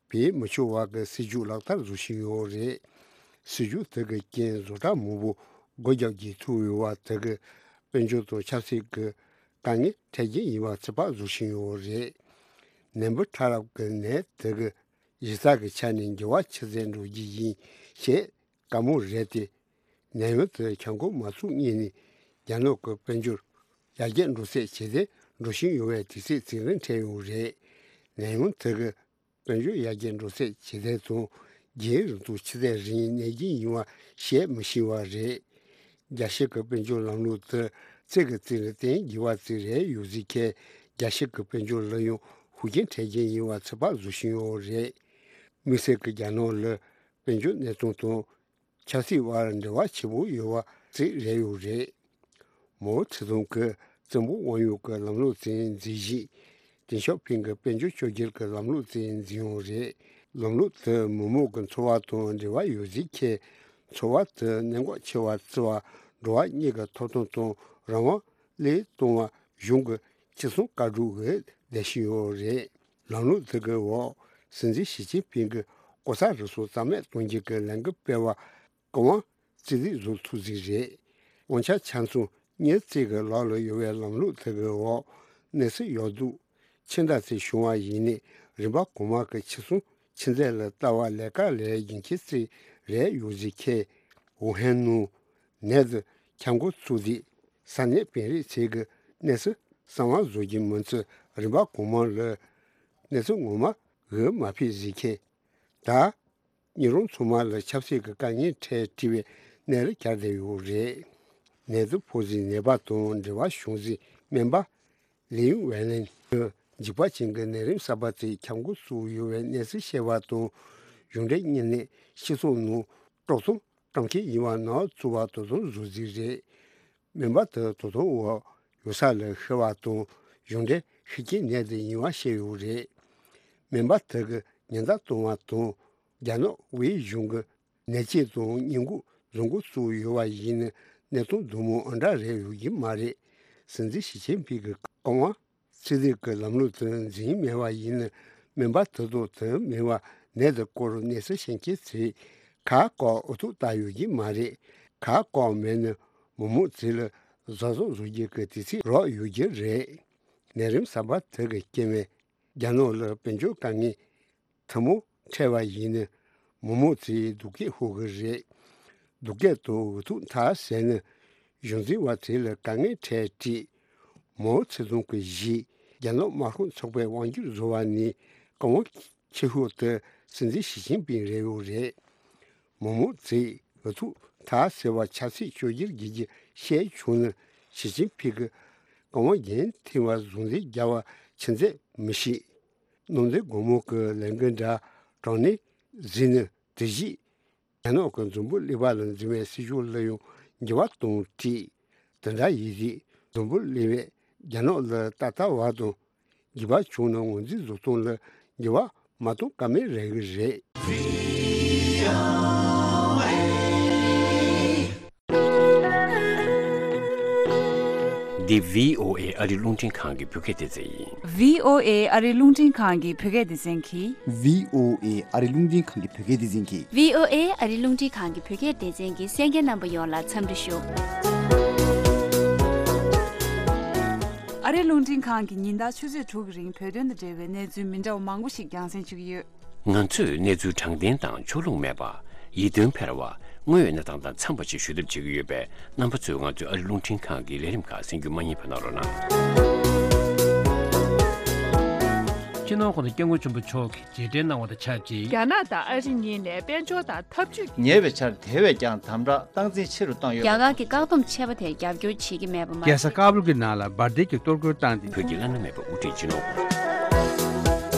བེད་མི་ཆོག་བ་གི་སྲིད་ཇུས་ལག་བསྟར་བཟོ་བཞིན་ཡོད་རེད། སྲིད་ཇུས་དེ་གི་རྐྱེན་བཟོ་གྲྭ་མང་པོ་སྒོ་རྒྱག་རྒྱུ་ཐུག་ཡོད་བ་དེ་གི་དཔལ་འབྱོར་དང་ཆབ་སྲིད་ཀྱི་དཀའ་ངལ་འཕྲད་རྐྱེན་ཡིན་བ་ཚོད་དཔག་བཟོ་བཞིན་ཡོད་རེད། ནད་འབུ་ཕྲ་རབ་ཀྱི་ནད་དེ་གི་གཞི་རྩ་གི་ཆ་ནས་འགྱུར་བ་ཆེ་ཙམ་འགྲོ་རྒྱུ་ཡིན་ཞེས་བཀའ་མོལ་རེད་དེ། ནད་ཡམས་དེ་ཁྱབ་འགོ་མ་ཚུགས་སྔོན་ནས་རྒྱ་ནག་གི་དཔལ་འབྱོར་ཡར་རྒྱས་འགྲོ་ཚད་ཇེ་བདེ་འགྲོ་བཞིན་ཡོད་པའི་དུས་ཚོད་ཅིག་ལ་འཕྲད་ཡོད་རེད། ནད་ཡམས་དེ་གི་དཔལ་འབྱོར་ཡར་རྒྱས་འགྲོ་ཚད་ཇེ་བདེ་དང་རྒྱུན་རིང་དུ་ཆུ་ཚད་རིང་གནས་རྒྱུ་ཡིན་བ་བཤད་མི་ཤེས་པ་རེད། རྒྱལ་སྤྱི་གི་དཔལ་འབྱོར་ལམ་ལུགས་དེ་ཚིག་གི་རྩིས་ལ་བརྟེན་དགོས་པ་ཅིག་རེད་ཡོད་ཟིག་ཁེ། རྒྱལ་སྤྱི་གི་དཔལ་འབྱོར་ལ་ཡང་ཤུགས་རྐྱེན་འཕྲད་རྐྱེན་ཡིན་བ་ཚོད་དཔག་བཟོ་བཞིན་ཡོད་རེད། དམིགས་བསལ་གྱི་རྒྱ་ནག་ལ་དཔལ་འབྱོར་གནས་སྟངས་དང་ཆབ་སྲིད་དབར་འབྲེལ་བ་ཆེ་པོ་ཡོད་པ་ཅིག་རེད་ཡོད་རེད། མའོ་ཙེ་ཏུང་གིས་བཙན་པོ་དབང་ཡོད་ཀྱི་ལམ་ལུགས་ཅིག་འཛིན་བཞིན། ཏེང་ཞའོ་ཕིང་གིས་དཔལ་འབྱོར་བཅོས་བསྒྱུར་གྱི་ལམ་ལུགས་ཅིག་འཛིན་ཡོད་རེད། ལམ་ལུགས་དེ་མི་མང་གི་འཚོ་བ་དང་འབྲེལ་བ་ཡོད་ཟིག་ཁེ། འཚོ་བ་དེ་གནད་འགག་ཆེ་བ་བརྩི་བ། འགྲོ་བ་མིའི་ཐོབ་ཐང་དང་རང་དབང་བློས་གཏོང་བ་གཞུང་གི་ཕྱི་སྲུང་བཀའ་སྒྲོག་གིས་བསྡད་བཞིན་ཡོད་རེད། ལམ་ལུགས་དེ་གི་འོག་སྲིད་འཛིན་ཞི་ཅིན་ཕིང་གིས་ལྐོག་ཟ་རུལ་སུངས་རྩ་མེད་གཏོང་རྒྱུ་གི་ལས་འགུལ་སྤེལ་བ། བཀའ་དབང་རྩིས་ལེན་བཟོ་ཐུབ་ཟིག་རེད། དབང་ཆ་ཆ་ཚང་མིའི་རྩིས་ཀྱི་ལག་ལ་ཡོད་པའི་ལམ་ལུགས་དེ་གི་འོག་གནས་ཚུལ་ཡག་སྡུག་ཆེ་འདྲ་ཅིག་བྱུང་བ་ཡིན་ནའི་རིམ་པ་གོང་མ་གི་ཕྱི་སྲུང་ཆུ་ཚད་ལ་ལྟ་བ་ལས་ཀ་ལས་རྒྱུན་ཆད་ཅིག་རེད་ཡོད་ཟིག་ཁེ། ཝུ་ཧན་ནང་ནད་དེ་ཁྱབ་འགོ་ཚུགས་དུས་ས་གནས་དཔོན་རིགས་ཚོས་ཀྱི་གནས་ཚུལ་གསང་བ་བཟོ་རྒྱུ་མིན་ཚེ་རིམ་པ་གོང་མ་ལ་གནས་ཚུལ་ངོ་མ་འགོད་མ་ཕོད་ཟིག་ཁེ། ད་ཉིན་རུང་ཚང་མ་ལ་ཆབ་སྲིད་ཀྱི་དཀའ་ངལ་འཕྲད་བྲིས་པའི་གནས་ལ་གྱར་བསྡད་ཡོད་རེད། ནད་དུག་ཕོག་ཟིན་ནད་པ་དང་འབྲེལ་བ་བྱུང་ཟིན་སྨན་པ་ལིའུ་ཝེ་ལན་གྱིས་འཇིགས་པ་ཅན་གྱི་ནད་རིམས་གསར་པ་དེ་ཁྱབ་འགོ་ཚུགས་ཡོད་པའི་གནས་ཚུལ་བཤད་པ་དང་། གཞུང་འབྲེལ་བརྙན་ལས་སྤྱི་ཚོགས་ནང་དཀྲོག་གཏམ་བཀྲམ་མཁན་ཡིན་པ་ནང་བཙུགས་པ་དོ་དམ་བཟོ་རྩིས་རེད། སྨན་པ་དེ་དོ་དམ་འོག་ཡོད་ས་ལ་ཤི་བ་དང་གཞུང་འབྲེལ་ཤི་རྐྱེན་ནད་དེ་ཡིན་པ་བཤད་ཡོད་རེད། སྨན་པ་དེ་གི་ཉེན་བརྡ་གཏོང་བ་དང་། རྒྱ་ནག་དབུས་གཞུང་གི་ནད་དཔྱད་དང་སྔོན་འགོག་བཟོ་འགོ་བཙུགས་ཡོད་པ་ཡིན་ན་གནས་སྟངས་འདི་མོ་ཨ་འདྲ་རེད་ཡོད་ཀྱི་མ་རེད། སྲིད་འཛིན་ཞི་ཅིན་ཕིང་གི་བཀའ་དབང་རྩིས་ལེན་གྱི་ལམ་ལུགས་དེ་འཛིན་མེད་པ་ཡིན་ན་སྨན་པ་དེ་དང་དེ་མིན་པ་ནད་དེ་སྐོར་གནས་ཚུལ་ཤེས་མཁན་ཚོས་ཁ་བཀག་འུ་ཐུག་བཏང་ཡོད་ཀྱི་མ་རེད། ཁ་བཀག་མེད་ན་མི་མང་ཚོ་ལ་གཟབ་གཟབ་བཟོ་རྒྱུ་གི་དུས་ཚོད་རག་ཡོད་ཀྱི་རེད། ནད་རིམས་གསར་པ་དེ་གི་རྐྱེན་པས་རྒྱ་ནག་ལ་དཔལ་འབྱོར་དཀའ་ངལ་ཐུན་མོང་འཕྲད་པ་ཡིན་ན་མི་མང་ཚོས་སྡུག་སྐད་ཤོར་གི་རེད། སྡུག་སྐད་དང་འུ་ཐུག་འཐབ་ཟེར་ན་གཞུང་འཛིན་པ་ཚོ་ལ་དཀའ་ངལ་འཕྲད་བྲིས། མའོ་ཙེ་ཏུང་གི་གཞི་རྒྱ་ནག་དམར་ཤོག་ཚོགས་པའི་དབང་སྒྱུར་བཟོ་བ་ནས་བཀའ་དབང་ཆེ་ཤོས་དེ་སྲིད་འཛིན་ཞི་ཅིན་ཕིང་རེད་ཡོད་རེད། མི་མང་ཚོས་འུ་ཐུག་འཐབ་ཟེར་བ་ཆབ་སྲིད་བཅོས་བསྒྱུར་བགྱིད་རྒྱུ་བཤད་བྱུང་ན་ཞི་ཅིན་ཕིང་གི་བཀའ་དབང་འགན་འཐེན་པ་ཟུང་འབྲེལ་རྒྱག་པ་ཆི་མཛད་མི་ཤེས། ནང་འཛིན་སྒོར་མོ་གི་ལས་འགུལ་འདྲ་དྲངས་ནས་འཛིན་ནས། དེ་བཞིན་རྒྱ་ནག་གི་འཛམ་བུ་གླིང་པ་ལ་འཛིན་པའི་སྲིད་ཕྱོགས་ལ་ཡང་འགྱུར་བ་གཏོང་སྲིད། དེ་འདྲ་ཡིན་དུས་འཛམ་བུ་གླིང་པས་རྒྱ་ནག་ལ་ད་ལྟ་བར་དུ་འགྱུར་བ་བྱུང་ན་ངོས་འཛིན་བཟོ་སྟངས་ལ་འགྱུར་བ་མ་གཏོང་ཀ་མེད་རེད་གི་རེད། འདི་བྷི་ཨོ་ཨེ་ཨ་རི་རླུང་འཕྲིན་ཁང་གི་བོད་སྐད་སྡེ་ཚན་ཡིན། བྷི་ཨོ་ཨེ་ཨ་རི་རླུང་འཕྲིན་ཁང་གི་བོད་སྐད་སྡེ་ཚན་གྱིས། བྷི་ཨོ་ཨེ་ཨ་རི་རླུང་འཕྲིན་ཁང་གི་བོད་སྐད་སྡེ་ཚན་གྱིས། བྷི་ཨོ་ཨེ་ཨ་རི་རླུང་འཕྲིན་ཁང་གི་བོད་སྐད་སྡེ་ཚན་གྱི་གསན་མཁན་རྣམ་པ་ཡོངས་ལ་འཚམས་འདྲི་ཞུ། ཨ་རི་རླུང་འཕྲིན་ཁང་གིས་ཉིན་ལྟར་ཆུ་ཚོད་དྲུག་གི་རིང་བོད་དོན་དང་འབྲེལ་བའི་གནས་ཚུལ་མི་འདྲ་བ་མང་པོ་ཞིག་རྒྱང་སྲིང་བྱེད་ཀྱི་ཡོད། ང་ཚོས་གནས་ཚུལ་དྲང་བདེན་དང་ཕྱོགས་ལྷུང་མེད་པ། ཡིད་རྟོན་འཕེར་བ། དངོས་ཡོད་གནས་སྟངས་དང་འཚམས་པ་ཞིག་ཞུ་ཐབས་བྱེད་ཀྱི་ཡོད་པས། རྣམ་པ་ཚོས་ང་ཚོའི་ཨ་རི་རླུང་འཕྲིན་ཁང་གི་ལས་རིམ་ཁག་གསན་རྒྱུ་མ་བསྙེལ་བ་གནང་རོགས་གནང་། སྤྱི་ནོར་༸གོང་ས་༸སྐྱབས་མགོན་ཆེན་པོ་མཆོག་གིས་རྗེས་དྲན་གནང་བ་དང་ཆབས་ཅིག་རྒྱ་ནག་དང་ཨ་རི་གཉིས་ནས་དཔལ་འབྱོར་དང་འཐབ་ཇུས། ཉེ་བའི་ཆར་དེ་བས་ཀྱང་དམ་དྲག་སྟངས་འཛིན་ཆེ་རུ་བཏང་ཡོད་པ། རྒྱ་གར་གྱི་བཀག་སྡོམ་ཆད་པ་དེར་རྒྱབ་སྐྱོར་བྱེད་ཀྱི་མེད་པ་མ་རྒྱལ་ས་ཀ་བུལ་གྱི་ནང་ལ་འབར་མདེལ་གྱིས་གཏོར་རྒོལ་བཏང་སྟེ། བོད་ཀྱི་བླ་ན་མེད་པ་དབུ་ཁྲིད་སྤྱི་ནོར།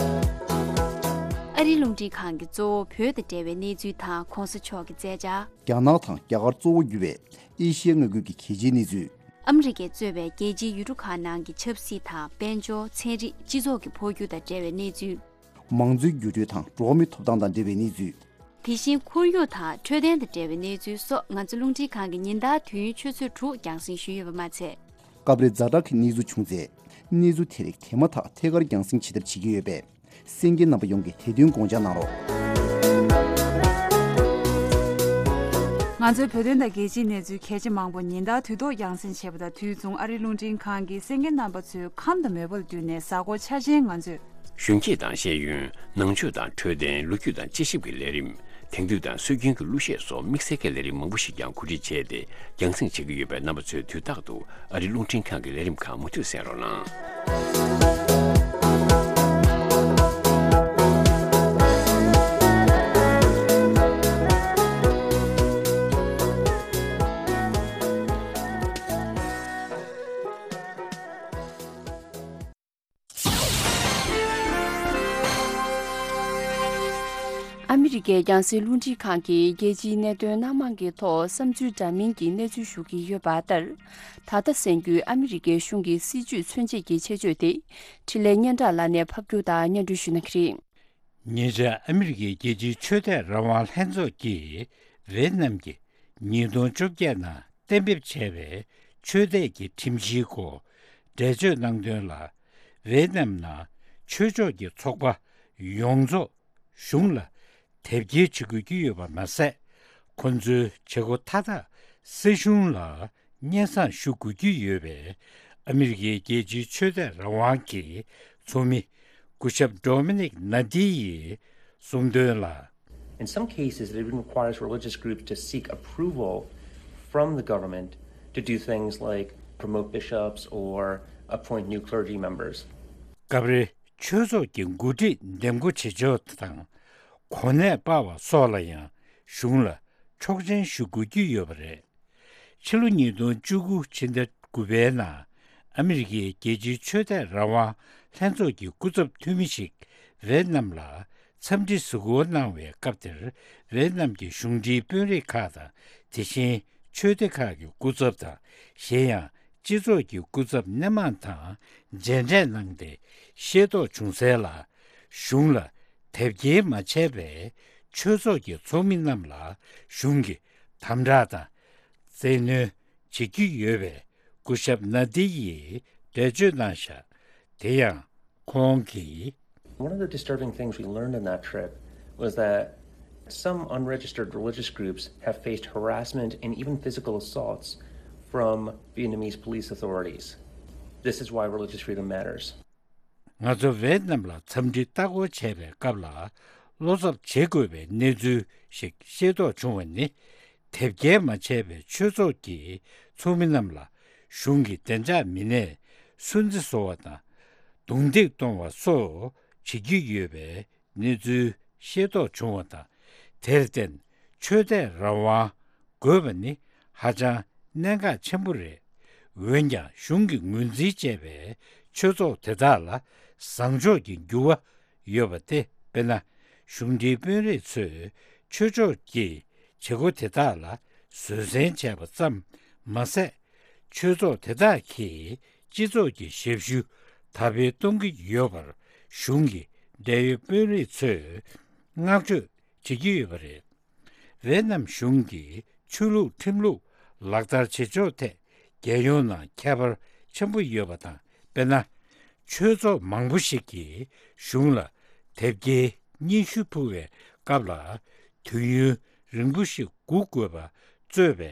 ཨ་རིའི་རླུང་འཕྲིན་ཁང་གིས་གཙོ་བོ་བོད་དང་འབྲེལ་བའི་གནས་ཚུལ་དང་༸གོང་ས་མཆོག་གི་མཛད་འཆར། རྒྱ་ནག་དང་རྒྱ་གར་གཙོ་བོ་གྱུར་པའི་ཨེ་ཤི་ཡའི་མངའ་ཁུལ་གྱི་གལ་ཆེའི་གནས་ཚུལ། ཨ་མི་རི་ཀས་གཙོས་པའི་རྒྱལ་སྤྱིའི་ཡུལ་གྲུ་ཁག་ནང་གི་ཆབ་སྲིད་དང་དཔལ་འབྱོར། ཚན་རིག་སྤྱི་ཚོགས་ཀྱི་འཕོ་འགྱུར་དང་འབྲེལ་བའི་གནས་ཚུལ། མང་གཙོའི་འགྱུར་འགྲོས་དང་འགྲོ་བ་མིའི་ཐོབ་ཐང་དང་འབྲེལ་བའི་གནས་ཚུལ། དེ་བཞིན་ཁོར་ཡུག་དང་འཕྲོད་བསྟེན་དང་འབྲེལ་བའི་གནས་ཚུལ་སོགས་ང་ཚོ་རླུང་འཕྲིན་ཁང་གིས་ཉིན་ལྟར་དུས་ཡུན་ཆུ་ཚོད་དྲུག་རྒྱང་སྲིང་ཞུས་ཡོད་པ་མ་ཚད། སྐབས་རེ་ཛ་དྲག་གི་གནས་ཚུལ་བྱུང་ཚེ། གནས་ཚུལ་དེ་རིགས་དེ་མ་ཐག་ཐད་ཀར་རྒྱང་སྲིང་བྱེད་ཐབས་བྱེད་ཀྱི་ཡོད་པས། གསན་མཁན་རྣམ་པ་ཡོངས་ཀྱིས་དེ་དོན་དགོངས་འཇགས་གནང་རོགས། ང་ཚོའི་བོད་དོན་དང་རྒྱལ་སྤྱིའི་གནས་ཚུལ་གལ་ཆེ་མང་པོ་ཉིན་ལྟར་དུས་ཐོག་རྒྱང་སྲིང་བྱེད་པ་དང་དུས་མཚུངས་ཨ་རིའི་རླུང་འཕྲིན་ཁང་གིས་གསན་མཁན་རྣམ་པ་ཚོའི་ཁམས་དང་མོས་པ་ལ་བསྟུན་ནས་གཟའ་འཁོར་འཆར་ཅན་ང་ཚོས། གཞོན་སྐྱེས་དང་ཤེས་ཡོན། ནང་ཆོས་དང་འཕྲོད་བསྟེན། ལོ་རྒྱུས་དང་དཔྱད་ཞིབ་ཀྱི་ལས་རིམ། དེང་དུས་དང་སྲོལ་རྒྱུན་གྱི་གླུ་གཞས་སོགས་དམིགས་བསལ་གྱི་ལས་རིམ་མང་པོ་ཞིག་ཀྱང་གོ་སྒྲིག་བྱས་ཏེ་རྒྱང་སྲིང་བྱེད་ཀྱི་ཡོད་པས། རྣམ་པ་ཚོས་དུས་རྟག་ཏུ་ཨ་རིའི་རླུང་འཕྲིན་ཁང་གི་ལས་རིམ་ཁག་མུ་མཐུད་གསན་རོགས་གནང་། ཨ་མི་རི་ཀའི་རྒྱང་སྲིང་རླུང་འཕྲིན་ཁང་གིས་རྒྱལ་སྤྱིའི་གནད་དོན་སྣ་མང་གི་ཐོག་བསམ་ཚུལ་འདྲ་མིན་གྱི་གནས་ཚུལ་ཞུ་གི་ཡོད་པ་ལྟར། ད་ལྟ་གསན་རྒྱུའི་ཨ་མི་རི་ཀའི་གཞུང་གི་སྲིད་ཇུས་མཚོན་བྱེད་ཀྱི་ཆེད་བརྗོད་དེ། འཕྲིན་ལས་སྙན་གྲགས་ལགས་ནས་ཕབ་སྒྱུར་དང་སྙན་སྒྲོན་ཞུ་གནང་གི་རེད། ཉེ་ཆར་ཨ་མི་རི་ཀའི་རྒྱལ་སྤྱིའི་ཆོས་དད་རང་དབང་ལྷན་ཚོགས་ཀྱིས་ཝེ་ཏི་ནམ་གྱི་ཉིས་སྟོང་བཅོ་བརྒྱད་ནང་གཏན་འབེབས་བྱས་པའི་ཆོས་དད་ཀྱི་ཁྲིམས་གཞིའི་སྐོར་འགྲེལ་བརྗོད་གནང་དོན་ལ། ཝེ་ཏི་ནམ་ནང་ཆོས་ཕྱོགས་ཀྱི་ཚོགས་པ་ཡོངས་རྫོགས་གཞུང་ལ་དེབ་སྐྱེལ་བྱེད་དགོས་ཀྱི་ཡོད་པ་མ་ཟད། ཁོ་ཚོའི་བྱེད་སྒོ་མཐའ་དག་སྲིད་གཞུང་ལ་སྙན་སེང་ཞུ་དགོས་ཀྱི་ཡོད་པས། ཨ་མི་རི་ཀའི་རྒྱལ་སྤྱིའི་ཆོས་དད་རང་དབང་གི་ཚོགས་མི་སྐུ་ཞབས་ཌོ་མི་ནིག་ན་ཏི་ཡིས་གསུངས་དོན་ལ། In some cases, it even requires religious groups to seek approval from the government to do things like promote bishops or appoint new clergy members. སྐབས་རེ་ཆོས་ཚོགས་ཀྱི་འགོ་ཁྲིད་འདེམས་བསྐོ་བྱེད་ཕྱོགས་དང་། གོ་གནས་སྤར་བ་སོགས་ལ་ཡང་གཞུང་ལ་ཆོག་མཆན་ཞུ་དགོས་ཀྱི་ཡོད་པ་རེད། ཕྱི་ལོ་ཉིས་སྟོང་བཅུ་དགུ་ཕྱི་ཟླ་དགུ་པའི་ནང་ཨ་མི་རི་ཀའི་རྒྱལ་སྤྱིའི་ཆོས་དད་རང་དབང་ལྷན་ཚོགས་ཀྱི་སྐུ་ཚབ་འཐུས་མི་ཞིག་ཝེ་ཏི་ནམ་ལ་འཚམས་འདྲི་གཟིགས་སྐོར་གནང་བའི་སྐབས་དེར། ཝེ་ཏི་ནམ་གྱི་གཞུང་འབྲེལ་དཔོན་རིགས་ཁག་དང་། དེ་བཞིན་ཆོས་སྡེ་ཁག་གི་སྐུ་ཚབ་དང་། གཞན་ཡང་སྤྱི་ཚོགས་ཀྱི་སྐུ་ཚབ་སྣེ་མང་དང་མཇལ་འཕྲད་གནང་སྟེ་ཤེས་རྟོགས་བྱུང་གསལ་ལ། གཞུང་ལ་དེབ་སྐྱེལ་མ་བྱས་པའི་ཆོས་ཚོགས་ཀྱི་ཚོགས་མི་རྣམས་ལ་གཞུང་གིས་དམ་དྲག་དང་བཙན་གནོན་བྱེད་ཀྱི་ཡོད་པའི་སྐུ་ཞབས་ན་ཏི་ཡིས་འགྲེལ་བརྗོད་གནང་བཞག་དེ་ཡང་ཁོང་གིས། One of the disturbing things we learned on that trip was that some unregistered religious groups have faced harassment and even physical assaults from Vietnamese police authorities. This is why religious freedom matters. ང་ཚོ་ཝེ་ཏི་ནམ་ལ་འཚམས་འདྲི་ལྟ་སྐོར་བྱས་པའི་སྐབས་ལ། བློ་འཚབ་བྱེད་དགོས་པའི་གནས་ཚུལ་ཞིག་ཤེས་རྟོགས་བྱུང་བ་ནི། དེབ་སྐྱེལ་མ་བྱས་པའི་ཆོས་ཚོགས་ཀྱི་ཚོགས་མི་རྣམས་ལ་གཞུང་གི་བདེ་འཇགས་མི་སྣས་སུན་གཙེར་བཟོ་བ་དང་། རྡུང་རྡེག་གཏོང་བ་སོགས་བྱེད་ཀྱི་ཡོད་པའི་གནས་ཚུལ་ཤེས་རྟོགས་བྱུང་བ་དང་། དེར་བརྟེན་ཆོས་དད་རང་དབང་དགོས་པ་ནི་ཧ་ཅང་གནད་འགག་ཆེན་པོ་རེད། འོན་ཀྱང་གཞུང་གིས་ངོས་འཛིན་བྱས་པའི་ཆོས་ཚོགས་དེ་དག་ལ་བཟང་ཕྱོགས་ཀྱི་འགྱུར་བ་ ཡོད་པ་སྟེ། དཔེར་ན། གཞུང་འབྲེལ་དཔོན་རིགས་ཚོས་ཆོས་ཕྱོགས་ཀྱི་བྱེད་སྒོ་དེ་དག་ལ་བཟོད་བསྲན་བྱས་པ་ཙམ་མ་ཟད། ཆོས་ཚོགས་དེ་དག་གིས་སྤྱི་ཚོགས་ཀྱི་ཞབས་ཞུ་དར་སྤེལ་གཏོང་གི་ཡོད་པར་གཞུང་གི་འབྲེལ་ཡོད་དཔོན་རིགས་ཚོས་བསྔགས་བརྗོད་བྱེད་ཀྱི་ཡོད་པ་རེད། ཝེ་ནམ་གཞུང་གིས་ཆོས་ལུགས་ཁྲིམས་ལུགས་ལག་བསྟར་བྱེད་ཕྱོགས་ཐད་རྒྱལ་ཡོངས་ནང་ཁྱད་པར་ཆེན་པོ་ཡོད་པ་དང་། དཔེར་ན། ཆོས་ཚོགས་མང་པོ་ཞིག་གིས་གཞུང་ལ་དེབ་སྐྱེལ་སྙན་ཞུ་ཕུལ་བའི་སྐབས་ལ་དུས་ཡུན་རིང་པོ་ཞིག་སྒུག་དགོས་པ་གཙོས་པའི་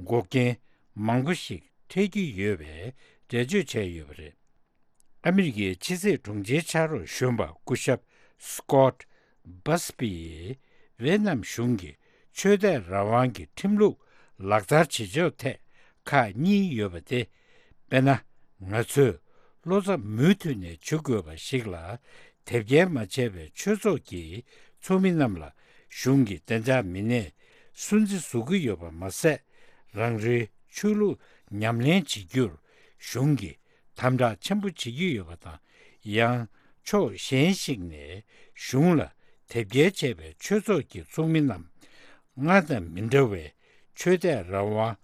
འགོག་རྐྱེན་མང་པོ་ཞིག་འཕྲད་ཀྱི་ཡོད་པའི་འགྲེལ་བརྗོད་བྱས་ཡོད་པ་རེད། ཨ་མི་རི་ཀའི་ཕྱི་སྲིད་དྲུང་ཆེའི་ཕྱག་རོགས་གཞོན་པ་སྐུ་ཞབས་Scott Busby ཡིས་ཝེ་ནམ་གཞུང་གིས་ཆོས་དད་རང་དབང་གི་ཁྲིམས་ལུགས་ལག་བསྟར་བྱེད་ཕྱོགས་ཐད་ཁག་གཉིས་ཡོད་པ་སྟེ། དཔེར་ན། ང་ཚོས་བློ་འཚབ་མུ་མཐུད་ནས་བྱེད་དགོས་པ་ཞིག་ལ་དེབ་སྐྱེལ་མ་བྱས་པའི་ཆོས་ཚོགས་ཀྱི་ཚོགས་མི་རྣམས་ལ་གཞུང་གི་བདེ་འཇགས་མི་སྣས་སུན་གཙེར་བཟོ་གི་ཡོད་པ་མ་ཟད། རང་རེའི་ཆོས་ལུགས་ཉམས་ལེན་བྱེད་རྒྱུར་གཞུང་གིས་དམ་དྲག་ཆེན་པོ་བྱེད་ཀྱི་ཡོད་པ་དང་། ཡང་ཕྱོགས་གཞན་ཞིག་ནས་གཞུང་ལ་དེབ་སྐྱེལ་བྱས་པའི་ཆོས་ཚོགས་ཀྱི་ཚོགས་མི་རྣམས་སྔར་དང་མི་འདྲ་བའི་ཆོས་དད་རང་དབང་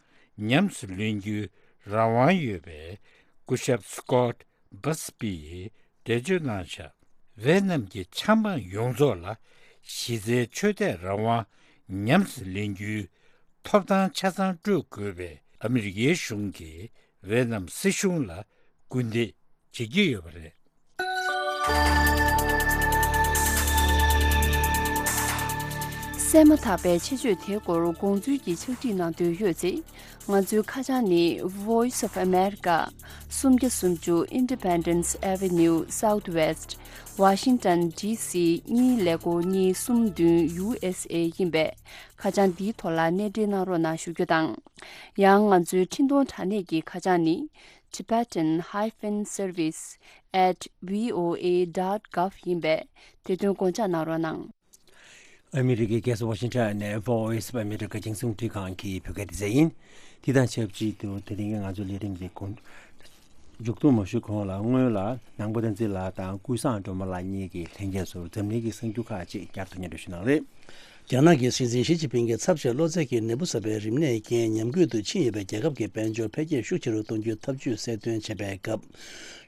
ཉམས་སུ་ལེན་རྒྱུའི་རང་དབང་ཡོད་པའི་སྐུ་ཞབས་Scott Busby ཡིས་འགྲེལ་བརྗོད་གནང་བཞག་ཝེ་ནམ་གྱི་ཆབ་འབངས་ཡོངས་རྫོགས་ལ་གཞི་རྩའི་ཆོས་དད་རང་དབང་ཉམས་སུ་ལེན་རྒྱུའི་ཐོབ་ཐང་ཆ་ཚང་སྤྲོད་དགོས་པའི་ཨ་མི་རི་ཀའི་གཞུང་གིས་ཝེ་ནམ་སྲིད་གཞུང་ལ་སྐུལ་འདེད་བྱེད་ཀྱི་ཡོད་པ་རེད། གསན་མ་ཐག་པའི་ཆེད་བརྗོད་དེའི་སྐོར་དགོངས་ཚུལ་གྱི་ཕྱག་བྲིས་གནང་འདོད་ཡོད་ཚེ། ང་ཚོའི་ཁ་བྱང་ནི། Voice of America། སུམ་བརྒྱ་སུམ་ཅུ། Independence Avenue Southwest། Washington DC གཉིས་ཀླད་ཀོར་གཉིས་གསུམ་བདུན། USA ཡིན་པས། ཁ་བྱང་འདིའི་ཐོག་ལ་གནས་འབྲེལ་གནང་རོགས་གནང་ཞུ་རྒྱུ་དང་། ཡང་ང་ཚོའི་འཕྲིན་གཏོང་དྲ་གནས་ཀྱི་ཁ་བྱང་ནི། Tibetan hyphen service at voa dot gov ཡིན་པས། དེ་དོན་དགོངས་འཇགས་གནང་རོགས་གནང་། ཨ་མི་རི་ཀའི་རྒྱལ་ས་ཝ་ཤིང་ཊོན་ནས་Voice of America རྒྱང་སྲིང་རླུང་འཕྲིན་ཁང་གི་བོད་སྐད་སྡེ་ཚན་ཡིན། དེ་དང་ཆབས་ཅིག་ཏུ་དེ་རིང་གི་ང་ཚོའི་ལས་རིམ་འདི་གོང་མཇུག་བསྡོམས་མ་ཞུས་གོང་ལ། སྔོན་ལ་ནང་པ་བསྟན་འཛིན་ལགས་དང་ཀུན་བཟང་སྒྲོལ་མ་ལགས་གཉིས་ཀྱིས་ལྷན་རྒྱས་ཚོར་འཛམ་གླིང་གི་གསར་འགྱུར་ཁག་ཅིག་བསྐྱར་དུ་སྙན་སྒྲོན་ཞུ་གནང་རེད། རྒྱ་ནག་གི་སྲིད་འཛིན་ཞི་ཅིན་ཕིང་གིས་ཚབས་ཆེ་གློ་ཚད་ཀྱི་ནད་འབུ་གསར་པའི་རིམས་ནད་རྐྱེན་ཉམས་རྒུད་དུ་ཕྱིན་ཡོད་པའི་རྒྱལ་ཁབ་ཀྱི་དཔལ་འབྱོར་འཕེལ་རྒྱས་ཤུགས་ཆེ་རུ་གཏོང་རྒྱུའི་ཐབས་ཇུས་གསལ་སྟོན་བྱེད་པའི་སྐབས།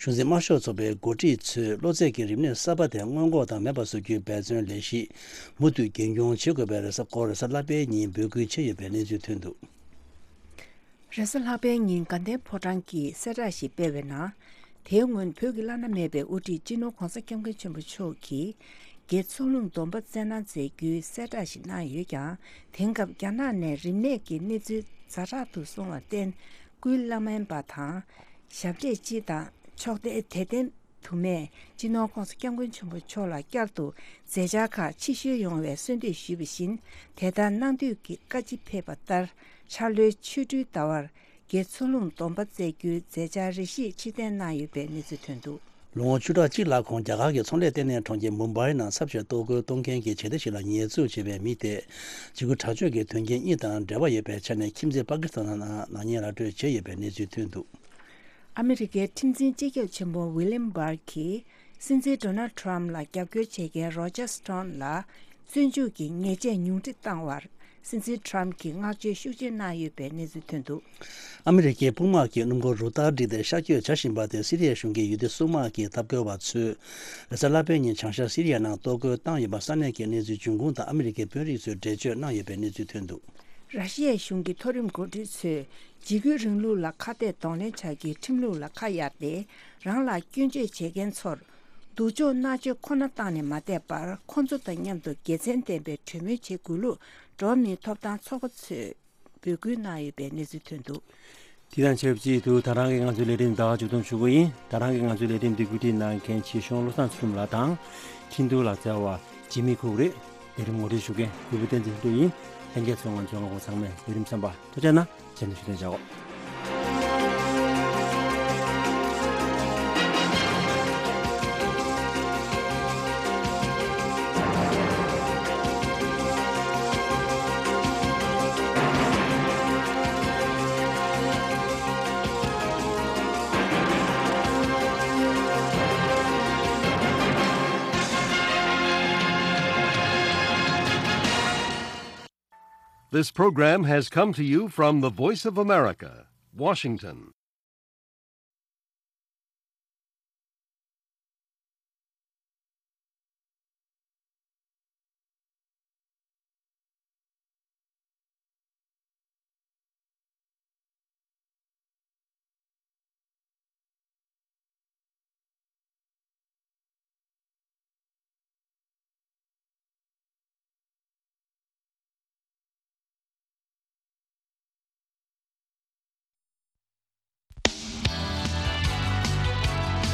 གཞུང་འཛིན་དམར་ཤོག་ཚོགས་པའི་འགོ་ཁྲིད་ཚོས་གློ་ཚད་ཀྱི་རིམས་ནད་གསར་པ་དེ་སྔོན་འགོག་དང་མེད་པར་བཟོ་རྒྱུའི་འབད་བརྩོན་ལས་གཞི་མུ་མཐུད་རྒྱུན་འཁྱོངས་བྱེད་དགོས་པའི་རེས་གཟའ་སྐོར། རེས་གཟའ་ལྷག་པའི་ཉིན་འབོད་སྐུལ་བྱས་ཡོད་པའི་གནས་ཚུལ་ཐོན་འདུག་རེས་གཟའ་ལྷག་པའི་ཉིན་དགའ་ལྡན་ཕོ་བྲང་གིས་གསལ་བསྒྲགས་ཤིག་སྤེལ་བའི་ནང་། དེའི་སྔོན་བོད་ཀྱི་བླ་ན་མེད་པའི་དབུ་ཁྲིད་སྤྱི་ནོར་༧གོང་ས་༧སྐྱབས་མགོན་ཆེན་པོ་མཆོག་གིས་དགེ་ཚུལ་སློང་སྡོམ་པ་སྩལ་གནང་མཛད་རྒྱུའི་གསལ་བསྒྲགས་ཤིག་གནང་ཡོད་ཀྱང་། དེང་སྐབས་རྒྱ་ནག་ནས་རིམས་ནད་ཀྱི་གནས་ཚུལ་ཛ་དྲག་ཏུ་སོང་བར་བརྟེན། སྐུའི་བླ་སྨན་པ་དང་། ཞབས་གྲས་སྤྱི་དང་ཕྱོགས་མཐའི་དད་ལྡན་དུ་མས་སྤྱི་ནོར་༧གོང་ས་༧སྐྱབས་མགོན་ཆེན་པོ་མཆོག་ལ་བསྐྱར་དུ་མཛད་འཆར་ཁག་ཕྱིར་བཤོལ་ཡོང་བའི་གསོལ་འདེབས་ཞུས་པ་བཞིན། དེ་ལྟར་གནང་འདོད་ཀྱི་བཀའ་ཅི་ཕེབས་པ་ལྟར། འཆར་ལོའི་ཆོ་འཕྲུལ་ཟླ་བར་དགེ་ཚུལ་སློང་སྡོམ་པ་བསྩལ་རྒྱུའི་མཛད་འཆར་རེ་ཞིག་ཕྱིར་འཐེན་གནང་ཡོད་པའི་གནས་ཚུལ་ཐོན་འདུག་ལོ་ངོ་བཅུ་ཕྲག་གཅིག་ལྷག་གོང་རྒྱ་གར་གྱི་ཚོང་ལས་ལྟེ་གནས་གྲོང་ཁྱེར་མུམ་བྷའི་ནང་ཚབས་ཆེ་གཏོར་རྒོལ་གཏོང་མཁན་གྱི་བྱེད་གཏེ་ཞིག་ལ་ཉེས་འཛུགས་བྱས་པའི་མི་དེས། འཇིགས་སྐུལ་དྲག་སྤྱོད་ཀྱི་དོན་རྐྱེན་གཉིས་དང་འབྲེལ་བ་ཡོད་པའི་ཆ་ནས་ཁྱིམ་མཚེས་པ་ཀི་སི་ཐན་ནང་ནག་ཉེས་ར་སྤྲོད་བྱས་ཡོད་པའི་གནས་ཚུལ་ཐོན་འདུག་ཨ་མི་རི་ཀའི་ཁྲིམས་འཛིན་སྤྱི་ཁྱབ་ཆེན་པོ་ཝི་ལིམ་བྷར་གྱིས་སྲིད་འཛིན་ཌོ་ནལ་ཁྲམ་ལ་རྒྱབ་སྐྱོར་བྱེད་མཁན་རོ་ཇར་སྟོན་ལ་བཙོན་འཇུག་གི་ཉེས་ཆད་ཉུང་འཕྲི་བཏང་བར། སྲིད་འཛིན་ཁྲམ་གྱིས་བསྔགས་བརྗོད་ཤུགས་ཆེ་གནང་ཡོད་པའི་གནས་ཚུལ་ཐོན་འདུག་ཨ་མི་རི་ཀའི་དཔུང་དམག་གིས་སྣུམ་འཁོར་རུ་སྟར་བསྒྲིགས་ཏེ་ཤར་བསྐྱོད་བྱ་བཞིན་པ་དེ་སི་རི་ཡའི་གཞུང་གི་ཡུལ་སྡེ་སྲུང་དམག་གིས་འཐབ་རྒོལ་བ་ཚོས་རེས་གཟའ་ལྷག་པའི་ཉིན་བྱང་ཤར་སི་རི་ཡ་ནང་གཏོར་རྒོལ་བཏང་ཡོད་པ་ས་གནས་ཀྱི་གནས་ཚུལ་འབྱུང་ཁུངས་དང་ཨ་མི་རི་ཀའི་དཔོན་རིགས་ཚོས་འགྲེལ་བརྗོད་གནང་ཡོད་པའི་གནས་ཚུལ་ཐོན་འདུག་ར་ཤི་ཡའི་གཞུང་གི་མཐོ་རིམ་འགོ་ཁྲིད་ཚོས་འཇིགས་སྐུལ་རིང་ལུགས་ལ་ཁ་གཏད་གདོང་ལེན་བྱ་རྒྱུའི་ཁྲིམས་ལུགས་ལ་ཁ་གཡར་ཏེ། རང་ལ་སྐྱོན་བརྗོད་བྱེད་མཁན་ཚོར་སྡུག་སྦྱོང་མནར་གཅོད་ཁོ་ན་བཏང་ནས་མ་བསྡད་པར། ཁོ་ཚོ་དང་མཉམ་དུ་དགེ་མཚན་ལྡན་པའི་གྲོས་མོལ་བྱེད་དགོས་ལུགས་འགྲོ་བ་མིའི་ཐོབ་ཐང་ཚོགས་པ་ཚོས་འབོད་སྐུལ་གནང་ཡོད་པའི་གནས་ཚུལ་ཐོན་འདུག་དེ་དང་ཆབས་ཅིག་ཏུ་ད་རང་གི་ང་ཚོའི་ལས་རིམ་ཟླ་བ་མཇུག་བསྡོམས་ཞུ་གི་ཡིན། ད་རང་གི་ང་ཚོའི་ལས་རིམ་འདི་བཀོད་སྒྲིག་གནང་མཁན་ཆེ་ཆུང་བློ་བཟང་ཚུལ་ཁྲིམས་ལགས་དང་། འཕྲིན་གཏོང་ལག་རྩལ་བ་འཇིགས་མེད་ཁུག་རེད། ལས་རིམ་ངོ་སྤྲོད་ཞུ་མཁན་གུས་པ་བསྟན་འཛིན་ལྷུན་གྲུབ་ཡིན། ལྷན་རྒྱས་ཚོ་ང་ཚོའི་ངོ་སྒོ་ཚང་མས་ལས་རིམ་གསན་པར་ཐུགས་རྗེ་གནང་། རྗེས་ནས་ཞུ་དོན་བྱའོ། This program has come to you from the Voice of America, Washington.